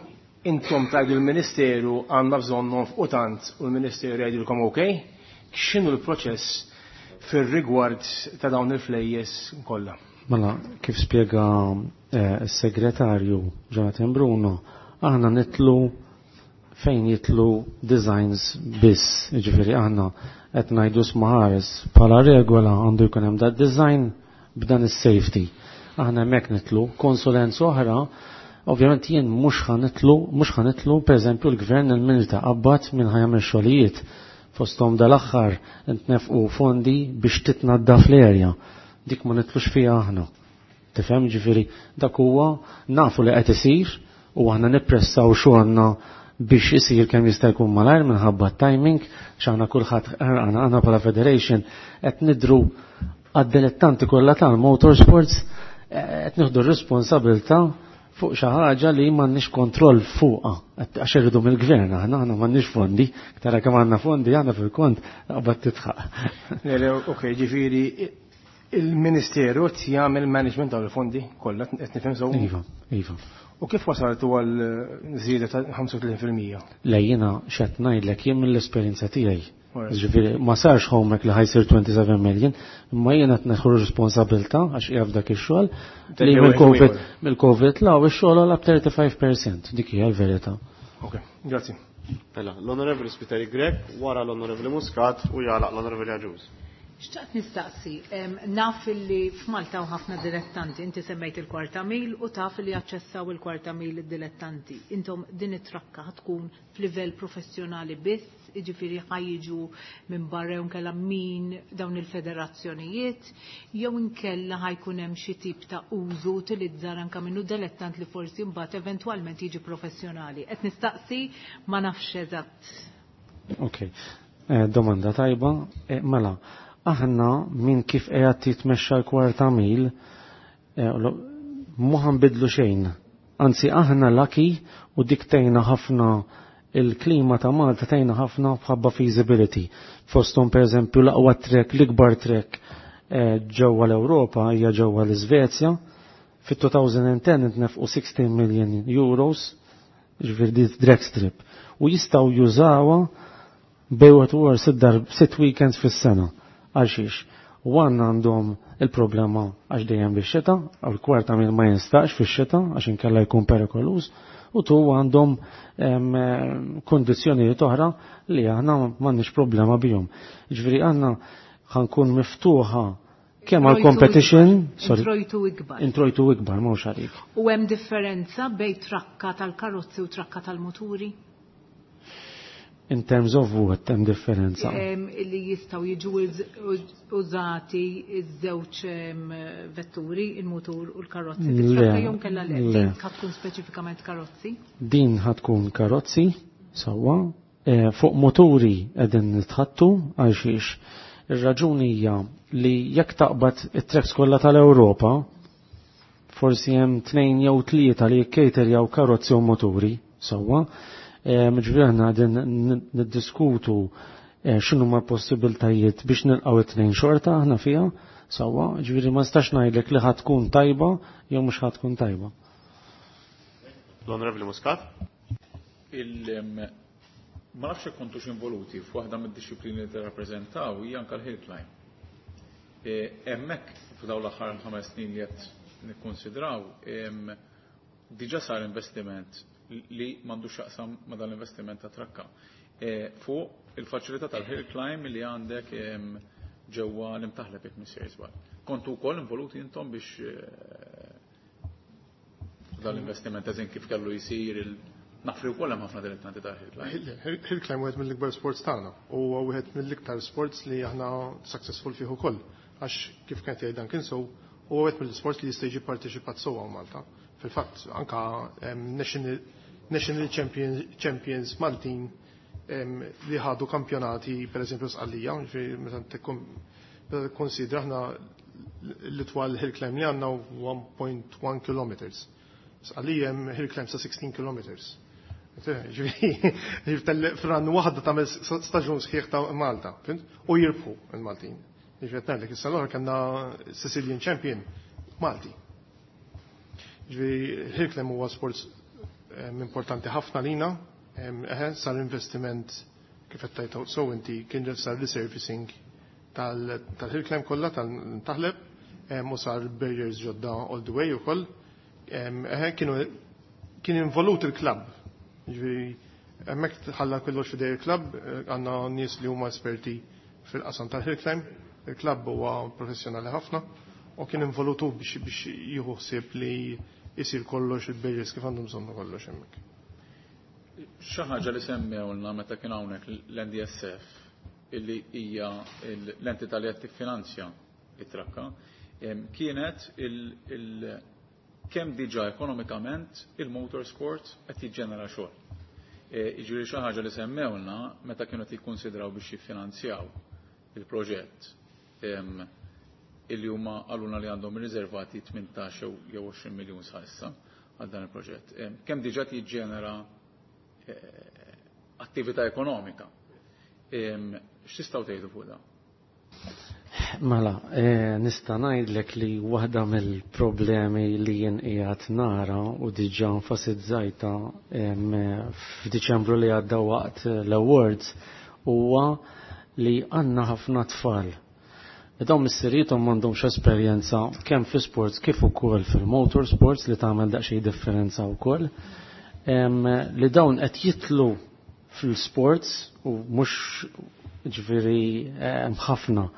Intom tgħidu l-Ministeru għandna bżonn nonfqu tant u l-Ministeru jgħidilkom ok? X'inhu l-proċess fir-rigward ta' dawn il-flejjes kollha? Mela, kif spjega, eh, s-segretarju Jonathan Bruno, aħna nitlu fejn jitlu designs biss, jiġifieri aħna qed ngħidu smaħares bħala regola għandu jkun hemm dat design b'dan is-safety. Aħna hemmhekk nitlu konsulenza oħra, ovvjament jien mhux ħanitlu, mhux ħanitlu pereżempju l-gvern il-Milta qabad minn ħajamel xogħlijiet fosthom dal-aħħar ntnefqu fondi biex titnaddaf l-erja. Dik ma nitlux fiha aħna. Tifhem, ġifieri dak huwa nafu li qed isir u aħna nippressaw xogħolna biex isir kemm jista' jkun malajr minħabba timing, x'aħna kulħadd ħarqana, aħna bħala federation qed nidru għad-dilettanti kollha tal-motorsports, qed nieħdu r-responsabilità fuq xi ħaġa li m'għandniex kontroll fuqha, għax irridu mill-gvern aħna, aħna m'għandniex fondi, tara kemm għandna fondi aħna fil-kont qabad titħaq. Le, le, ok, ġifieri il-Ministeru qed jagħmel management tal-fondi kollha, qed nifhem sew? Iva, iva. U kif wasaltu għal żieda ta' ħamsa u tletin fil-mija? Le, jiena x'qed ngħidlek jien mill-esperjenza tiegħi. Alright. Ġifieri ma sarx homework li ħajsir twenty-seven million, imma jiena qed neħu responsabilità għax qiegħed f'dak ix-xogħol Thank li you, mill-COVID, anyway. mill-COVID law ix-xogħol għal thirty-five percent, dik hija l-verità. Ok, grazzi. Mela, l-Onorevoli Spiteri Grech, wara l-Onorevoli Muscat u jagħlaq l-Onorevoli Agius. Xtaqt nistaqsi, naf li f'Malta u ħafna dilettanti, inti semmejt il-kwarta mil u taf li jaċċessaw il-kwarta mil id-dilettanti. Intom din it-trakka tkun f'livell professjonali biss, jiġifieri ħajġu minn barra jew inkella min dawn il-federazzjonijiet, jew inkella ħajkun hemm xi tip ta' użu utilizzar anke minnu dilettant li forsi mbagħad eventwalment jiġi professjonali. Qed nistaqsi ma nafx eżatt. Ok, eh, domanda tajba, eh, mela. Aħna minn kif qiegħed titmexxa l-kwarta mil, mhu ħanbidlu xejn. Anzi aħna lucky u dik tgħinna ħafna il-klima ta' Malta tgħinna ħafna bħabba feasibility. Fosthom pereżempju l-aqwa trek, l-ikbar trek ġewwa l-Ewropa hija ġewwa l-Iżvezja. Fit-two thousand ten intnefqu sixteen million euros, ġifieri di drag strip. U jistgħu jużawha bejn u sitt darb sitt weekends fis-sena. Għalxiex, one għandhom il-problema għax dejjem bix-xita, għal kwarta mil ma jinstax fix-xita għax inkella jkun perikoluż, u tu għandhom kondizzjonijiet oħra li aħna m'għandniex problema bihom. Ġifieri aħna ħankun miftuħa kemm għal competition, sorry, introjtu ikbar. Introjtu ikbar, mhux għalik. U hemm differenza bejn trakka tal-karozzi u trakka tal-muturi? In terms of what, hemm differenza? Li jistgħu jiġu użati iż-żewġ vetturi, il-mutur u l-karozzi. Le, jew kellha le, le. Ħa tkun speċifikament karozzi? Din ħa tkun karozzi, sewwa. Eh, fuq moturi qegħdin nitħattu għal xiex. Ir-raġuni hija li jekk taqbad it-tracks kollha tal-Ewropa, forsi hemm tnejn jew tlieta li jikkaterjaw karozzi u moturi, sewwa. Ġifieri aħna qegħdin niddiskutu x'inhu ma possibiltajiet biex nilqgħu it-tnejn xorta aħna fiha, sewwa, ġifieri ma nistax ngħidlek li ħa tkun tajba jew mhux ħa tkun tajba. L-Onorevoli Muscat? Il, ma nafx jekk kontux involuti f'waħda mid-disciplini li tirrappreżentaw hija anke l-hill climb. Hemmhekk f'dawn l-aħħar ħames snin li qed nikkonsidraw, diġà sar investiment li m'għandux x'jaqsam ma' dan l-investiment ta' trakka. Fuq il-faċilità tal-hill climb li għandek ġewwa l-Imtaħleb jekk mhux żball. Kontu wkoll involuti intom biex dan l-investiment eżin kif kellu jsir il nafri wkoll hemm ħafna dilettanti ta' hill climb. Hill climb wieħed mill-ikbar sports tagħna u huwa wieħed mill-iktar sports li aħna successful fih ukoll. Għax kif kien jgħid dan kien so huwa wieħed mill-sports li jista' jiġi parteċipat sewwa Malta. Fil-fatt anka national National Champions, Champions Maltin li ħadu kampjonati per eżempju Sqallija, meta tikkonsidra aħna l-itwal hill climb li għandna one point one kilometers. Sqallija hemm hill climb sa sixteen kilometers. Ġifieri fran waħda tagħmel staġun sħiħ ta' Malta, fhimt? U jirbħu il-Maltin. Ġifieri qed ngħidlek issa l-oħra kellna Sicilian Champion Malti. Ġifieri hill climb huwa sports importanti ħafna lina, eħe, sar investiment kif qed tgħid so inti kien sar resurfacing tal-hill climb kollha tal-Taħleb, u sar barriers ġodda all the way ukoll. Eħe, kienu kien involut il-klabb. Ġifieri hemmhekk ħalla kollox f'idej il-klabb, għandna nies li huma esperti fil-qasam tal-hill climb, il-klabb huwa professjonali ħafna u kien involutu biex biex jieħu ħsieb li jisir kollox il-barriers kif għandhom bżonnu kollox hemmhekk. Xi ħaġa li semmewlna meta kien hawnhekk l-N D S F illi hija l-entità li qed tiffinanzja it-trakka, kienet il kemm diġà ekonomikament il-motorsport qed jiġġenera xogħol. Jiġifieri xi ħaġa li semmewlna meta kienu qed jikkunsidraw biex jiffinanzjaw il-proġett illi huma qalulna li għandhom riservati tmintax jew għoxrin miljun sa issa għal dan il-proġett. Kemm diġà jiġġenera attività ekonomika. X'tistgħu tgħidu fuq dan? Mela, eh, nista' ngħidlek li waħda mill-problemi li jien qiegħed nara u diġà enfasizzajta f'Diċembru li għadda waqt l-awards huwa li għandna ħafna tfal. Dawn missiriethom m'għandhomx esperjenza kemm fi sports kif ukoll fil-motorsports li tagħmel daqsxejn differenza wkoll. Li dawn qed jitlu fil-sports u mhux ġifieri ħafna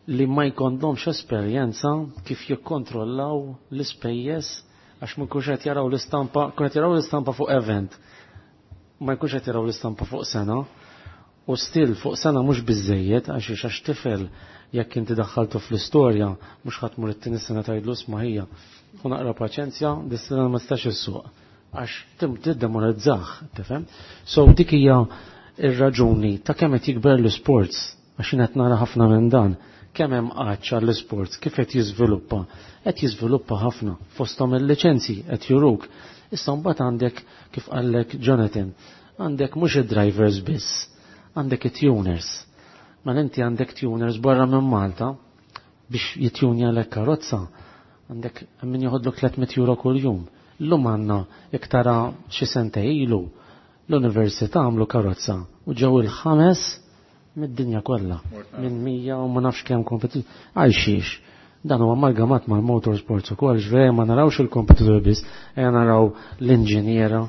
li ma jkollhomx esperjenza kif jikkontrollaw l-ispejjeż għax ma jkunx qed jaraw l-istampa, kun qed jaraw l-istampa fuq event, ma jkunx qed jaraw l-istampa fuq sena. U still fuq sena mhux biżejjed għax għax tifel jekk inti daħħaltu fl-istorja mhux ħadd mur it-tieni sena tgħidlu isma' ħija. U naqra paċenzja, dis-sena ma tistax issuq għax tiddemoralizzah, tifhem? So dik hija ir-raġuni ta' kemm qed jikber l-sports għax jien qed nara ħafna minn dan kemm hemm għatx għall-sports kif qed jiżviluppa. Qed jiżviluppa ħafna fosthom il-liċenzji qed juruk. Issa mbagħad għandek kif qallek Jonathan, għandek mhux id-drivers biss, għandek it-tuners. Ma inti għandek tuners barra minn Malta biex jitjunja l karozza, għandek min joħodlok tliet mitt euro kull jum. Llum għandna iktara xi sente ilu l-università għamlu karozza u ġew il-ħames mid-dinja kollha minn mija u ma nafx kemm kompetitur. Għal xiex? Dan huwa amalgamat mal-motorsports ukoll, ġveri ma narawx il-kompetitur biss, ejja naraw l-inġiniera,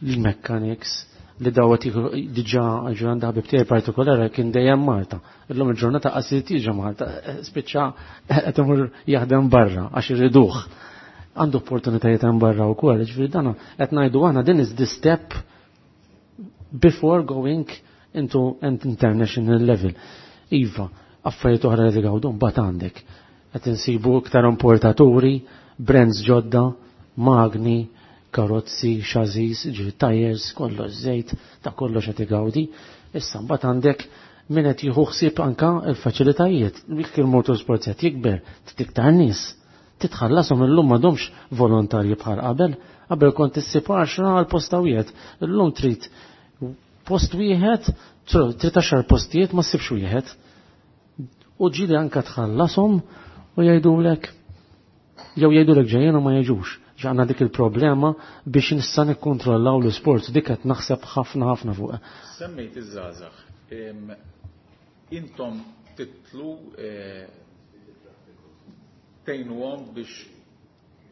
l-mechanics, li dawet diġà ġurnata ħabib tiegħi partikolari kien dejjem Malta. Illum il-ġurnata qasit jiġi Malta, spiċċa qed imur jaħdem barra għax irriduh. Għandu opportunitajiet hemm barra wkoll, ġifieri dan qed ngħidu aħna din is the step before going into an international level. Iva, affarijiet oħra li gawdu mbagħad għandek. Qed insibu iktar importaturi, brands ġodda, magni, karozzi, chassis, ġifieri tires, kollox żejt, ta' kollox qed igawdi. Issa mbagħad għandek min qed jieħu ħsieb anka l-faċilitajiet. Jekk il-motorsport qed jikber, iktar nies. Titħallasom illum m'għadhomx volontarji bħal qabel, qabel kont issib għaxra għal posta wieħed. Illum trid post wieħed, trid għaxar postijiet ma ssibx wieħed. U ġieli anka tħallasom u jgħidulek jew jgħidulek ġejjin u ma jiġux. Ġanna dik il-problema biex nista' nikkontrollaw l-sport, dik qed naħseb ħafna ħafna fuqha. Semmejt iż-żgħażagħ. Intom titlu tgħinuhom biex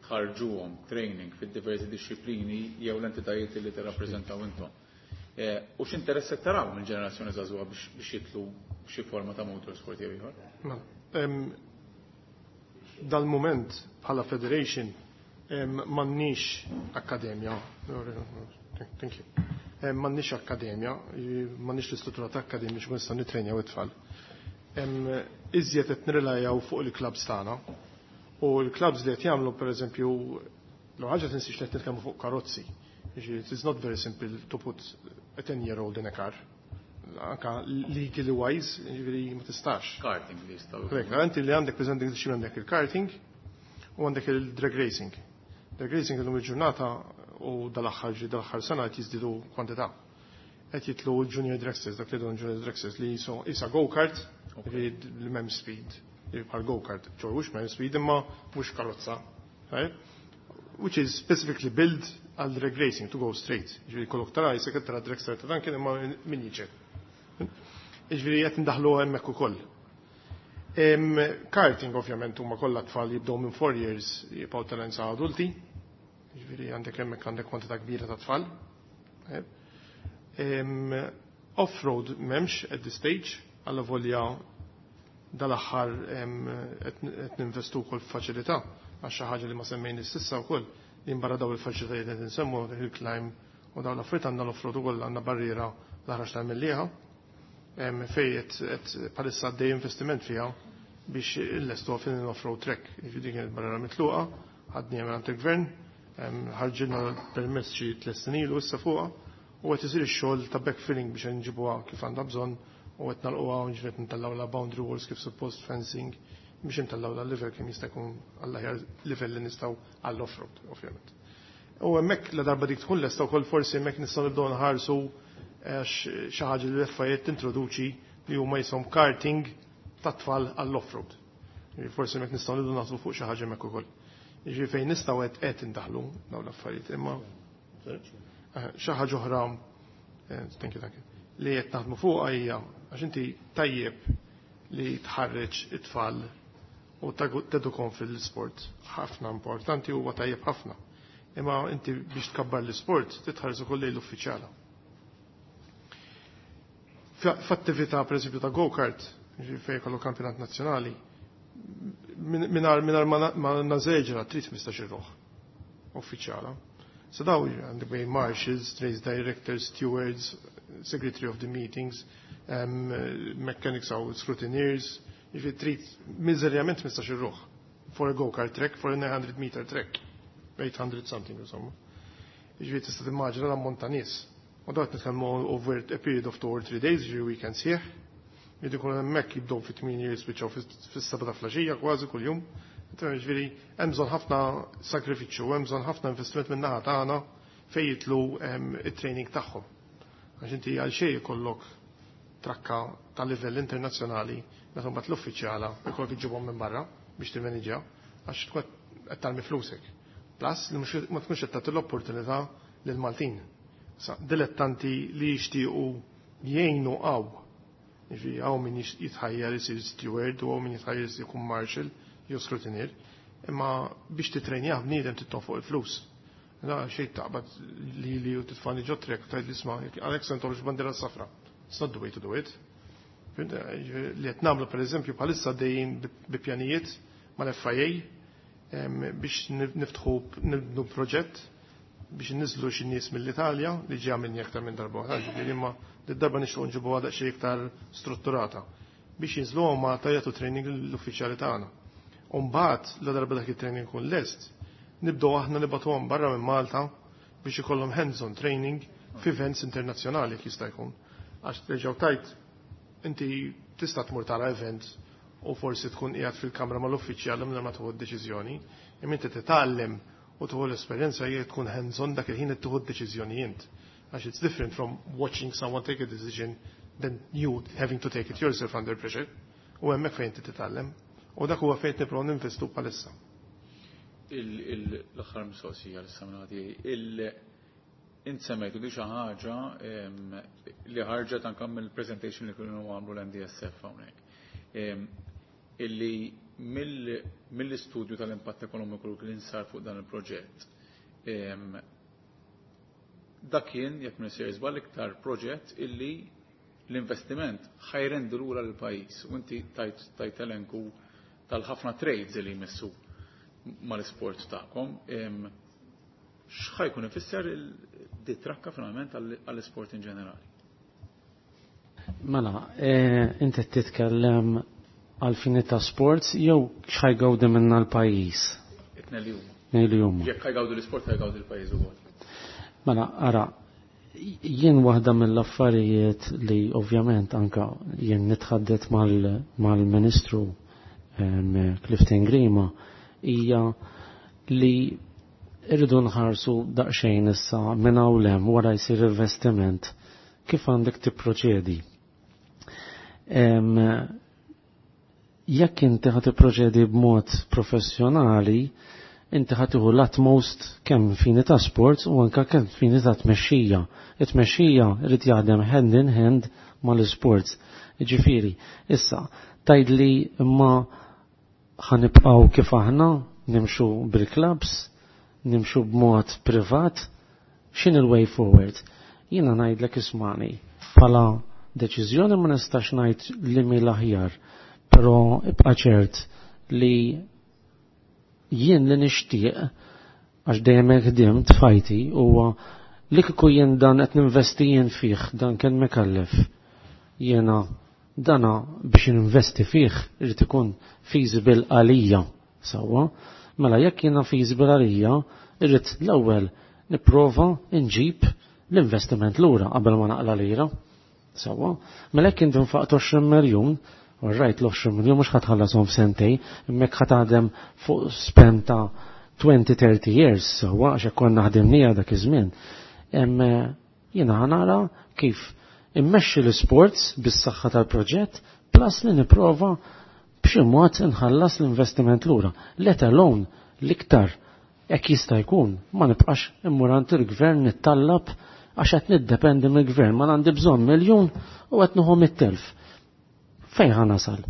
tħarġuhom training fid-diversi disċiplini jew l-entitajiet li tirrappreżentaw intom. U x'interess qed taraw minn ġenerazzjoni żagħżugħa biex jitlu xi forma ta' motorsport jew ieħor? Dal-moment bħala federation m'għandniex akkademja. Thank you. M'għandniex akkademja, m'għandniex l-istruttura ta' akkademja biex nistgħu nitrenjaw it-tfal. Iżjed qed nirrilajaw fuq il-clubs tagħna. U l-clubs li qed jagħmlu pereżempju l ħaġa tinsiex li qed nitkellmu fuq karozzi. It is not very simple to put a ten-year-old in a car. Anka legally wise, ġifieri ma tistax. Karting li jistgħu. Korrekt, inti li għandek preżenti għandek il-karting u għandek il-drag racing. Drag racing illum il-ġurnata u dal-aħħar dal-aħħar sena qed jiżdiedu kwantità. Qed jitlu l-junior dragsters, dak li don junior dragsters li jiso isa go-kart, li m'hemm speed, li bħal go-kart, ċor mhux m'hemm speed imma mhux karozza. Which is specifically built għal drag racing to go straight. Ġifieri kollok tara jisek tara dragster ta' dan kien imma min jiġi. Ġifieri qed indaħlu hemmhekk ukoll. Karting ovvjament huma kollha tfal jibdew minn four years jibqgħu talent sa adulti. Ġifieri għandek hemmhekk għandek kwantità kbira ta' tfal. Off-road m'hemmx at this stage, alla volja dal-aħħar qed ninvestu wkoll f'faċilità għax xi ħaġa li ma semmejni s'issa wkoll li barra daw il-faċilitajiet qed insemmu hill climb u dawn l-affarijiet għandna l-off-road ukoll għandna barriera l-ħraġ tal-Mellieħa fej qed bħalissa għaddej investiment fiha biex illestu fin l-off-road track. Jiġifieri din kienet barriera mitluqa, ħadni għand il-gvern, ħarġilna permess xi tliet snin ilu issa fuqha u qed isir ix-xogħol ta' backfilling biex nġibuha kif għandha bżonn u qed nagħlquha u ġifieri ntellgħu la boundary walls kif suppost fencing biex intellgħu la level kemm jista' jkun għall-aħjar level li nistgħu għall-off-road, ovvjament. U hemmhekk la darba dik tkun lesta wkoll forsi hemmhekk nistgħu nibdew nħarsu għax xi ħaġa li l-F I A tintroduċi li huma jisom karting tat-tfal għall-off-road. Forsi hemmhekk nistgħu nibdew naħsbu fuq xi ħaġa hemmhekk ukoll. Jiġifieri fejn nistgħu qed qed indaħlu dawn l-affarijiet, imma xi ħaġa oħra, thank you, thank you, li qed naħdmu fuqha hija għax inti tajjeb li tħarreġ it-tfal u tedukom fil-sport ħafna importanti huwa tajjeb ħafna. Imma inti biex tkabbar l-isport titħares ukoll lejn l-uffiċjala. F'attività pereżempju ta' go-kart, fejn kollu kampjonat nazzjonali, mingħajr mingħajr ma nażeġra trid ħmistax-il ruħ uffiċjala. So daw għandek bejn marshals, race directors, stewards, secretary of the meetings, um, mechanics aw scrutineers, jiġifieri trid miżerjament ħmistax-il ruħ for a go-kart track, for a nine hundred meter track, eight hundred something insomma. Jiġifieri tista' timmaġina l-ammont ta' nies. U dat nitkellmu over a period of two or three days, jiġifieri weekend sħiħ. Jiġifieri jkun hemmhekk jibdew fit-tmienja, jispiċċaw fis-seba ta' filgħaxija kważi kuljum. Jiġifieri hemm bżonn ħafna sakrifiċċju, hemm bżonn ħafna investiment minn naħa tagħna fejn jidħlu it-training tagħhom. Għax inti għal xejn ikollok trakka ta' livell internazzjonali meta mbagħad l-uffiċjala jkollok iġibhom minn barra biex timmaniġġja, għax tkun qed tarmi flusek. Plus li ma tkunx qed tagħti l-opportunità lil Maltin. Sa dilettanti li jixtiequ jgħinu għaw. Jiġifieri hawn min jitħajjar isir steward u hawn min jitħajjar jkun marshal jew scrutineer, imma biex titrenjah bniedem trid fuq il-flus. Da xejn taqbad li li u titfani ġo track u tgħid, "Isma', għalhekk se ntollx bandiera safra." It's not the way to do it. Li qed nagħmlu pereżempju bħalissa, dejjin bi pjanijiet mal-F I A biex niftħu, nibnu proġett biex niżlu xi nies mill-Italja li ġie għamilni aktar minn darba oħra, ġifieri imma darba nixtiequ nġibu għadha xi iktar strutturata biex jinżlu ma jagħtu training l-uffiċjali tagħna. U mbagħad la darba dak it-training kun lest, nibdew aħna nibagħtuhom barra minn Malta biex ikollhom hands-on training f'events internazzjonali jekk jista' jkun. Għax terġgħu tajt inti tista' tmur tara event u forsi tkun qiegħed fil-kamra mal-uffiċjal minn ma tieħu d-deċiżjoni, imma inti titgħallem u tieħu l-esperjenza jekk tkun hands-on dak il-ħin qed tieħu d-deċiżjoni int. Għax it's different from watching someone take a decision than you having to take it yourself under pressure. U hemmhekk fejn inti titgħallem. U dak huwa fejn nipprovaw ninvestu bħalissa. L-aħħar mistoqsija l-samnati, int semmejtu di xi ħaġa li ħarġet anke mill-presentation li kienu għamlu l-M D S F hawnhekk. Illi mill-istudju tal-impatt ekonomiku li sar fuq dan il-proġett, dak kien, jekk minn sejjer żball, iktar proġett illi l-investiment ħa jrendi lura l-pajjiż u inti tajt tajt elenku tal-ħafna trades li jmissu mal-isport tagħkom. X'ħa jkun ifisser di trakka finalment għall-isport in ġenerali? Mela, eh, inti titkellem għal fini ta' sports jew x'ħa jgawdi minna l-pajjiż? It-tnejn li huma. Li huma. Jekk ħa jgawdu l-isport, ħa jgawdu l-pajjiż ukoll. Mela, ara, jien waħda mill-affarijiet li ovvjament anka jien nitħaddet mal-Ministru Clifton Grima hija li irridu nħarsu daqsxejn issa minn hawn hemm wara jsir investiment kif għandek tipproċedi. Jekk inti ħa tipproċedi b'mod professjonali, inti ħa tieħu l-utmost kemm fini ta' sports u anka kemm fini ta' tmexxija. It-tmexxija irid jaħdem hand in hand mal-sports. Ġifieri, issa tgħidli imma ħa nibqgħu kif aħna nimxu bil-clubs, nimxu b'mod privat, x'in il-way forward? Jiena ngħidlek, ismani, bħala deċiżjoni ma nistax ngħid li mi l-aħjar, però ibqa' ċert li jien li nixtieq, għax dejjem hekk ħdimt f'ħajti, huwa li kieku jien dan qed ninvesti jien fih, dan kien mekallef. Jiena dana biex ninvesti fih irid ikun feasible għalija sewwa. Mela jekk jiena feasible għalija, irrid l-ewwel nipprova nġib l-investiment lura qabel ma naqla lira. Sewwa. Mela jekk inti nfaqt għoxrin miljun, rajt l-għoxrin miljun mhux ħa tħallasom f'sentej, imma ħa taħdem fuq span ta' twenty thirty years, sewwa, għax konna ħdimnija dak iż-żmien. Jiena ħa nara kif immexxi l-sports bis-saħħa tal-proġett plus li nipprova b'xi mod inħallas l-investiment lura. Let alone l-iktar jekk jista' jkun ma nibqax immur għand il-gvern nittallab, għax qed niddependi mill-gvern, ma għandi bżonn miljun u qed nieħu mit-telf. Fejn ħa nasal?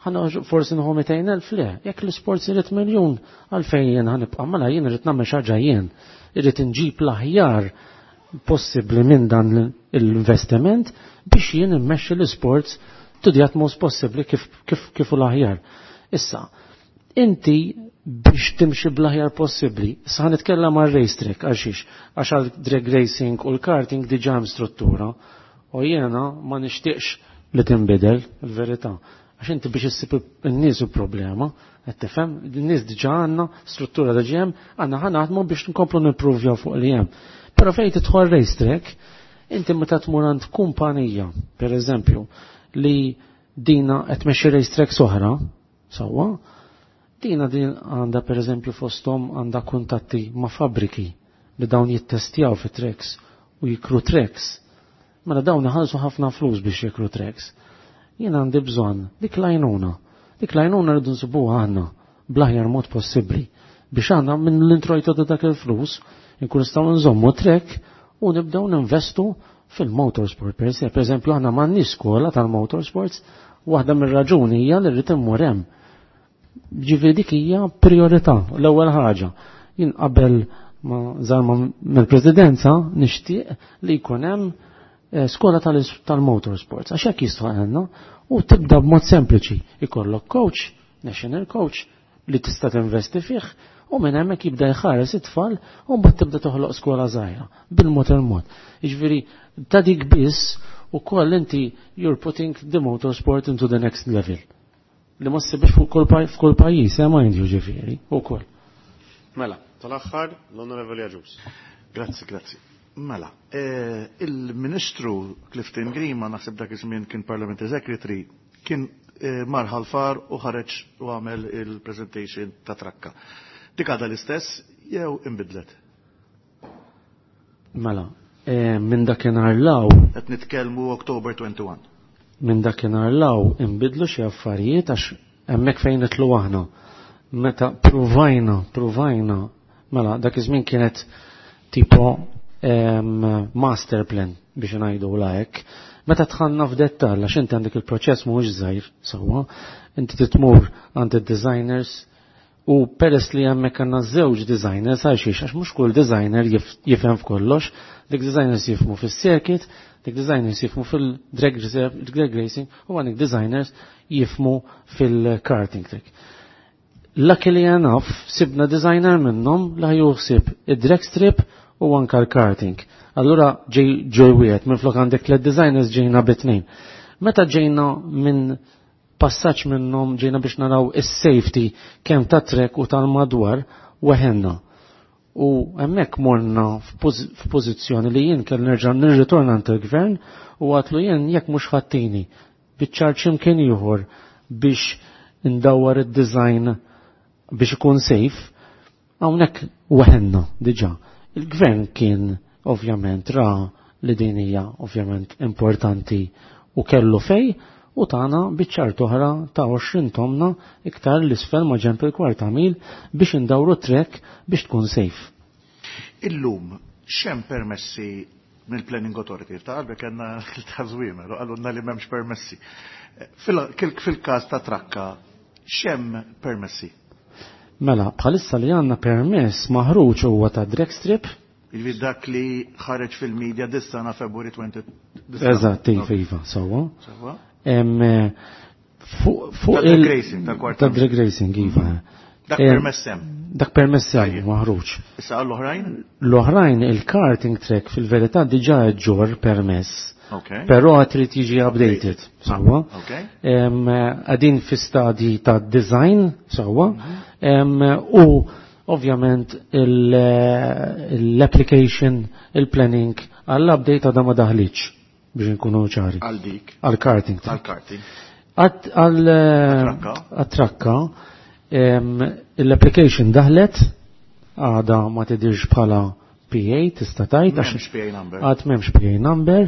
Ħana forsi nħu mitejn elf le, jekk l-isports irid miljun, għalfejn jien ħa nibqa' mela jien irid nagħmel xi ħaġa jien, irrid inġib l-aħjar possibbli minn dan l-investiment biex jien immexxi l-isports to the utmost possibbli kif kif kif u l-aħjar. Issa, inti biex timxi bl-aħjar possibbli, issa ħa nitkellem għal racetrack għal xiex, għax għal drag racing u l-karting diġà hemm struttura u jiena ma nixtieqx li tinbidel il-verità. Għax inti biex issib in-nies u problema, qed tifhem, in-nies diġà għandna struttura diġà hemm, għandna ħa naħdmu biex nkomplu nippruvjaw fuq li hemm. Però fejn tidħol racetrack, inti meta tmur għand kumpanija, per eżempju, li dina qed tmexxi racetracks oħra, sewwa, dina din għandha per eżempju fosthom għandha kuntatti ma' fabriki li dawn jittestjaw fi tracks u jikru tracks. Mela dawn iħallsu ħafna flus biex jikru tracks. Jien għandi bżonn dik l-għajnuna. Dik l-għajnuna rridu nsibuha aħna bl-aħjar mod possibbli biex aħna minn l-introjtu ta' dak il-flus nkun nistgħu nżommu track u nibdew ninvestu fil-motorsport per se. Per eżempju, aħna m'għandniex skola tal-motorsports, waħda mir-raġuni hija li rrid immur hemm. Ġifieri dik hija priorità, l-ewwel ħaġa. Jien qabel ma żarma mill-presidenza nixtieq li jkun hemm eh, skola tal-motorsports, għax hekk jistħoqilna u tibda b'mod sempliċi. Ikollok coach, national coach, li tista' tinvesti fih u minn hemmhekk jibda jħares it-tfal u mbagħad tibda toħloq skola żgħira bil-mod il-mod. Jiġifieri ta' dik biss ukoll inti you're putting the motorsport into the next level. Li ma ssibx fuq kull f'kull pajjiż, eh mind you ġifieri, ukoll. Mela, tal-aħħar l-Onorevoli Agius. Grazzi, grazzi. Mela, eh, il-Ministru Clifton Grima, naħseb dak iż-żmien kien Parliamentary Secretary, kien eh, mar Ħal Far u ħareġ u għamel il-presentation ta' trakka. Dik għadha l-istess jew inbidlet? Mela, eh, minn dakinhar law Qed nitkellmu October wieħed u għoxrin. Minn dakinhar law inbidlu xi affarijiet għax hemmhekk fejn nidħlu aħna. Meta pruvajna, pruvajna, mela dak iż-żmien kienet tipo em, master plan biex ngħidu la hekk. Meta dħalna f'dettall għax inti għandek il-proċess mhuwiex żgħir sewwa, inti titmur għand id-designers u peress li hemmhekk għandna żewġ designers għal xiex għax mhux kull designer jif- jifhem f'kollox, dik designers jifhmu fis-circuit, dik designers jifhmu fil-drag drag racing u għandek designers jifhmu fil-karting track. Luckily enough, sibna designer minnhom li juħsib id-drag strip u anka l-karting. Allura ġej ġej wieħed minn flok għandek tliet designers ġejna bit-tnejn. Meta ġejna minn passaġġ minnhom ġejna biex naraw is-safety kemm ta' track u tal-madwar weħenna. U hemmhekk morna f'pożizzjoni li jien kell nerġa' nirritorna għand il-gvern u għedtlu jien jekk mhux ħattini biċ-ċar x'imkien ieħor biex ndawwar id-design biex ikun safe, hawnhekk weħenna diġà. Il-gvern kien ovvjament ra li din hija ovvjament importanti u kellu fej u tana biċ-ċar oħra ta' għoxrin tomna iktar l-isfel ma' ġenb il-kwarta mil biex indawru track biex tkun safe. Illum, x'hemm permessi mill-Planning Authority? Ta' qalbek għandna l-tażwima, għalunna li m'hemmx permessi. Fil-każ ta' trakka, x'hemm permessi? Mela, bħalissa li għandna permess maħruġ huwa ta' drag strip. Jiġifieri dak li ħareġ fil-media dis-sena February għoxrin. Eżatt, iva, iva, sewwa. Sewwa. Fuq Ta' drag racing, ta' kwarta. Ta' drag racing, iva. Dak permess hemm. Dak permess hemm maħruġ. Issa għall-oħrajn? L-oħrajn il-karting track fil-verità diġà ġor permess. Okay. Però għad trid jiġi updated, sewwa. Okay. Għadin fi stadji ta' design, sewwa. U ovvjament l-application, il-planning għall-update għadha ma daħliċ biex nkunu ċari. Għal dik. Għal karting. Għal karting. Għal trakka l-application daħlet għada ma tidirx bħala P A tista' tgħid għax M'hemmx P A number. Għad m'hemmx P A number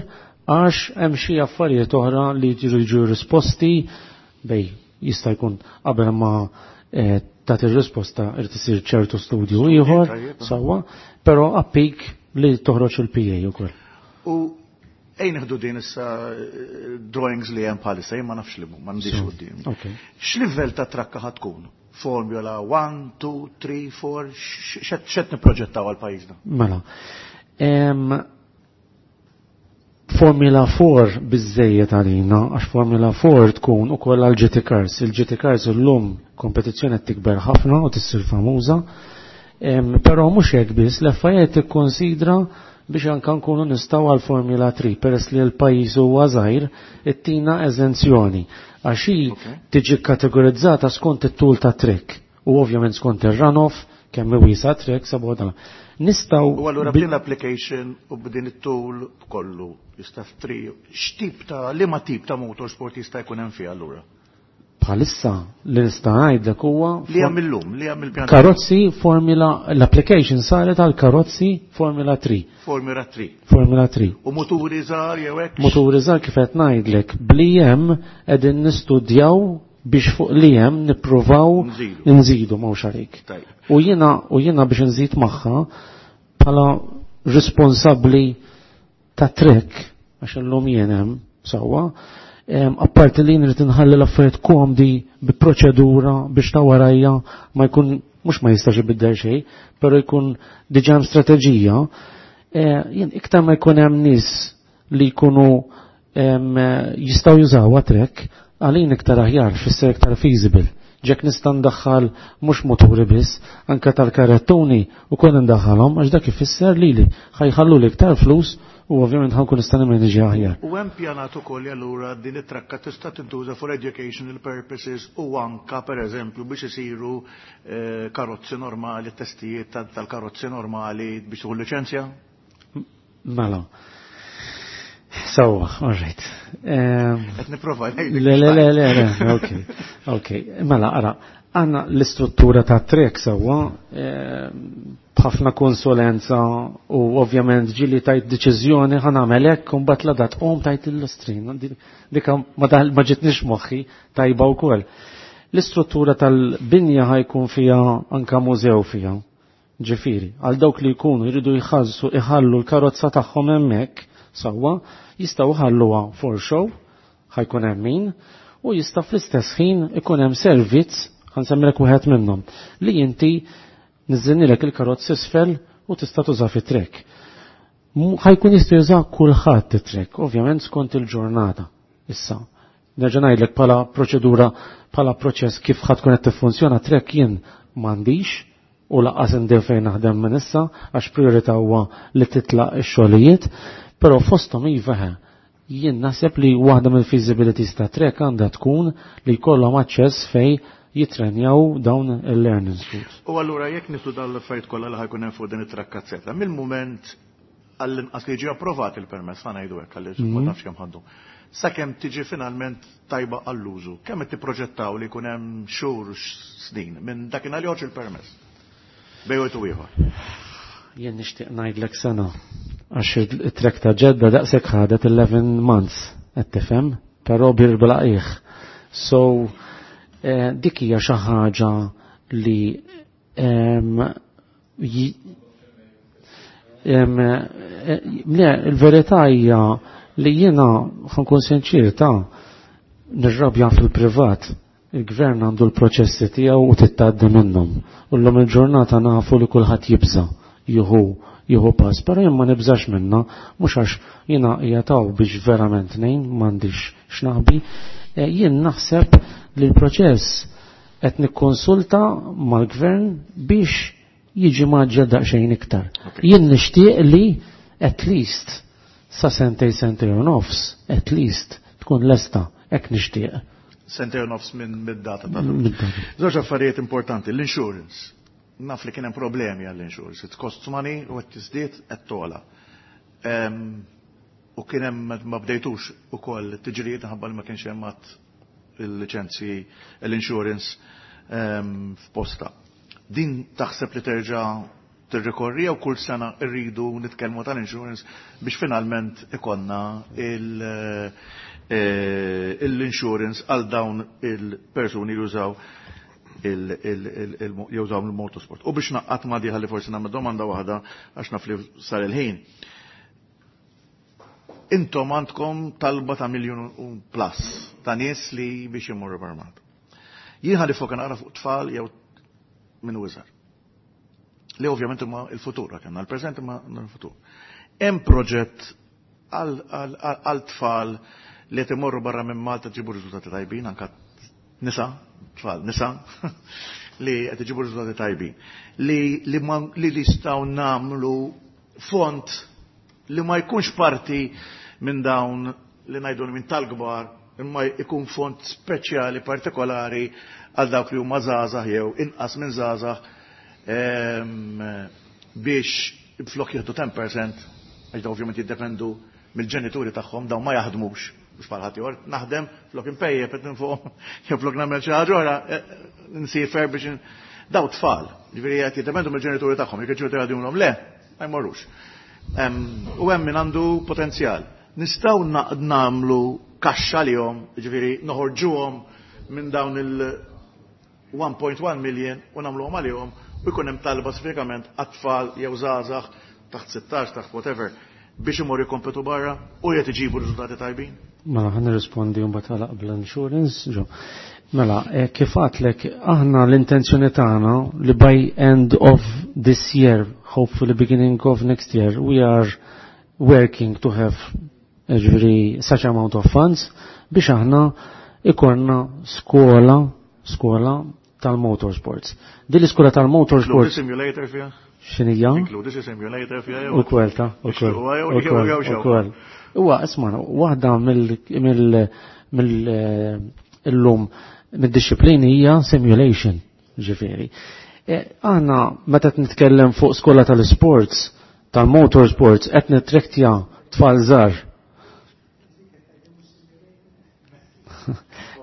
għax hemm xi affarijiet oħra li jiġu risposti bej jista' jkun qabel ma eh, tagħti ir-risposta irid isir ċertu studju ieħor tajjeb, sewwa, però appik li toħroġ il-P A ukoll. U Ejn nieħdu din issa eh, drawings li hemm bħalissa, jien ma nafx li m'għandix quddiem. X'livell ta' trakka ħa tkun? Formula one, two, three, four, x'qed nipproġettaw għal pajjiżna? Mela. Formula four biżejjed għalina, għax Formula four tkun ukoll għal G T Cars. Il-G T Cars illum kompetizzjoni qed tikber ħafna u tissir famuża. Però mhux hekk biss, l-F I A tikkonsidra biex anka nkunu nistgħu għal Formula three, peress li l-pajjiż huwa żgħir, ittina eżenzjoni. Għax hi tiġi kategorizzata skont it-tul ta' trek u ovvjament skont ir-runoff, kemm wiesa trek sabu dan. Nistgħu U allura b'din l-application u b'din it-tul kollu jista' f'tri, x'tip ta' liema tip ta' motorsport jista' jkun hemm fiha allura? Bħalissa li nista' ngħidlek huwa Li hemm illum, li hemm il-pjan. Karozzi Formula, l-application saret għal karozzi Formula three. Formula three. Formula three. U muturi żgħar jew hekk? Muturi żgħar kif qed ngħidlek, bli hemm qegħdin nistudjaw biex fuq li hemm nippruvaw Nżidu. nżidu m'hawnx għalik. Tajjeb. U jiena, u jiena biex nżid magħha bħala responsabbli ta' trek, għax illum jien hemm sewwa, em, apparti li nrid inħalli l-affarijiet komdi bi proċedura biex ta' warajja ma jkun, mhux ma jistax ibiddel xejn, però jkun diġà hemm strateġija, eh, jien iktar ma jkun hemm nies li jkunu, em, jistgħu jużawha trek, għalin iktar aħjar, fisser iktar feasible. Ġek nista' ndaħħal mhux muturi biss, anke tal-karettuni u kon ndaħħalhom għax dak ifisser lili ħajħallu li iktar flus u ovvjament ħankun nista' nimmanġi aħjar. U hemm pjanat ukoll allura din it-trakka tista' tintuża for educational purposes u anka pereżempju biex isiru, eh, karozzi normali, testijiet tal-, tal-karozzi normali biex tieħu liċenzja? Mela. Sewwa, all right. Ehm, Qed nipprova ngħidlek. Le, le, le, le, le, ok, ok. Mela, ara, għandna l-istruttura ta' trek sewwa, ehm, b'ħafna konsulenza u ovvjament ġili tajt deċiżjoni ħa nagħmel hekk u mbagħad la dat qom tajt l-istrin. Dika ma daħ-, ma ġitniex moħħi tajba wkoll. L-istruttura tal-binja ħajkun fiha anka mużew fiha. Ġifieri, għal dawk li jkunu jridu jħallsu iħallu l-karozza tagħhom hemmhekk sewwa, jistgħu jħalluha for show, ħajkun hemm min, u jista' fl-istess ħin ikun hemm servizz, ħansemmilek wieħed minnhom, li inti niżżinilek il-karozzi isfel u tista' tuża fit-trek. Mu-, ħajkun jista' juża kulħadd it-trek, ovvjament skont il-ġurnata. Issa, nerġa' ngħidlek bħala proċedura, bħala proċess kif ħadd tkun qed tiffunzjona trek jien m'għandix u laqqas indir fejn naħdem minn issa għax priorità huwa li titlaq ix-xogħlijiet, però fosthom iva ħe, jien naħseb li waħda mill-feasibilities ta' trek għandha tkun li jkollhom aċċess fej jitrenjaw dawn il-learning schools. U allura jekk niflu dawn l-affarijiet kollha li ħajkun hemm fuq din it-trakkazzetta, mill-mument għall-inqas li jiġi approvat il-permess, ħa ngħidu hekk għaliex ma Mhm. nafx kemm ħaddu. Sakemm tiġi finalment tajba għall-użu, kemm qed tipproġettaw li jkun hemm xhur snin minn dakinhar li joħroġ il-permess? Bejn wieħed u ieħor. Jien nixtieq ngħidlek sena għax it-trek ta' Ġedda daqshekk ħadet eleven months, qed tifhem, però bir blaqih. So, eh, dik hija xi ħaġa li, em, ji-, em, eh, le, il-verità hija li jiena ħankun sinċir ta' nirrabja fil-privat. Il-gvern għandu l-proċessi tiegħu u tittgħaddi minnhom. U llum il-ġurnata nafu li kulħadd jibża' jieħu, jieħu pass, però jien ma nibżax minna, mhux għax jiena qiegħed biex verament ngħin, m'għandix x'naħbi. Eh, jien naħseb li l-proċess qed nikkonsulta mal-gvern biex jiġi maġġel daqsxejn iktar. Okay. Jien nixtieq li at least sa sentej, sentej u nofs, at least tkun lesta, hekk nixtieq. Sentej u nofs minn mid-data ta' Mid-data. Żewġ affarijiet importanti, l-insurance. Naf li kien hemm problemi għall-insurance. It costs money u qed tiżdied qed togħla. Ehm, u kien hemm ma bdejtux ukoll tiġrijiet minħabba li ma kienx hemm għad il-liċenzji, l-insurance, ehm, f'posta. Din taħseb li terġa' tirrikorri jew kull sena rridu nitkellmu tal-insurance biex finalment ikonna il-, eh, l-insurance għal dawn il-persuni li jużaw il-, il-, il-, il-, jużaw il-motorsport. U biex naqqat ma diħa li forsi nagħmel domanda waħda għax naf li sar il-ħin. Intom għandkom talba ta' miljun u plus ta' nies li biex imorru barra Malta. Jien ħa niffoka naqra fuq tfal jew minn iżgħar. Li ovvjament huma il-futur, għandna l-preżent imma l-futur. Hemm proġett għal tfal li qed imorru barra minn Malta ġibu riżultati tajbin, anka nisa, tfal, nisa, li qed iġibu riżultati tajbin. Li li li nistgħu nagħmlu fond li ma jkunx parti minn dawn li ngħidu minn tal-kbar, imma jkun fond speċjali partikolari għal dawk li huma żgħażagħ jew inqas minn żgħażagħ biex flok jieħdu ten percent, għax daw ovvjament jiddependu mill-ġenituri tagħhom, dawn ma jaħdmux, mhux bħal ħadd. Naħdem flok impejjep qed fuq jew flok nagħmel xi ħaġa oħra, nsiefer biex daw tfal, ġifieri qed jiddependu mill-ġenituri tagħhom, jekk il-ġenituri jgħidulhom le, ma jmorrux. U hemm min għandu potenzjal. Nistgħu nagħmlu kaxxa lihom, ġifieri noħorġuhom minn dawn il one point one million u nagħmluhom għalihom u jkun hemm talba speċifikament għat-tfal jew żgħażagħ taħt sittax, taħt whatever, biex imorru jkompetu barra u qed iġibu riżultati tajbin? Mela, ħa nirrispondi un għal bl-insurance, ġo. Mela, eh, kif għedtlek, aħna l-intenzjoni tagħna li by end of this year, hopefully beginning of next year, we are working to have, ġifieri, such amount of funds biex aħna ikollna skola, skola tal-motorsports. Din l-iskola tal-motorsports. Simulator fiha? X'inhija? Inkludi xi simulator fiha? U kwelta, u kwel. Huwa, isma', waħda mill mill mill illum mid-disciplini hija simulation, ġifieri. E, aħna meta nitkellem fuq skola tal-sports, tal-motorsports, qed nitrektja tfal żgħar.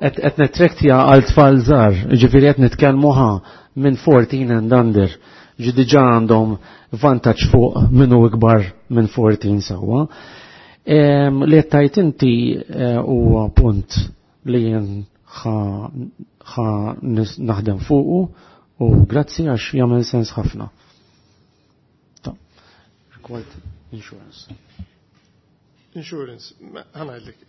Qed nitrektja għal tfal żgħar, ġifieri qed nitkellmu ħa minn fourteen and under. Ġi diġà għandhom vantaġġ fuq minnu ikbar minn fourteen sewwa. Li qed tajt inti eh, huwa punt li jien ħa naħdem fuqu u grazzi għax jagħmel sens ħafna. Rigward insurance. Insurance, ħa ngħidlek,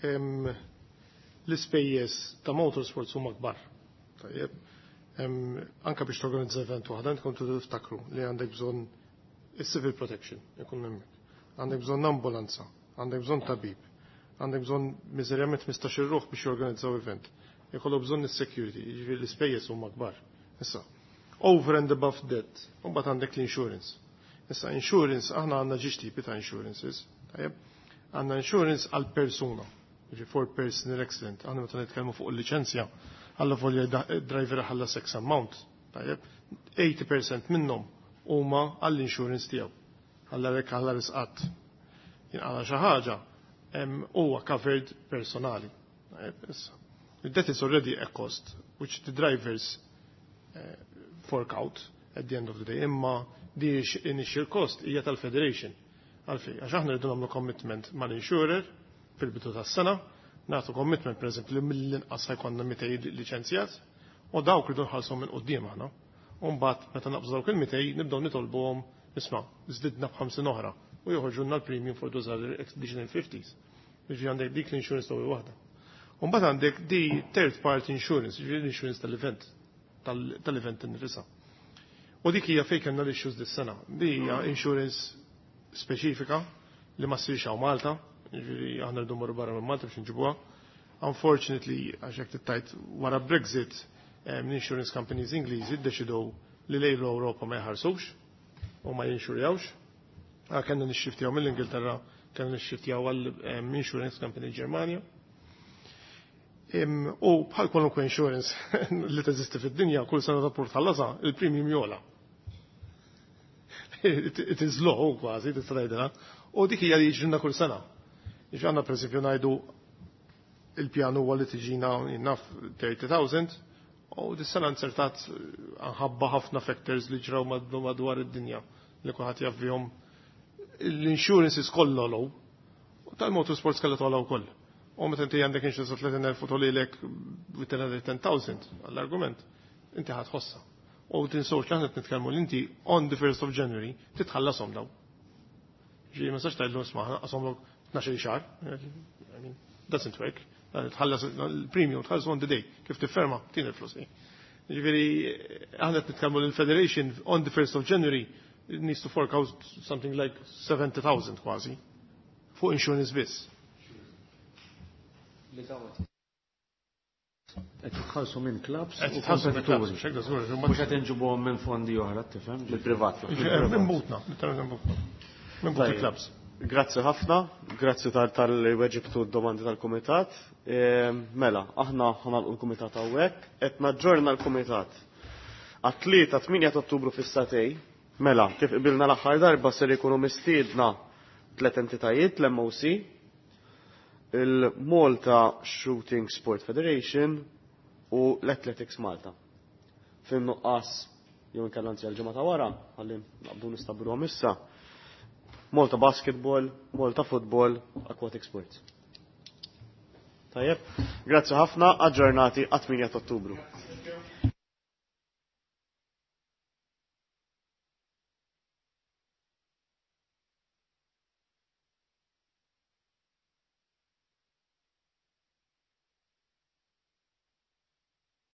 l-ispejjeż ta' motorsports huma kbar. Tajjeb. Anka biex torganizza event waħda, intkom tiftakru li għandek bżonn is-civil protection ikun hemmhekk. Għandek bżonn ambulanza, għandek bżonn tabib, għandek bżonn miżerjament ħmistax-il ruħ biex jorganizzaw event. Jkollu bżonn is-security, jiġifieri l-ispejjeż huma kbar. Issa, over and above that, u mbagħad għandek l-insurance. Issa, insurance, aħna għandna żewġ tipi ta' insurances. Tajjeb, għandna insurance għal persuna, jiġifieri for personal accident. Aħna meta nitkellmu fuq il-liċenzja, għalla volja driver ħalla X amount. Tajjeb, eighty percent minnhom huma għall-insurance tiegħu. Għalla rek għalla risqat. Jinqala xi ħaġa huwa covered personali. Tajjeb, issa. That is already a cost which the drivers uh, fork out at the end of the day. Imma di initial cost hija tal-federation. Għalfej, għax aħna rridu nagħmlu commitment mal-insurer fil-bidu tas-sena, nagħtu commitment pereżempju li mill-inqas ħa jkollna mitejn liċenzjat u dawk rridu nħallsu minn quddiem aħna. U mbagħad meta naqbżu dawk il-mitejn nibdew nitolbuhom, isma', żdidna b'ħamsin oħra u joħorġulna l-premium for those other additional fifties. Jiġifieri għandek dik l-insurance l waħda. U mbagħad għandek di third party insurance, jiġifieri l-insurance tal-event, tal-event innifisha. U dik hija fejn kellna l-issues dis-sena. Di hija insurance speċifika li ma ssirx hawn Malta, jiġifieri aħna rridu mmorru barra minn Malta biex nġibuha. Unfortunately, għax jekk tittajt wara Brexit, l-insurance companies Ingliżi ddeċidew li lejn l-Ewropa ma jħarsux u ma jinxurjawx. Kellna nixxiftjaw mill-Ingilterra, kellna nixxiftjaw għal insurance company Ġermanja. U bħal kwalunkwe insurance li teżisti fid-dinja, kull sena ta' port ħallasa, il-premium jogħla. It is law kważi, tista' tgħidilha. U dik hija li jiġrilna kull sena. Jiġi għandna pereżempju ngħidu il-pjan huwa li tiġina naf thirty thousand u dis-sena nzertat minħabba ħafna factors li ġraw madwar id-dinja li kulħadd jaf bihom. L-insurances kollha għolew. U tal-motorsports kellha togħla wkoll. U meta inti għandek insurance tletin elf u togħlilek with another ten thousand għall-argument, inti ħa tħossha. U tinsewx li aħna nitkellmu li inti on the first of January titħallasom daw. Ġi ma sax tgħidlu isma' qasomlok tnax-il xahar. I mean, doesn't work. Tħallas il-premium, tħallas on the day, kif tifferma, tin il-flus. Ġifieri, aħna qed nitkellmu l-Federation on the first of January needs to fork out something like seventy thousand kważi fuq insurance biss. Qed jitħallsu minn clubs Qed u jitħallsu minn clubs, kompetituri. mhux hekk, żgur, Mhux qed inġibuhom minn fondi oħra, tifhem? Mill-privat. Minn butna, literalment minn butna. Minn but Tajjeb. il-clubs. Grazzi ħafna, grazzi tal- talli weġibtu d-domandi tal-Kumitat. E, Mela, aħna ħa nagħlqu l-Kumitat hawnhekk, qed naġġorna l-Kumitat. Għat-tlieta tmienja ta' Ottubru fis-sagħtejn, mela, kif qbilna l-aħħar darba, ser ikunu mistiedna tliet entitajiet: l-M O C, il-Malta Shooting Sport Federation u l-Athletics Malta. Fin-nuqqas jew inkella, anzi, għal-ġimgħa ta' wara, ħalli naqbdu nistabbilhom issa. Malta Basketball, Malta Football, Aquatic Sports. Tajjeb, grazzi ħafna, aġġornati għat-tmienja ta' Ottubru.